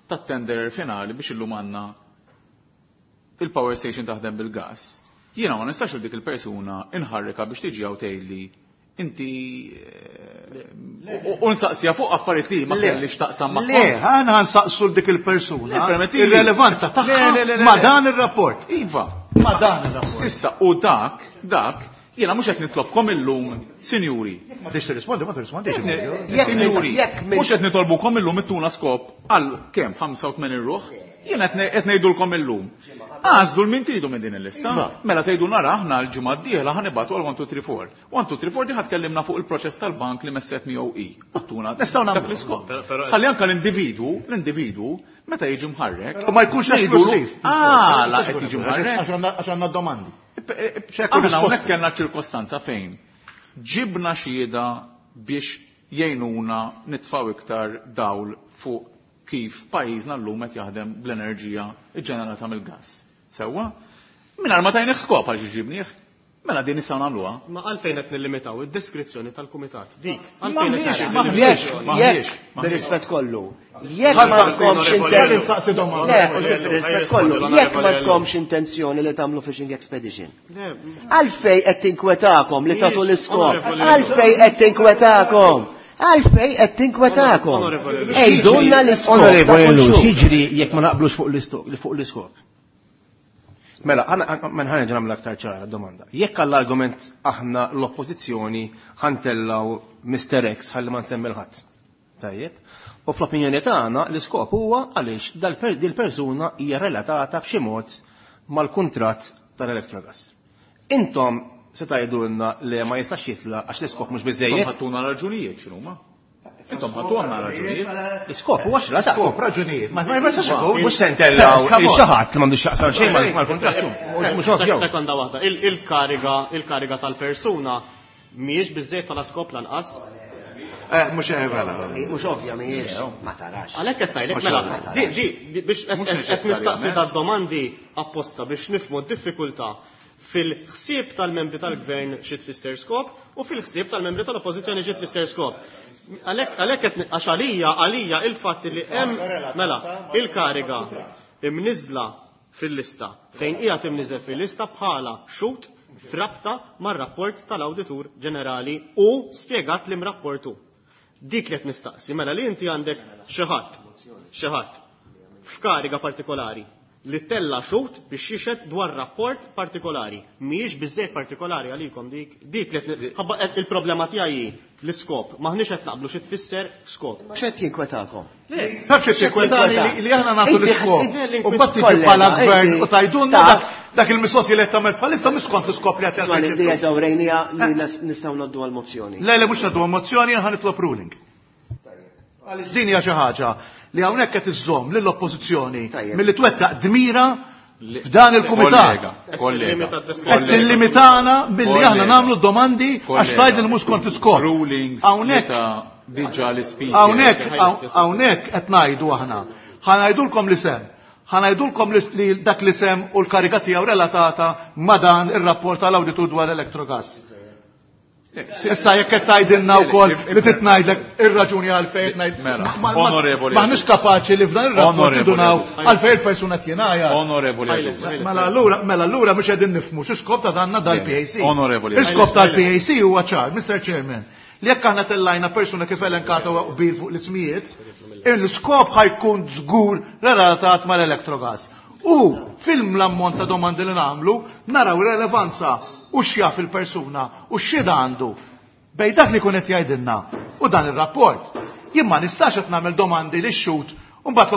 tat-tenderer finali biex illum għandna il-power station taħdem bil-gas. Jiena ma nistax dik il-persuna inħarrika biex tiġi hawn tgħidli inti u nsaqsija fuq affarijiet li ma kellix taqsam magħhom. Le, aħna nsaqsu dik il-persuna ir-relevanza tagħha ma' dan ir-rapport. Iva. Ma' dan ir-rapport. Issa u dak, dak, jiena mhux qed nitlobkom illum, sinjuri. Ma tix tirrispondi, ma tirrispondix. Sinjuri, mhux qed nitolbukom illum ittuna skop għal kemm ħamsa u tmenin ruħ. Jiena qed ngħidulkom illum. Għażlu l-min tridu minn din il-lista. Mela tgħidu nara aħna l-ġimgħa d-dieħla ħa nibgħatu għal one two three four. one two three four di ħa tkellimna fuq il-proċess tal-bank li messet miegħu i. Għattuna Nistgħu dak nagħmlu. l-iskop. Ħalli anke l-individwu, l-individwu meta jiġi mħarrek. Ma jkunx esklusiv. Għala qed jiġi mħarrek. Għax għandna domandi. Aħna hawnhekk kellna ċirkostanza fejn ġibna xhieda biex jgħinuna nitfgħu iktar dawl fuq kif pajjiżna llum qed jaħdem bl-enerġija ġġenerata mill-gass. Sewwa? Mingħajr ma tajnih skop għal xi ġibnieh. Mela din nistgħu nagħmluha. Ma għalfejn qed nillimitaw id-deskrizzjoni tal-kumitat. Dik, Ma għalfejn qed m'għandniex, nillimitaw. m'għandniex, Jekk, m'għandniex, jekk, bir-rispett kollu, jekk ma tkomx intenzjoni. Le, bir-rispett kollu, jekk ma tkomx intenzjoni li tagħmlu fishing expedition. Għalfej qed tinkwetakom li tagħtu l-iskop. Għalfej qed tinkwetakom. Għalfej qed tinkwetakom. Ejdulna l-iskop. Onorevoli Ellul, x'jiġri jekk ma naqblux fuq l-iskop? Mela, ma nħanerġa' nagħmel aktar ċara domanda. Jekk għall-argument aħna l-oppożizzjoni ħantellaw Mister X ħalli ma nsemmi l-ħadd. Tajjeb. U fl-opinjoni tagħna l-iskop huwa għaliex dil-persuna hija relatata b'xi mod mal-kuntratt tal-Electrogas. Intom se tgħidulna li ma jistax jitla' għax l-iskop mhux biżejjed. Intom ħattuna raġunijiet x'inhuma? Intom ħattu għandna raġunijiet. L-iskop huwa x'la Skop raġunijiet. Ma jistax ikun. Mhux se ntellaw xi ħadd li m'għandux x'jaqsam xejn mal-kuntratt. Mhux ovvju. Sekonda waħda, il-kariga, il-kariga tal-persuna mhijiex biżejjed bħala skop lanqas. Eh, mhux eh, mela. Mhux ovvja mhijiex, ma tarax. Għalhekk qed ngħidlek mela, di, di, biex qed nistaqsi ta' domandi apposta biex nifhmu d-diffikultà fil-ħsieb tal-membri tal-gvern xi tfisser skop u fil-ħsieb tal-membri tal-oppożizzjoni xi tfisser skop. Għalhekk, għalhekk qed għax għalija, għalija il-fatt li hemm mela il-kariga imniżla fil-lista fejn hija timniżel fil-lista bħala xut frabta mar-rapport tal-Awditur Ġenerali u spjegat li mrapportu. Dik li qed nistaqsi, mela li inti għandek xi ħadd, xi ħadd f'kariga partikolari li tella xut biex jixed dwar rapport partikolari. Mhijiex biżejjed partikolari għalikom dik, dik li qed ħabba qed il-problema tiegħi hi l-iskop. M'aħniex qed naqblu xi tfisser skop. X'qed jinkwetakom? Le. Taf x'qed jinkwetani li, li aħna nagħtu Inti l-iskop. inti U mbagħad tiġi kollega, bħala gvern inti u tajdunna taf. dak, dak il-mistoqsija li qed tagħmel bħalissa mhux skont l-iskop li qed Isma' jagħmel. li qed dawrejnija li nas-, nistgħu ngħaddu għall-mozzjoni. Le, le, mhux ngħaddu għall-mozzjoni, aħna nitlob ruling. Għaliex din hija xi ħaġa li hawnhekk qed iżżomm lill-oppożizzjoni Tajjeb. milli twettaq dmira f'dan il-kumitat. Kollega, kollega, Qed tillimitana billi aħna Kollega. nagħmlu domandi għax Kollega. tgħid li mhux kont l-iskop. Rulings Hawnhekk meta diġà l-ispeaker. Hawnhekk, hawnhekk qed ngħidu aħna. Ħa ngħidulkom l-isem. Ħa ngħidulkom li, li dak l-isem u l-kariga tiegħu relatata ma' dan ir-rapport tal-awditur dwar Electrogas. Issa jekk qed tgħidilna wkoll li titngħidlek ir-raġuni għalfejn qed ngħid. Mela, onorevoli. M'aħniex kapaċi li f'dan ir-rapport nidunaw għalfejn il-persuna qed Onorevoli. Mela allura mela allura mhux qegħdin nifhmu xi skop ta' danna dal-P A C. Onorevoli. Il-skop tal-P A C huwa ċar, Mister Chairman. Li jekk aħna tellajna persuna kif elenkata u qbil fuq l-ismijiet, il-skop ħa jkun żgur relatat mal-Electrogas. U fil-ammont ta' domandi li nagħmlu, naraw relevanza u x'jaf il-persuna u x'xhieda għandu bejn dak li kun qed jgħidilna u dan ir-rapport. Jien ma nistax qed nagħmel domandi li xhud u mbagħad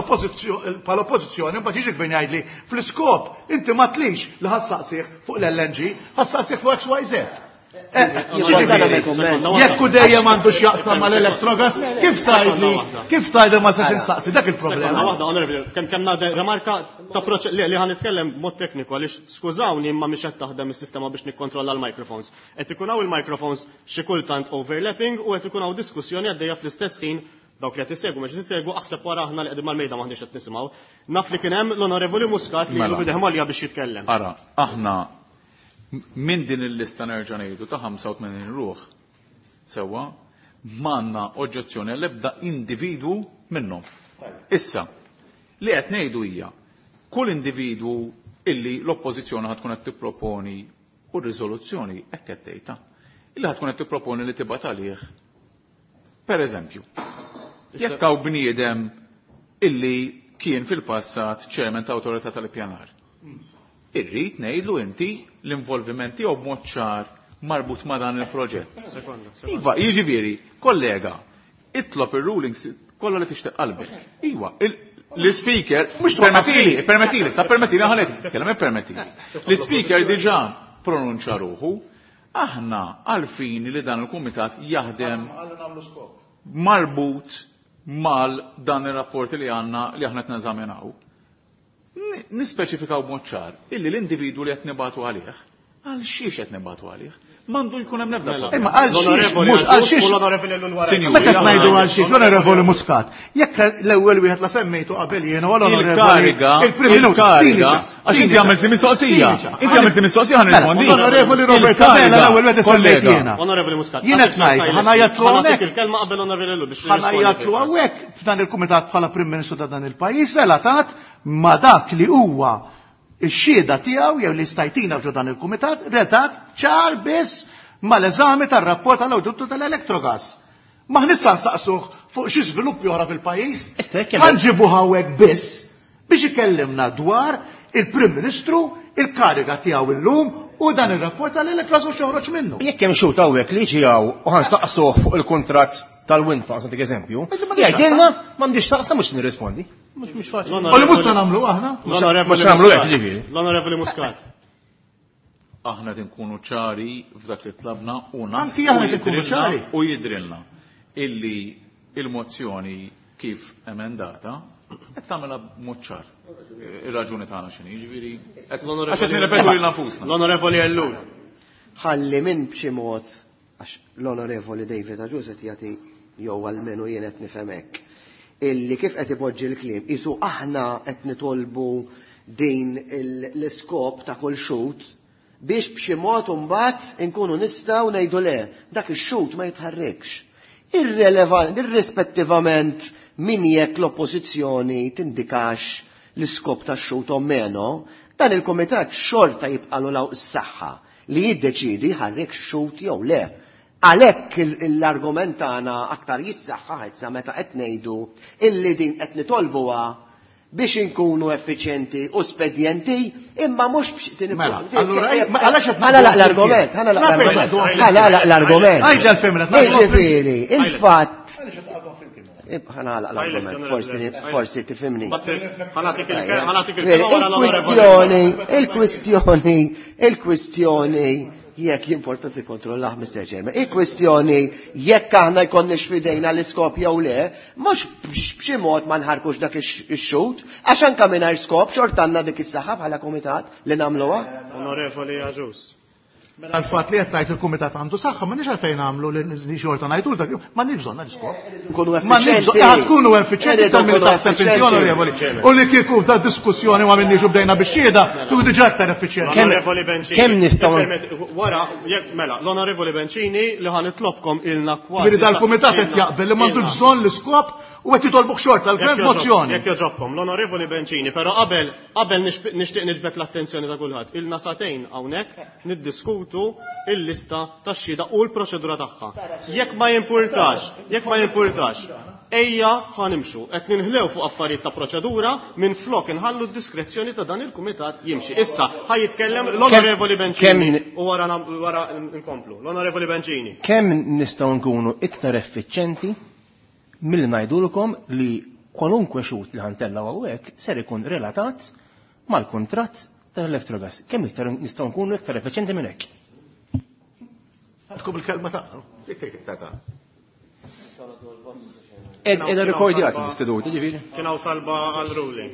bħala oppożizzjoni mbagħad jiġi gvern jgħidli fl-iskop inti ma tlix li ħa ssaqsih fuq l-L N G, ħa ssaqsih fuq X Y Z. Jekk u dejjem għandu x'jaqsam mal-Electrogas, kif tgħidli, kif tgħidli ma sax insaqsi dak il-problema. Waħda, onorevoli, kemm kemm nagħti remarka ta' li li ħa nitkellem mod tekniku għaliex skużawni imma mhix qed taħdem is-sistema biex nikkontrolla l-microphones. Qed ikun hawn il-microphones xi kultant overlapping u qed ikun hawn diskussjoni għaddejja fl-istess ħin. Dawk li qed isegwu mhux isegwu, aħseb wara aħna li qegħdin mal-mejda m'aħniex qed nisimgħu. Naf li kien hemm l-Onorevoli Muscat li Mela. ilu b'idejh mgħollija biex jitkellem. Ara, aħna minn din il-lista, nerġa' ngħidu, ta' ħamsa u tmenin ruħ sewwa, m'għandna oġġezzjoni għall-ebda individwu minnhom. Issa, li qed ngħidu hija kull individwu illi l-oppożizzjoni ħa tkun qed tipproponi, u r-riżoluzzjoni hekk qed tgħidha, illi ħa tkun qed tipproponi li tibgħat għalih. Per eżempju, jekk hawn bniedem illi kien fil-passat chairman ta' awtorità tal-ippjanar, irrid ngħidlu inti l-involviment tiegħu b'mod ċar marbut ma' dan il-proġett. Sekonda, sekonda. Iva, jiġifieri, kollega, itlob ir-rulings kollha li tixtieq qalbek. Iva, il- l-speaker, mhux permettili, permettili, sa permettili ħalet, kellem permettili. L-speaker diġà pronunċa ruħu, aħna għalfin li dan il-kumitat jaħdem marbut mal dan ir-rapport li għandna li aħna qed neżaminaw. Ni- Nispeċifikaw b'mod ċar illi l-individwu li qed nibatu għalih, għal xiex qed nibatu għalih, m'għandu jkun hemm l-ebda Mela. problema. Imma għal xiex, L-Onorevoli mhux għal Agius xiex. u l-Onorevoli Ellul wara. Sinjuri, Meta qed ngħidu aħna- għal xiex, l-Onorevoli Muscat, jekk l-ewwel wieħed la semmejtu qabel jien u l-Onorevoli Il-kariga, il-Prim Minuta, il-kariga, tini ċans, għax inti tini għamilt ċans, mistoqsija. tini ċans. Inti għamilt mistoqsija, ħa Mela, nirrispondi. L-Onorevoli Robert Il-kariga, Abela l-ewwel wieħed semmejt kollega. jiena. Onorevoli Muscat. Jien qed ngħid, ħa ngħajjatlu Ħa nagħtik hawnhekk. il-kelma qabel Onorevoli Ellul biex Ħa ngħajjatlu tirrispondi. hawnhekk f'dan il-kumitat bħala Prim Ministru ta' dan il-pajjiż relatat ma' dak li huwa ix-xhieda tiegħu jew li stajtina f'ġo dan il-kumitat relatat ċar biss mal-eżami tar-rapport tal-awditu tal-Electrogas. Ma nista' nsaqsuh fuq xi żviluppi oħra fil-pajjiż. Issa, jekk hemm- Ħa nġibuh hawnhekk biss biex ikellimna dwar il-Prim Ministru, il-kariga tiegħu illum u dan ir-rapport tal-Electrogas u x'joħroġ minnu. Jekk hemm xhud hawnhekk li jiġi hawn u ħa nsaqsuh fuq il-kuntratt tal-wind farm, nagħtik eżempju, Inti m'għandix jgħidilna m'għandix taqsam, mhux nirrispondi. Mhux mhux faċli. U li mhux se nagħmlu aħna? L-Onorevoli Mhux nagħmlu hekk, Muscat. ġifieri. L-Onorevoli Muscat. Aħna qed inkunu ċari f'dak li tlabna u Anki aħna qed inkunu u jidrilna- ċari. U jidrilna illi il-mozzjoni kif emendata qed tagħmilha b'mod ċar. Ir-raġuni tagħna x'inhi, jiġifieri qed għax qed nirrepetu lil nfusna. L-Onorevoli Ellul. Ħalli minn b'xi mod, għax l-Onorevoli David Agius qed jagħti, jew almenu jien qed nifhem hekk, illi kif qed ipoġġi l-kliem isu aħna qed nitolbu din il- l-iskop ta' kull xhud biex b'xi mod imbagħad inkunu nistgħu ngħidu le, dak ix-xhud ma jitħarrikx. Irrelevant, irrispettivament min jekk l-oppożizzjoni tindikax l-iskop ta' xhud o meno, dan il-komitat xorta jibqalu law s-saħħa li jiddeċidi ħarrik xhud jew le. Għalhekk l-argument tagħna aktar jissaħħa issa meta qed ngħidu illi din qed nitolbuha biex inkunu effiċjenti u spedjenti, imma mhux biex tin Mela, allura, ma għalax qed Ħa nagħlaq l-argument, ħa nagħlaq l-argument, ħa nagħlaq l-argument. Għidli għalfejn mela, Jiġifieri, il-fatt ħa nagħlaq l-argument, forsi forsi tifhimni. Ħa nagħtik il-kelma ħa nagħtik il-kelma wara l-Onorevoli. Il-kwistjoni, il-kwistjoni, il-kwistjoni, jekk importanti kontrollah, Mister Chairman, il-kwistjoni jekk aħna jkollniex fidejna l-iskop jew le, mhux b'xi mod ma nħarkux dak ix-xhud, għax anke mingħajr skop xort għandna dik is-saħħa bħala kumitat li nagħmluha. Onorevoli Agius. Mela l-fatt li qed ngħid il-kumitat għandu saħħa m'għandniex għalfejn nagħmlu li xorta ngħidu dak m'għandniex bżonn l-iskop. Nkunu effiċjenti. Tkunu effiċjenti tal-min taħseb inti onorevoli. U li kieku ta' diskussjoni ma minniex u bdejna bix-xhieda, kieku diġà aktar effiċjenti. Onorevoli Bencini. Kemm nistgħu wara jekk mela l-Onorevoli Bencini li ħa nitlobkom ilna kważi. Jiġifieri dal-kumitat qed jaqbel li m'għandux bżonn l-iskop u qed jitolbuk xorta l-gvern mozzjoni. Jekk jogħġobkom, l-Onorevoli Bencini, però qabel qabel nixtieq niġbed l-attenzjoni ta' kulħadd. Ilna sagħtejn hawnhekk niddiskutu il-lista tax-xhieda u l-proċedura tagħha. Jekk ma jimpurtax, jekk ma jimpurtax, ejja ħa nimxu, qed ninħlew fuq affarijiet ta' proċedura minn flok inħallu d-diskrezzjoni ta' dan il-kumitat jimxi. Issa ħa jitkellem l-Onorevoli Bencini u wara wara nkomplu. L-Onorevoli Bencini. Kemm nistgħu nkunu iktar effiċjenti milli ngħidulkom li kwalunkwe xhud li ħantellaw hawnhekk ser ikun relatat mal-kuntratt tal-Electrogas. Kemm iktar nistgħu nkunu iktar effiċjenti minn hekk? Għandkom il-kelma tagħna. Jekk tgħid iktar ta' Edha rekordjat l-istitut, ġifieri. Kien hawn talba għal ruling.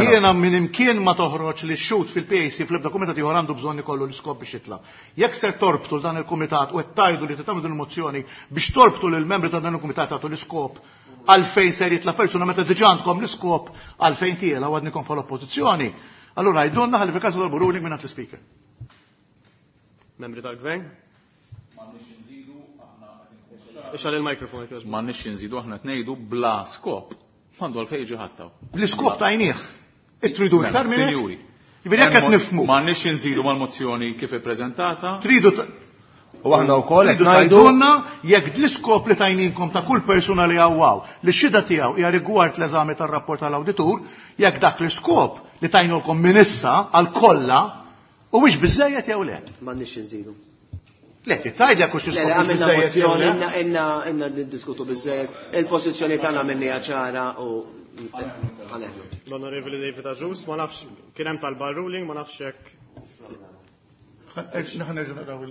Jiena minn imkien ma toħroġ li x-xhud fil-P A C fl-ebda kumitat ieħor għandu bżonn ikollu l-iskop biex jitla'. Jekk ser torbtu dan il-kumitat u qed tgħidu li tagħmlu din il-mozzjoni biex torbtu lil membri ta' dan il-kumitat tagħtu l-iskop għalfejn ser jitla' persuna meta diġà għandkom l-iskop għalfejn tiela u għadnikom bħala oppożizzjoni, allura għidulna ħalli fil-każ tolbu ruling minn l-Speaker. Membri tal-Gvern? Ixgħel il-mikrofon. M'għandniex inżidu, aħna tnejdu bla skop. M'għandu għalfejn jiġi ħadd. L-iskop tajnieh. Tridu iktar minn hekk? Jiġifieri jekk qed nifhmu. M'għandniex inżidu mal-mozzjoni kif ippreżentata. Tridu U aħna wkoll qed tridu ngħidu tgħidulna jekk l-iskop li tajninkom ta' kull persuna li hawn li x-xhieda tiegħu hija rigward l-eżami tar-rapport tal-awditur, jekk dak l-iskop li tajnulkom minn issa għal kollha huwiex biżejjed jew le. M'għandniex inżidu. Le, tgħid jekk hux Le, l-iskop le, mhux għamilna biżejjed jew mozzjoni, le. inna, inna, inna niddiskutu biżejjed. Il-pożizzjoni tagħna minnija ċara u għaneħlu. L-Onorevoli David Agius, ma nafx kien hemm talba ruling, ma nafx hekk.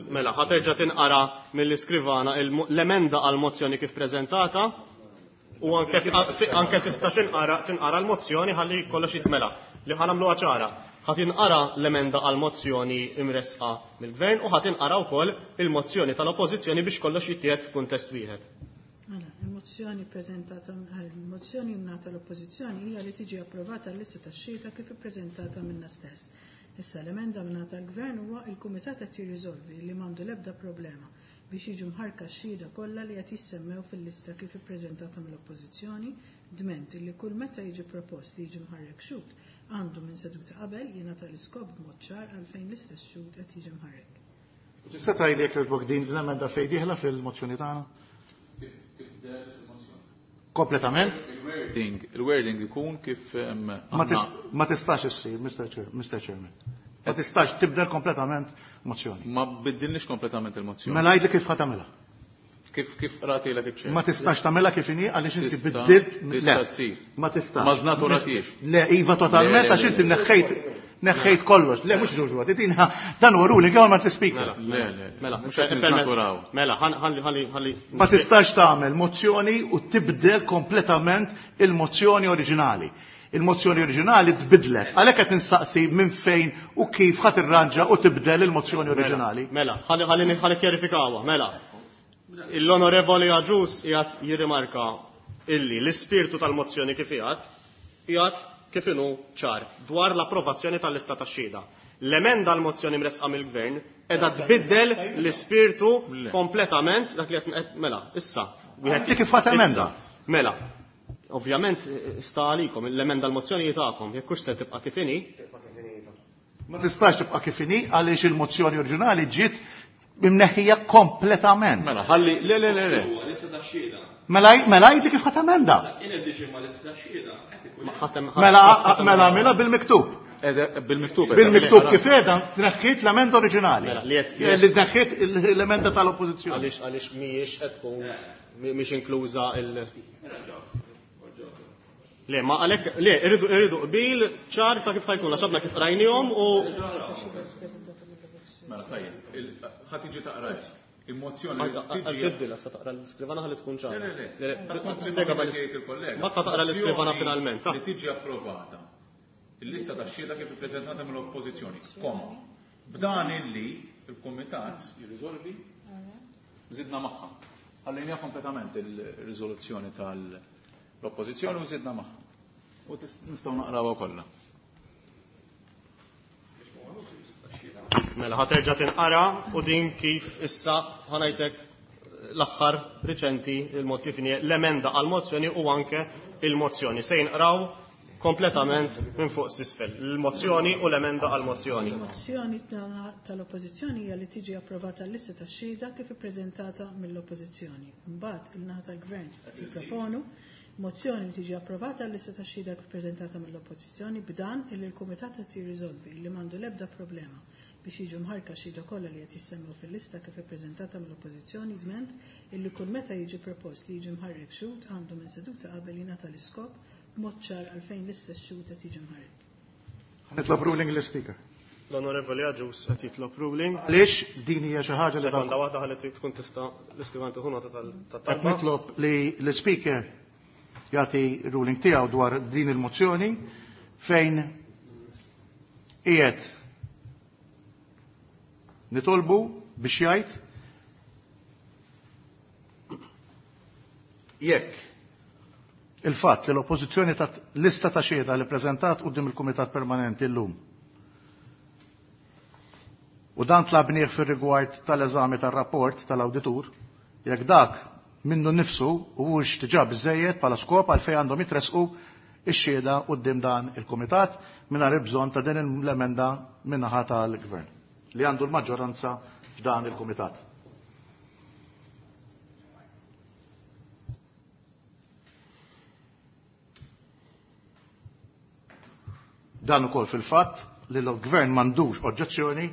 Mela, ħa terġa' tinqara mill-iskrivana l-emenda għal-mozzjoni kif preżentata u anke anke tista' tinqara tinqara l-mozzjoni ħalli kollox jitmela. Li ħa nagħmluha ċara. Ħa tinqara l-emenda għal-mozzjoni imresqa mill-Gvern u ħa tinqara wkoll il-mozzjoni tal-Oppożizzjoni biex kollox jittieħed f'kuntest wieħed. Mela, il-mozzjoni preżentata, il-mozzjoni mnata l-Oppożizzjoni hija li tiġi approvata l-lista tax-xhieda kif ippreżentata minna stess. Issa l-emenda mnata l-Gvern huwa il-Kumitat qed jirriżolvi li m'għandu l-ebda problema biex jiġu mħarka x-xhieda kollha li qed jissemmew fil-lista kif ippreżentata mill-Oppożizzjoni, dment li kull meta jiġi propost li jiġi mħarrek xhud għandu minn seduta qabel jingħata l-iskop b'mod ċar għalfejn l-istess xhud qed jiġi mħarrek. Tista' tgħidli jekk jogħġbok din l-emenda fejn dieħla fil-mozzjoni tagħna? Kompletament? Il-wording, il-wording ikun kif, em, Ma aħna- tis- ma tistax issir, Mister Chair, Mister Chairman. Ma tistax tibdel kompletament mozzjoni. Ma biddilniex kompletament il-mozzjoni. Mela għidli kif ħa tagħmilha. Kif kif qratilek iċ-ċer? Ma tistax tagħmilha kif inhi għaliex inti Tista' biddilt. Tista' Le. ssir. Ma tistax. Ma żnaturatiex. Le, iva totalment Le, le, għax le, inti le. neħħejt neħħejt kollox. Le, mhux ġuġu, din dan huwa ruling jew ma t-speaker. Le, le, le. Mela, mhux qed niżnaturaw. Mela, ħalli ħalli ħalli. Ma tistax tagħmel mozzjoni u tibdel kompletament il-mozzjoni oriġinali. Il-mozzjoni oriġinali tbidlet. Għalhekk qed nistaqsi minn fejn u kif ħadd irranġa u tibdel il-mozzjoni oriġinali. Mela, ħalli ħalli ħalli kjarifikawha, mela. L-Onorevoli Agius qiegħed jirrimarka illi l-ispirtu tal-mozzjoni kif qiegħed qiegħed kif inhu ċar dwar l-approvazzjoni tal-lista tax-xhieda. L-emenda l-mozzjoni mresqa mill-Gvern qiegħda tbiddel l-ispirtu Le. kompletament dak li qed mela, issa. Inti kif ħadd emenda? Issa, mela, ovvjament sta għalikom l-emenda l-mozzjoni tagħkom, jekk hux se tibqa' kif inhi. Ma tistax tibqa' kif inhi għaliex il-mozzjoni oriġinali ġiet imneħħija kompletament. Mela, ħalli, le, le, le, le. Mela, mela għidli kif ħadd emenda. Ma ħadd- Mela, ħadd- mela, mela bil-miktub. Ede, bil-miktub. Bil-miktub kif qiegħda tneħħiet l-emenda oriġinali. Mela, li qed- Li tneħħiet l-emenda tal-Oppożizzjoni. Għaliex għaliex mhijiex qed tkun mhix inkluża il Le, ma għalhekk le, irridu irridu qbil ċar ta' kif ħajkun, għax għadna kif qrajnihom u Mela, tajjeb, il- ħa tiġi taqraj. Il-mozzjoni li tiġi Tibdilha sa taqra l-iskrivana ħalli tkun ċara. Le, le, le. Spjega Ħa jgħid il-kollega. Ma taqra l-iskrivana finalment. Li tiġi approvata. Il-lista ta' xhieda kif ippreżentata mill-Oppożizzjoni, koma. B'dan illi il-Kumitat jirriżolvi żidna magħha. Ħallejniha kompletament il-riżoluzzjoni tal-Oppożizzjoni u żidna magħha. U nistgħu naqrawha kollha. Mela ħa terġa' tinqara u din kif issa ħanajtek l-aħħar riċenti il-mod kif inhi l-emenda għall-mozzjoni u anke il-mozzjoni. Se jinqraw kompletament minn fuq s'isfel. Il-mozzjoni u l-emenda għall-mozzjoni. Il-mozzjoni tal-Oppożizzjoni hija li tiġi approvata l-lista tax-xhieda kif ippreżentata mill-Oppożizzjoni. Imbagħad il-naħa tal-Gvern tipproponu mozzjoni li tiġi approvata l-lista tax-xhieda kif ippreżentata mill-Oppożizzjoni b'dan illi l-Kumitat qed jirriżolvi li m'għandu l-ebda problema biex jiġu mħarka xhieda kollha li qed jissemmew fil-lista kif ippreżentata mill-Oppożizzjoni dment illi kull meta jiġi propost li jiġi mħarrek xhud għandu minn seduta qabel jingħata l-iskop b'mod ċar għalfejn l-istess xhud qed jiġi mħarrek. Nitlob ruling l-Speaker. L-Onorevoli Agius qed jitlob ruling. Għaliex din hija xi ħaġa li Sekonda waħda ħalli tkun tista' l-iskrivan tieħu nota Qed tat-talba. nitlob li l-Speaker jagħti ruling tiegħu dwar din il-mozzjoni fejn qiegħed nitolbu biex jgħid jekk il-fatt li l-Oppożizzjoni tat lista ta' xhieda li preżentat quddiem il-Kumitat Permanenti llum u dan tlabnieh fir-rigward tal-eżami tar-rapport tal-awditur, jekk dak minnu nnifsu huwiex diġà biżejjed bħala skop għalfejn għandhom jitresqu ix-xhieda quddiem dan il-Kumitat mingħajr il-bżonn ta' din l-emenda min-naħa tal-Gvern li għandu l-maġġoranza f'dan il-Kumitat. Dan ukoll fil-fatt li l-Gvern m'għandux oġġezzjoni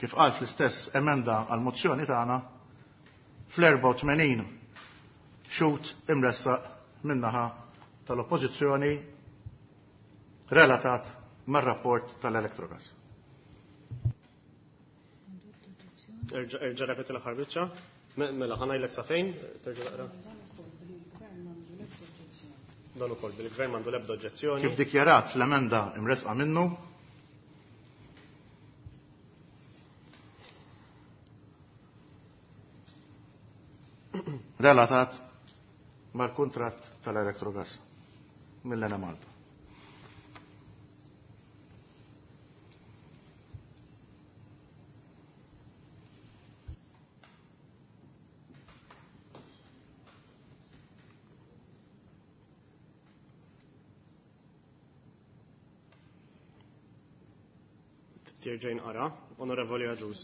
kif qal fl-istess emenda għall-mozzjoni tagħna fl-erbgħa u tmenin xhud imressaq min-naħa tal-Oppożizzjoni relatat mar-rapport tal-Electrogas. Erġa' repeti l-aħħar biċċa. Mela ħa ngħidlek sa fejn, terġa' taqra. Dan ukoll bil-Gvern m'għandu l-ebda oġġezzjoni. Kif dikjarat fl-emenda imresqa minnu, relatat mal-kuntratt tal-Electrogas mill-Enemalta. Terġa' jinqara, Onorevoli Agius.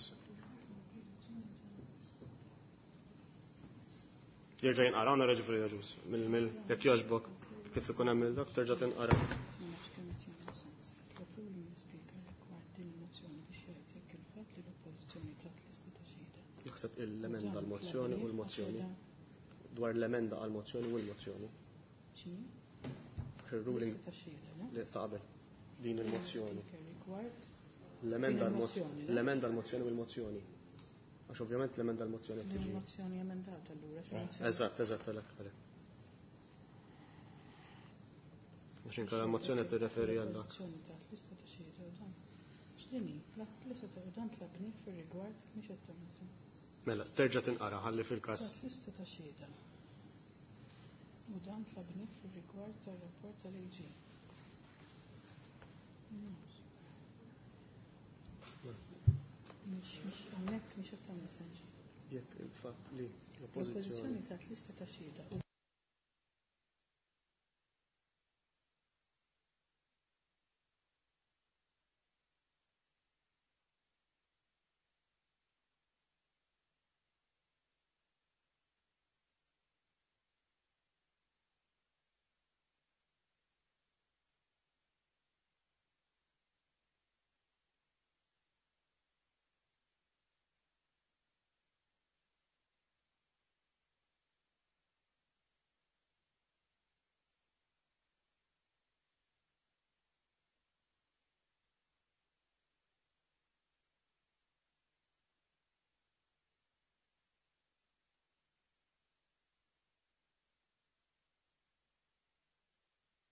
Jerġa' jinqara, Onorevoli Agius. Mill-mill, jekk jogħġbok, kif ikun hemm il-dak, terġa' tinqara. Naħseb l-emenda għall-mozzjoni u l-mozzjoni. Dwar l-emenda għall-mozzjoni u l-mozzjoni. Għax il-ruling li ta' qabel din il-mozzjoni. L-emenda għall-mozzjoni għall-mozzjoni u l-mozzjoni. Għax ovvjament l-emenda għall-mozzjoni qed tiġi. Il-mozzjoni emendata allura. Eżatt, eżatt, għalhekk, għalhekk. Għax inkella l-mozzjoni qed tirreferi għal dak. Mela, terġa' tinqara ħalli fil-każ. Lista ta' xhieda. U dan tlabni fir-rigward tar-rapport tal-A G. Mhux hawnhekk mhux qed tagħmel sens. Jekk il-fatt li l-Oppożizzjoni L-Oppożizzjoni tat lista ta' xhieda.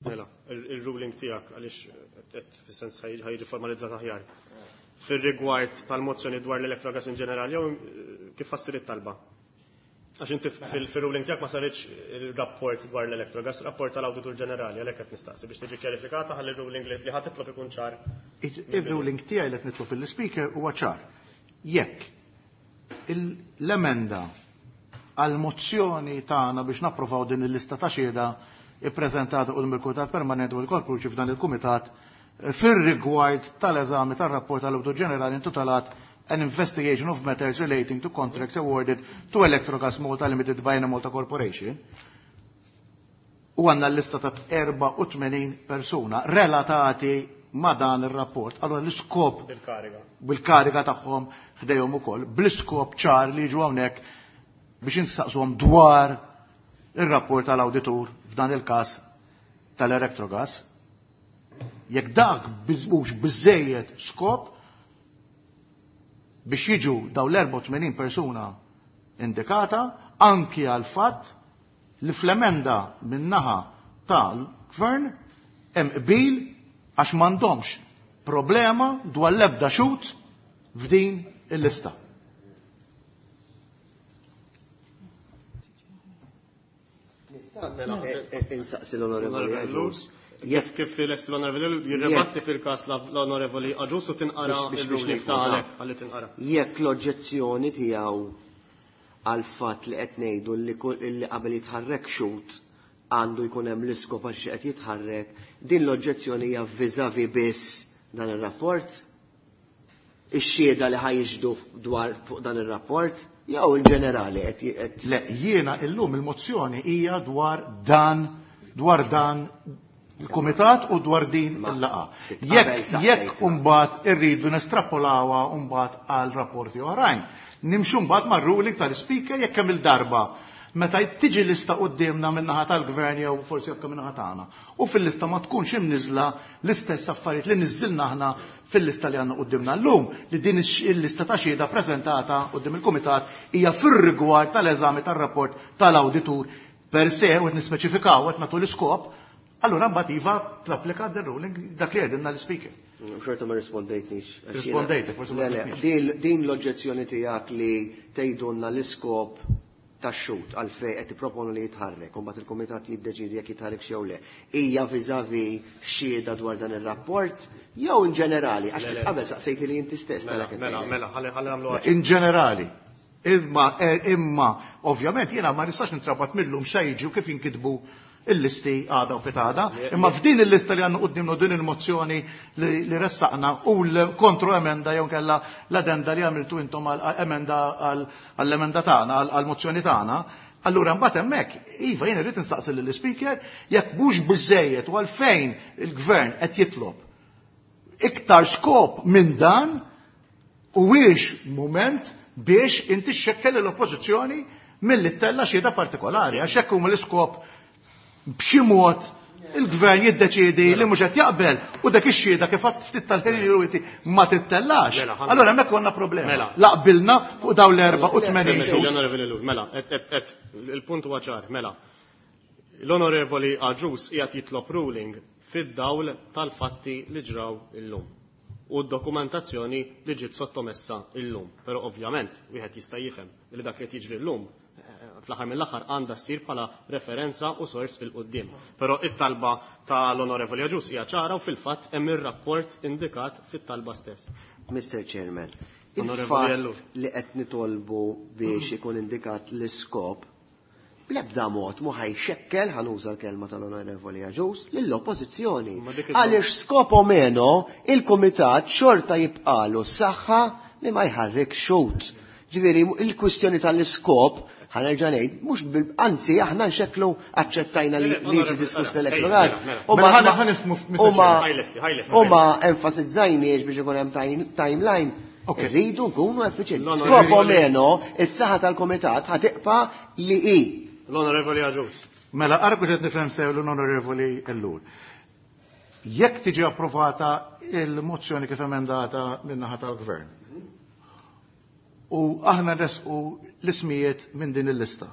Mela, il-ruling tiegħek għaliex qed fis-sens ħajġi formalizzat aħjar. fir-rigward tal-mozzjoni dwar l-Electrogas in ġenerali jew kif fassir it-talba? Għax inti fil-ruling tiegħek ma saritx il-rapport dwar l-Electrogas, rapport tal-Awditur Ġenerali, għalhekk qed nistaqsi biex tiġi kjarifikata ħalli r-ruling li ħa titlob ikun ċar. Il-ruling tiegħi li qed nitlob lill-Ispeaker huwa ċar. Jekk l-emenda għal-mozzjoni tagħna biex napprovaw din il-lista ta' xhieda ippreżentata quddiem il-Kumitat Permanenti u l-Korp f'dan il-Kumitat fir-rigward tal-eżami tar-rapport tal-Awditur Ġenerali intitolat An Investigation of Matters Relating to Contracts Awarded to Electrogas Malta Limited by Enemalta Corporation, u għandna l-lista ta' erbgħa u tmenin persuna relatati ma' dan ir-rapport. Allora l-iskop bil-kariga bil-kariga tagħhom ħdejhom ukoll, bl-iskop ċar li jiġu hawnhekk biex insaqsuhom dwar ir-rapport tal-awditur f'dan il-każ tal-Electrogas. Jekk dak mhux biżejjed skop biex jiġu daw l-erbgħa u tmenin persuna indikata, anki għal fatt li fl-emenda min-naħa tal-gvern hemm qbil għax m'għandhomx problema dwar l-ebda xut f'din il-lista. Insaqsi l-Onorevoli Agius. Jekk kif lest l-Onorevoli jirrebatti fil-każ l-Onorevoli Agius u tinqara il-ruling tagħlek ħalli tinqara. Jekk l-oġġezzjoni tiegħu għal fatt li qed ngħidu li qabel jitħarrek xut għandu jkun hemm l-iskop għax qed jitħarrek, din l-oġġezzjoni hija vis-à-vis biss dan ir-rapport? Ix-xhieda li ħajġdu dwar fuq dan ir-rapport jew in ġenerali qed Le, jiena illum il-mozzjoni hija dwar dan dwar dan il-kumitat u dwar din il-laqgħa. Jekk jekk imbagħad irridu nestrapolawha mbagħad għal rapporti oħrajn, nimxu mbagħad mar-ruling tal-Ispeaker jekk hemm il-darba meta tiġi lista quddiemna min-naħa tal-gvern jew forsi anke min-naħa tagħna. U fil-lista ma tkunx imniżla l-istess affarijiet li niżżilna aħna fil-lista li għandna quddiemna llum, li din il-lista ta' xhieda preżentata quddiem il-kumitat hija fir-rigward tal-eżami tar-rapport tal-awditur per se, u qed nispeċifikaw qed nagħtu l-iskop, allura mbagħad iva tapplika d-ruling dak li għedilna l-Ispeaker. Xorta ma rispondejtnix. Rispondejtek, forsi ma Le, din l-oġġezzjoni tiegħek li tgħidulna l-iskop tax-xut għalfejn qed tipproponu li jitħarrek, u mbagħad il-kumitat jiddeċiedi jekk jitħarrek jew le. Hija vis-à-vis xhieda dwar dan ir-rapport jew in ġenerali, għax qabel saqsejti li inti stess mela mela mela ħalli ħalli nagħmlu In ġenerali. Imma imma ovvjament jiena ma nistax nintrabat millum xa jiġu kif jinkitbu il-listi għada u pitada, imma f'din il-lista li għandna qudiemna din il-mozzjoni li ressaqna u l-kontro emenda jew kellha l-addenda li għamiltu intom għal-emenda għall-emenda tagħna, għall-mozzjoni tagħna, allura mbagħad hemmhekk iva jien irrid instaqsi lill-Ispeaker jekk mhux biżejjed u għalfejn il-gvern qed jitlob iktar skop minn dan huwiex mument biex inti xxekkel l-oppożizzjoni milli ttella xhieda partikolari, għax hekk huma l-iskop b'xi mod il-gvern jiddeċiedi li mhux qed jaqbel u dak ix-xhieda kif għad ftit tal-ħin ma tittellax. Allura hemmhekk konna problema. Laqbilna fuq dawn l-erba' u tmenin. Mela, il-punt huwa ċar, mela. L-Onorevoli Agius qiegħed jitlob ruling fid-dawl tal-fatti li ġraw illum u d-dokumentazzjoni li ġiet sottomessa illum. Però ovvjament wieħed jista' jifhem li dak li qed jiġri llum fl-aħħar mill-aħħar għandha ssir bħala referenza u sors fil-qudiem. Però it-talba tal-Onorevoli Agius hija ċara u fil-fatt hemm ir-rapport indikat fit-talba stess. Mister Chairman, il-fatt li qed nitolbu biex ikun indikat l-iskop bl-ebda mod mu ħajxekkel, ħanuża l-kelma tal-Onorevoli Agius, lill-oppożizzjoni. Għaliex skop o meno il-kumitat xorta jibqalu s-saħħa li ma jħarrik xut. Ġifieri il-kwistjoni tal-iskop ħanerġa' ngħid, mhux anzi aħna nxekklu aċċettajna li jiġi diskuss l-elettorat. U ma enfasizzajniex biex ikun hemm timeline. Irridu nkunu effiċjenti. Skop o meno, is-saħħa tal-kumitat ħatiqpa li hi. L-Onorevoli Agius. Mela, arku qed nifhem sew l-Onorevoli Ellul. Jekk tiġi approvata il-mozzjoni kif emendata min-naħa tal-Gvern, u aħna resqu l-ismijiet minn din il-lista,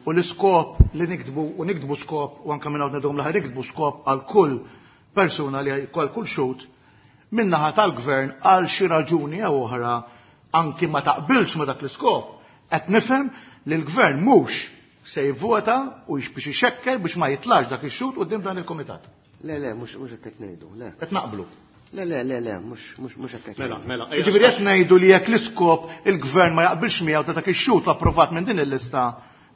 u l-iskop li niktbu, u niktbu skop, u anke minn hawn nedhom l-aħħar niktbu skop għal kull persuna li għal kull xut, min-naħa tal-gvern għal xi raġuni jew oħra anki ma taqbilx ma dak l-iskop, qed nifhem li l-gvern mhux se jivvota u biex ixekkel biex ma jitlax dak ix-xhud quddiem dan il-kumitat. Le, le, mhux mhux hekk qed ngħidu, le. Qed naqblu. Le, le, le, le, mhux mhux mhux hekk qed Mela, ngħidu. mela. Jiġifieri qed ngħidu li jekk l-iskop il-gvern ma jaqbilx miegħu ta' dak ix-xhud approvat minn din il-lista,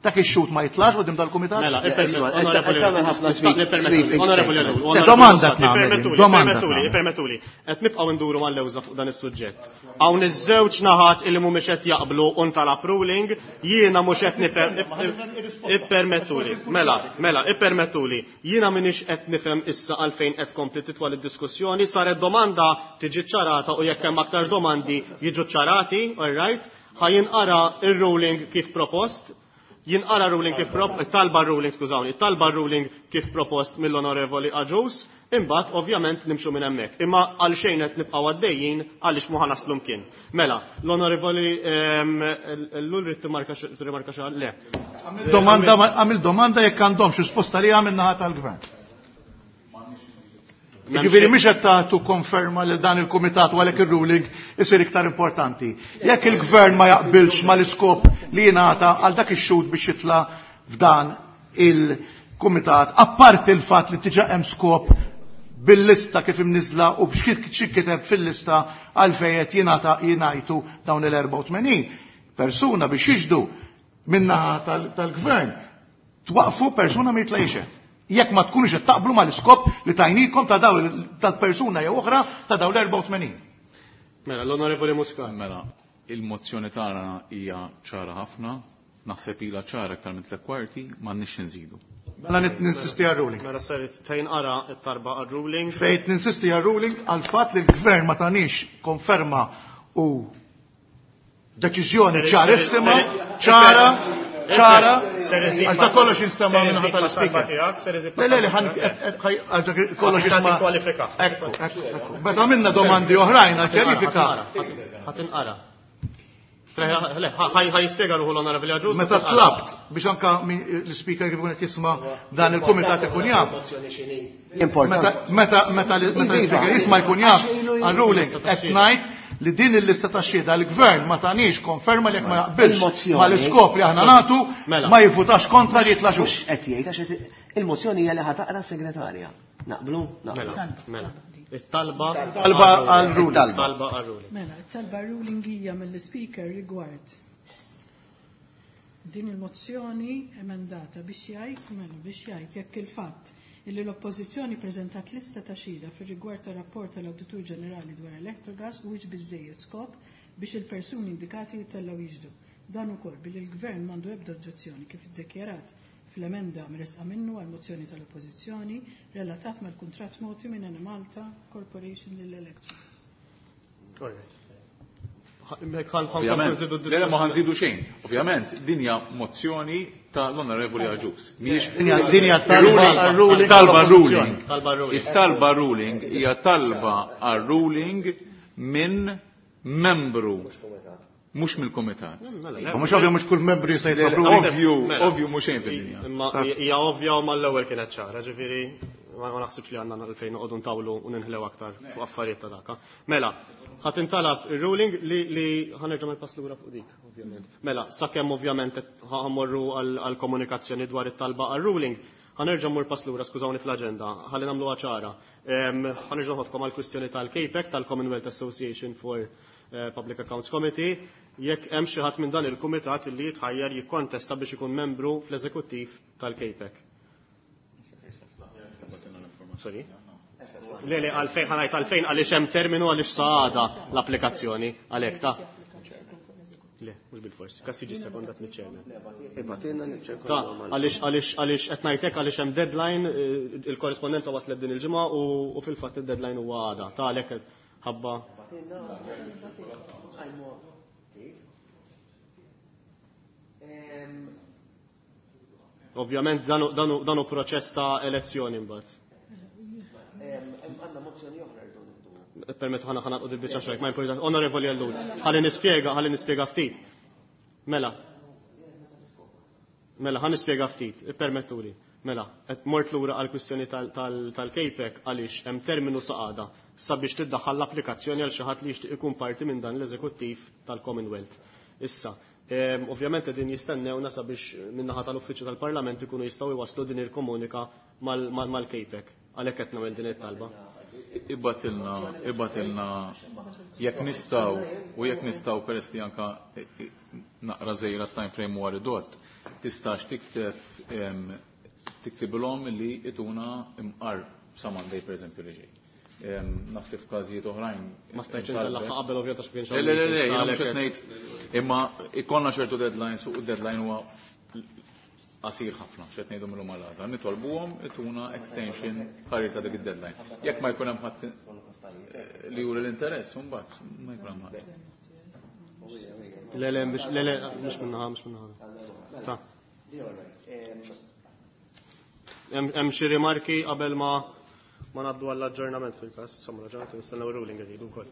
dak ix-xhud ma jitlax quddiem dal-kumitat? Mela, Le, isma', onorevoli, qed tagħmel ħafna sweeping onorevoli, statements. onorevoli, Domanda tagħmel, ippermettuli, domanda ippermettuli, tagħmel. ippermettuli. Qed nibqgħu nduru mal-lewża fuq dan is-suġġett. Hawn iż-żewġ naħat illi mhumiex qed jaqblu u ntalab ruling, jiena mhux qed nifhem ippermettuli. Mela, mela, ippermettuli. Jiena m'iniex qed nifhem issa għalfejn qed tkompli titwal id-diskussjoni, saret domanda tiġi ċarata u jekk hemm aktar domandi jiġu ċarati, all right? Ħa jinqara ir-ruling kif propost, jinqara ruling kif prop, talba ruling, skużawni, talba ruling kif propost mill-onorevoli Agius, imbagħad ovvjament nimxu minn hemmhekk. Imma għal xejn qed nibqgħu għaddejjin għaliex mu ħanaslu mkien. Mela, l-onorevoli Ellul rid timarka tirrimarka xi le. Domanda għamil domanda jekk għandhomx risposta li għamil naħa tal-gvern. Jiġifieri mhix qed tagħtu konferma li dan il-kumitat u għalhekk ir-ruling isir iktar importanti. Jekk il-gvern ma jaqbilx mal-iskop li jingħata għal dak ix-xhud biex jitla' f'dan il-kumitat, apparti il-fatt li diġà hemm skop bil-lista kif imniżla u biex kiteb fil-lista għalfejn qed jingħata jingħajtu dawn il-erbgħa u tmenin persuna biex jiġdu min-naħa tal-gvern. Twaqfu persuna ma jitla' jixhed. Jekk ma tkunux qed taqblu mal-iskop li tajnikom ta' daw tal-persuna jew oħra ta' daw l-erbgħa u tmenin. Mela, l-Onorevoli Muscat. Mela, il-mozzjoni tagħna hija ċara ħafna, naħseb ilha ċara aktar minn tliet kwarti, m'għandniex nżidu. Mela ninsisti għal-ruling. Mela saret fejn qara t-talba għal-ruling. Fejn ninsisti għal-ruling għal fatt li l-gvern ma tanix konferma u deċiżjoni ċarissima, ċara, ċara, għal ta' kollox jinstema' minn ħadd tal-speaker. Le, le, le, għal kollox jisma'. Kwalifika. Ekku, ekku, ekku. Meta minna domandi oħrajn għal kjarifika. Ħa tinqara. Ħa jispjega ruħu l-Onorevoli Agius. Meta tlabt biex anka l-speaker kif ikun qed jisma' dan il-kumitat ikun jaf. Importanti. Meta meta meta l-speaker jisma' jkun jaf għal-ruling qed ngħid li din il-lista ta' xhieda l-gvern ma tanix konferma li jekk ma jaqbilx mal-iskop li aħna nagħtu ma jivvutax kontra li jitla' xhud. Qed jgħid għax il-mozzjoni hija li ħa taqra s-segretarja. Naqblu? Mela, mela. It-talba Talba għal-ruling. Talba għal-ruling. Mela, it-talba ruling hija mill-speaker rigward din il-mozzjoni emendata biex jgħid, mela, biex jgħid jekk il-fatt illi l-Oppożizzjoni preżentat lista ta' xhieda fir-rigward ta' rapport tal-Awditur Ġenerali dwar Electrogas huwiex biżejjed skop biex il-persuni indikati jittellgħu jiġdu. Dan ukoll billi l-Gvern m'għandu ebda oġġezzjoni kif iddikjarat fl-emenda mresqa minnu għal mozzjoni tal-Oppożizzjoni relatat mal-kuntratt mogħti minn Enemalta Corporation lil Electrogas. Ovvjament, le ma ħanżidu xejn. Ovvjament, din hija mozzjoni tal-Onorevoli Agius. Mhijiex Din hija talba għal-ruling. Talba ruling. Talba ruling. It-talba ruling hija talba għal-ruling minn membru mhux mill-kumitat. Mhux ovvju mhux kull membru jista' jitlob ruling. Ovvju, ovvju mhux xejn fid-dinja. Imma hija ovvja u mal-ewwel kienet ċara, ġifieri ma naħsibx li għandna għalfejn noqogħdu ntawlu u ninħlew aktar fuq affarijiet ta' daka. Mela, ħa tintalab ir-ruling li li ħa nerġa' npass lura fuq dik, ovvjament. Mela, sakemm ovvjament ħa mmorru għall-komunikazzjoni dwar it-talba għal-ruling, ħa nerġa' mmur pass lura, skużawni fl-aġenda, ħalli nagħmluha ċara. Ħa nerġa' noħodkom għall-kwistjoni tal-CAPEC, tal-Commonwealth Association for Public Accounts Committee, jekk hemm xi ħadd minn dan il-kumitat li jitħajjar jikkontesta biex ikun membru fl-eżekuttiv tal-CAPEC. Sorry? Le, le, għalfejn, ħa ngħid għalfejn għaliex hemm terminu għaliex sa għada l-applikazzjoni għalhekk ta' Le, mhux bil-fors, kas jiġi sekondat miċ-chairman. Ibatilna niċċeku. Ta' għaliex għaliex għaliex qed ngħidlek għaliex hemm deadline, il-korrespondenza waslet din il-ġimgħa u fil-fatt id-deadline huwa għada. Ta' għalhekk ħabba. Ovvjament dan hu proċess ta' elezzjoni mbagħad. Għandna mozzjoni oħra rridu nieħdu. Permettu ħana ħana qod il-biċċa xejn, ma importa. Onorevoli Ellul, ħalli nispjega, ħalli nispjega ftit. Mela. Mela, ħa nispjega ftit, ippermettuli. Mela, qed mort lura għal kwistjoni tal-K PAC għaliex hemm terminu sa għada sabiex tiddaħħal l-applikazzjoni għal xi ħadd li jixtieq ikun parti minn dan l-eżekuttiv tal-Commonwealth. Issa, ovvjament qegħdin jistennewna sabiex min-naħa tal-Uffiċċju tal-Parlament ikunu jistgħu jwasslu din il-komunika mal-K PAC. Għalhekk qed nagħmel din it-talba. Ibgħatilna, ibgħatilna jekk nistgħu u jekk nistgħu, peress li anka naqra żejra time frame huwa ridott, tistax tikteb tiktibilhom li ituna imqar sa Monday, per eżempju, li ġej. Naf li f'każijiet oħrajn. Ma stajtx intellagħha qabel, ovvjament, għax kienx Le, le, le, jiena mhux qed ngħid, imma ikollna ċertu deadlines u deadline huwa qasir ħafna, x'qed ngħidu minnhom għal għada. Nitolbuhom ituna extension ħarir ta' dik id-deadline. Jekk ma jkun hemm ħadd li juri l-interess, mbagħad ma jkun hemm ħadd. Le, le, le, le, mhux minnaħa, mhux minnaħa. Ta' Hemm xi rimarki qabel ma ma ngħaddu għall-aġġornament fil-każ, insomma l-aġġornament nistennew ruling irridu wkoll.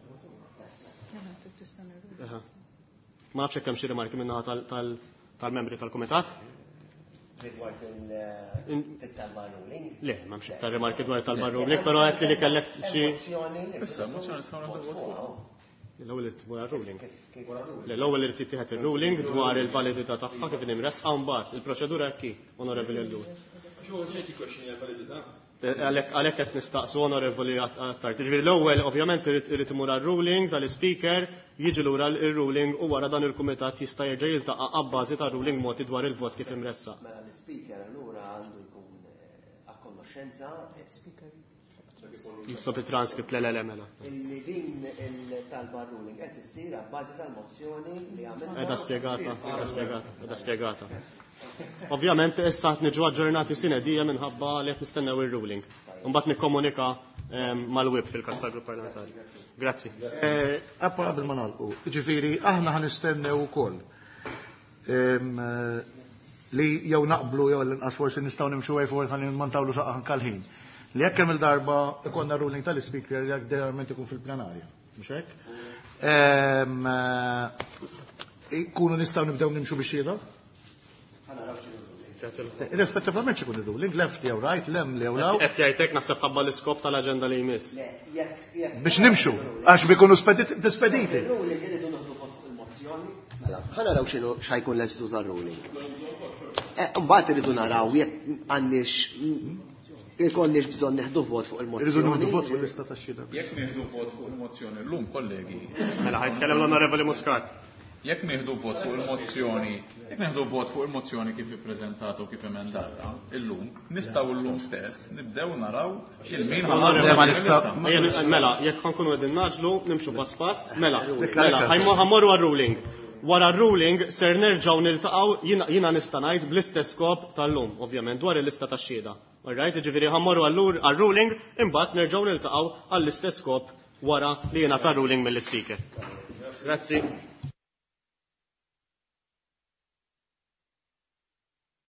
Ma nafx hekk hemm xi rimarki min-naħa tal-membri tal-kumitat. Rigward il-talba ruling? Le, m'hemmx iktar rimarki dwar talba ruling, però qed li kellek xi. Issa, mozzjoni nistgħu nagħtu fuq. L-ewwel irid tmur ruling. L-ewwel irid jittieħed ir-ruling dwar il-validità tagħha kif imressqa, mbagħad il-proċedura hekk hi, Onorevoli Ellul. Għalhekk qed nistaqsu, Onorevoli Attard. Ġifieri l-ewwel ovvjament irid imur għar-ruling tal-Ispeaker, jiġi lura il-ruling u wara dan il-kumitat jista' jerġa' jiltaqa' abbażi tar-ruling mogħti dwar il-vot kif imressaq. Mela l-Ispeaker allura għandu jkun a konoxxenza. Jitlob il-transcript, le, le, le, mela. Illi din il-talba ruling qed issir abbażi tal-mozzjoni li għamilna. Qiegħda spjegata, qiegħda spjegata, qiegħda spjegata. Ovvjament issa qed niġu aġġornati sine die minħabba li qed nistennew ir-ruling. Imbagħad nikkomunika mal-whip fil-każ tal-grupp parlamentari. Grazzi. Appa qabel ma nagħlqu, ġifieri aħna ħa nistennew ukoll li jew naqblu jew l-inqas forsi nistgħu nimxu way forward ħalli ma ntawlu xaqqa anke l-ħin. Li jekk hemm il-darba ikollna ruling tal-Ispeaker, jekk generalment ikun fil-plenarja, mhux hekk? Ikunu nistgħu nibdew nimxu biex xhieda? Irrispettivament x'ikun ir-ruling, left jew right, lem jew law. Qed jgħidlek naħseb ħabba l-iskop tal-aġenda li jmiss. Biex nimxu, għax bikunu spediti. Ruling irridu nieħdu vot il-mozzjoni. Mela, ħa naraw x'inhu x'ħajkun l-eżitu tar-ruling. Mbagħad irridu naraw jekk għandniex ikonniex bżonn nieħdu vot fuq il-mozzjoni. Irridu nieħdu vot fuq il-lista tax-xhieda. Jekk nieħdu vot fuq il-mozzjoni llum, kollegi. Mela ħa jitkellem l-Onorevoli Muscat. Jekk nieħdu vot fuq il-mozzjoni, jekk nieħdu vot fuq il-mozzjoni kif ippreżentata u kif emendata illum, nistgħu illum stess nibdew naraw il-min. Mela, jekk ħa nkunu qegħdin ngħaġġlu, nimxu pass pass, mela, mela, ħa mmorru għar-ruling. Wara r-ruling ser nerġgħu niltaqgħu, jiena nista' ngħid bl-istess skop tal-lum, ovvjament, dwar il-lista tax-xhieda. Alright, ġifieri ħa mmorru għar-ruling, imbagħad nerġgħu niltaqgħu għall-istess skop wara li jiena tar-ruling mill-Ispeaker. Grazzi.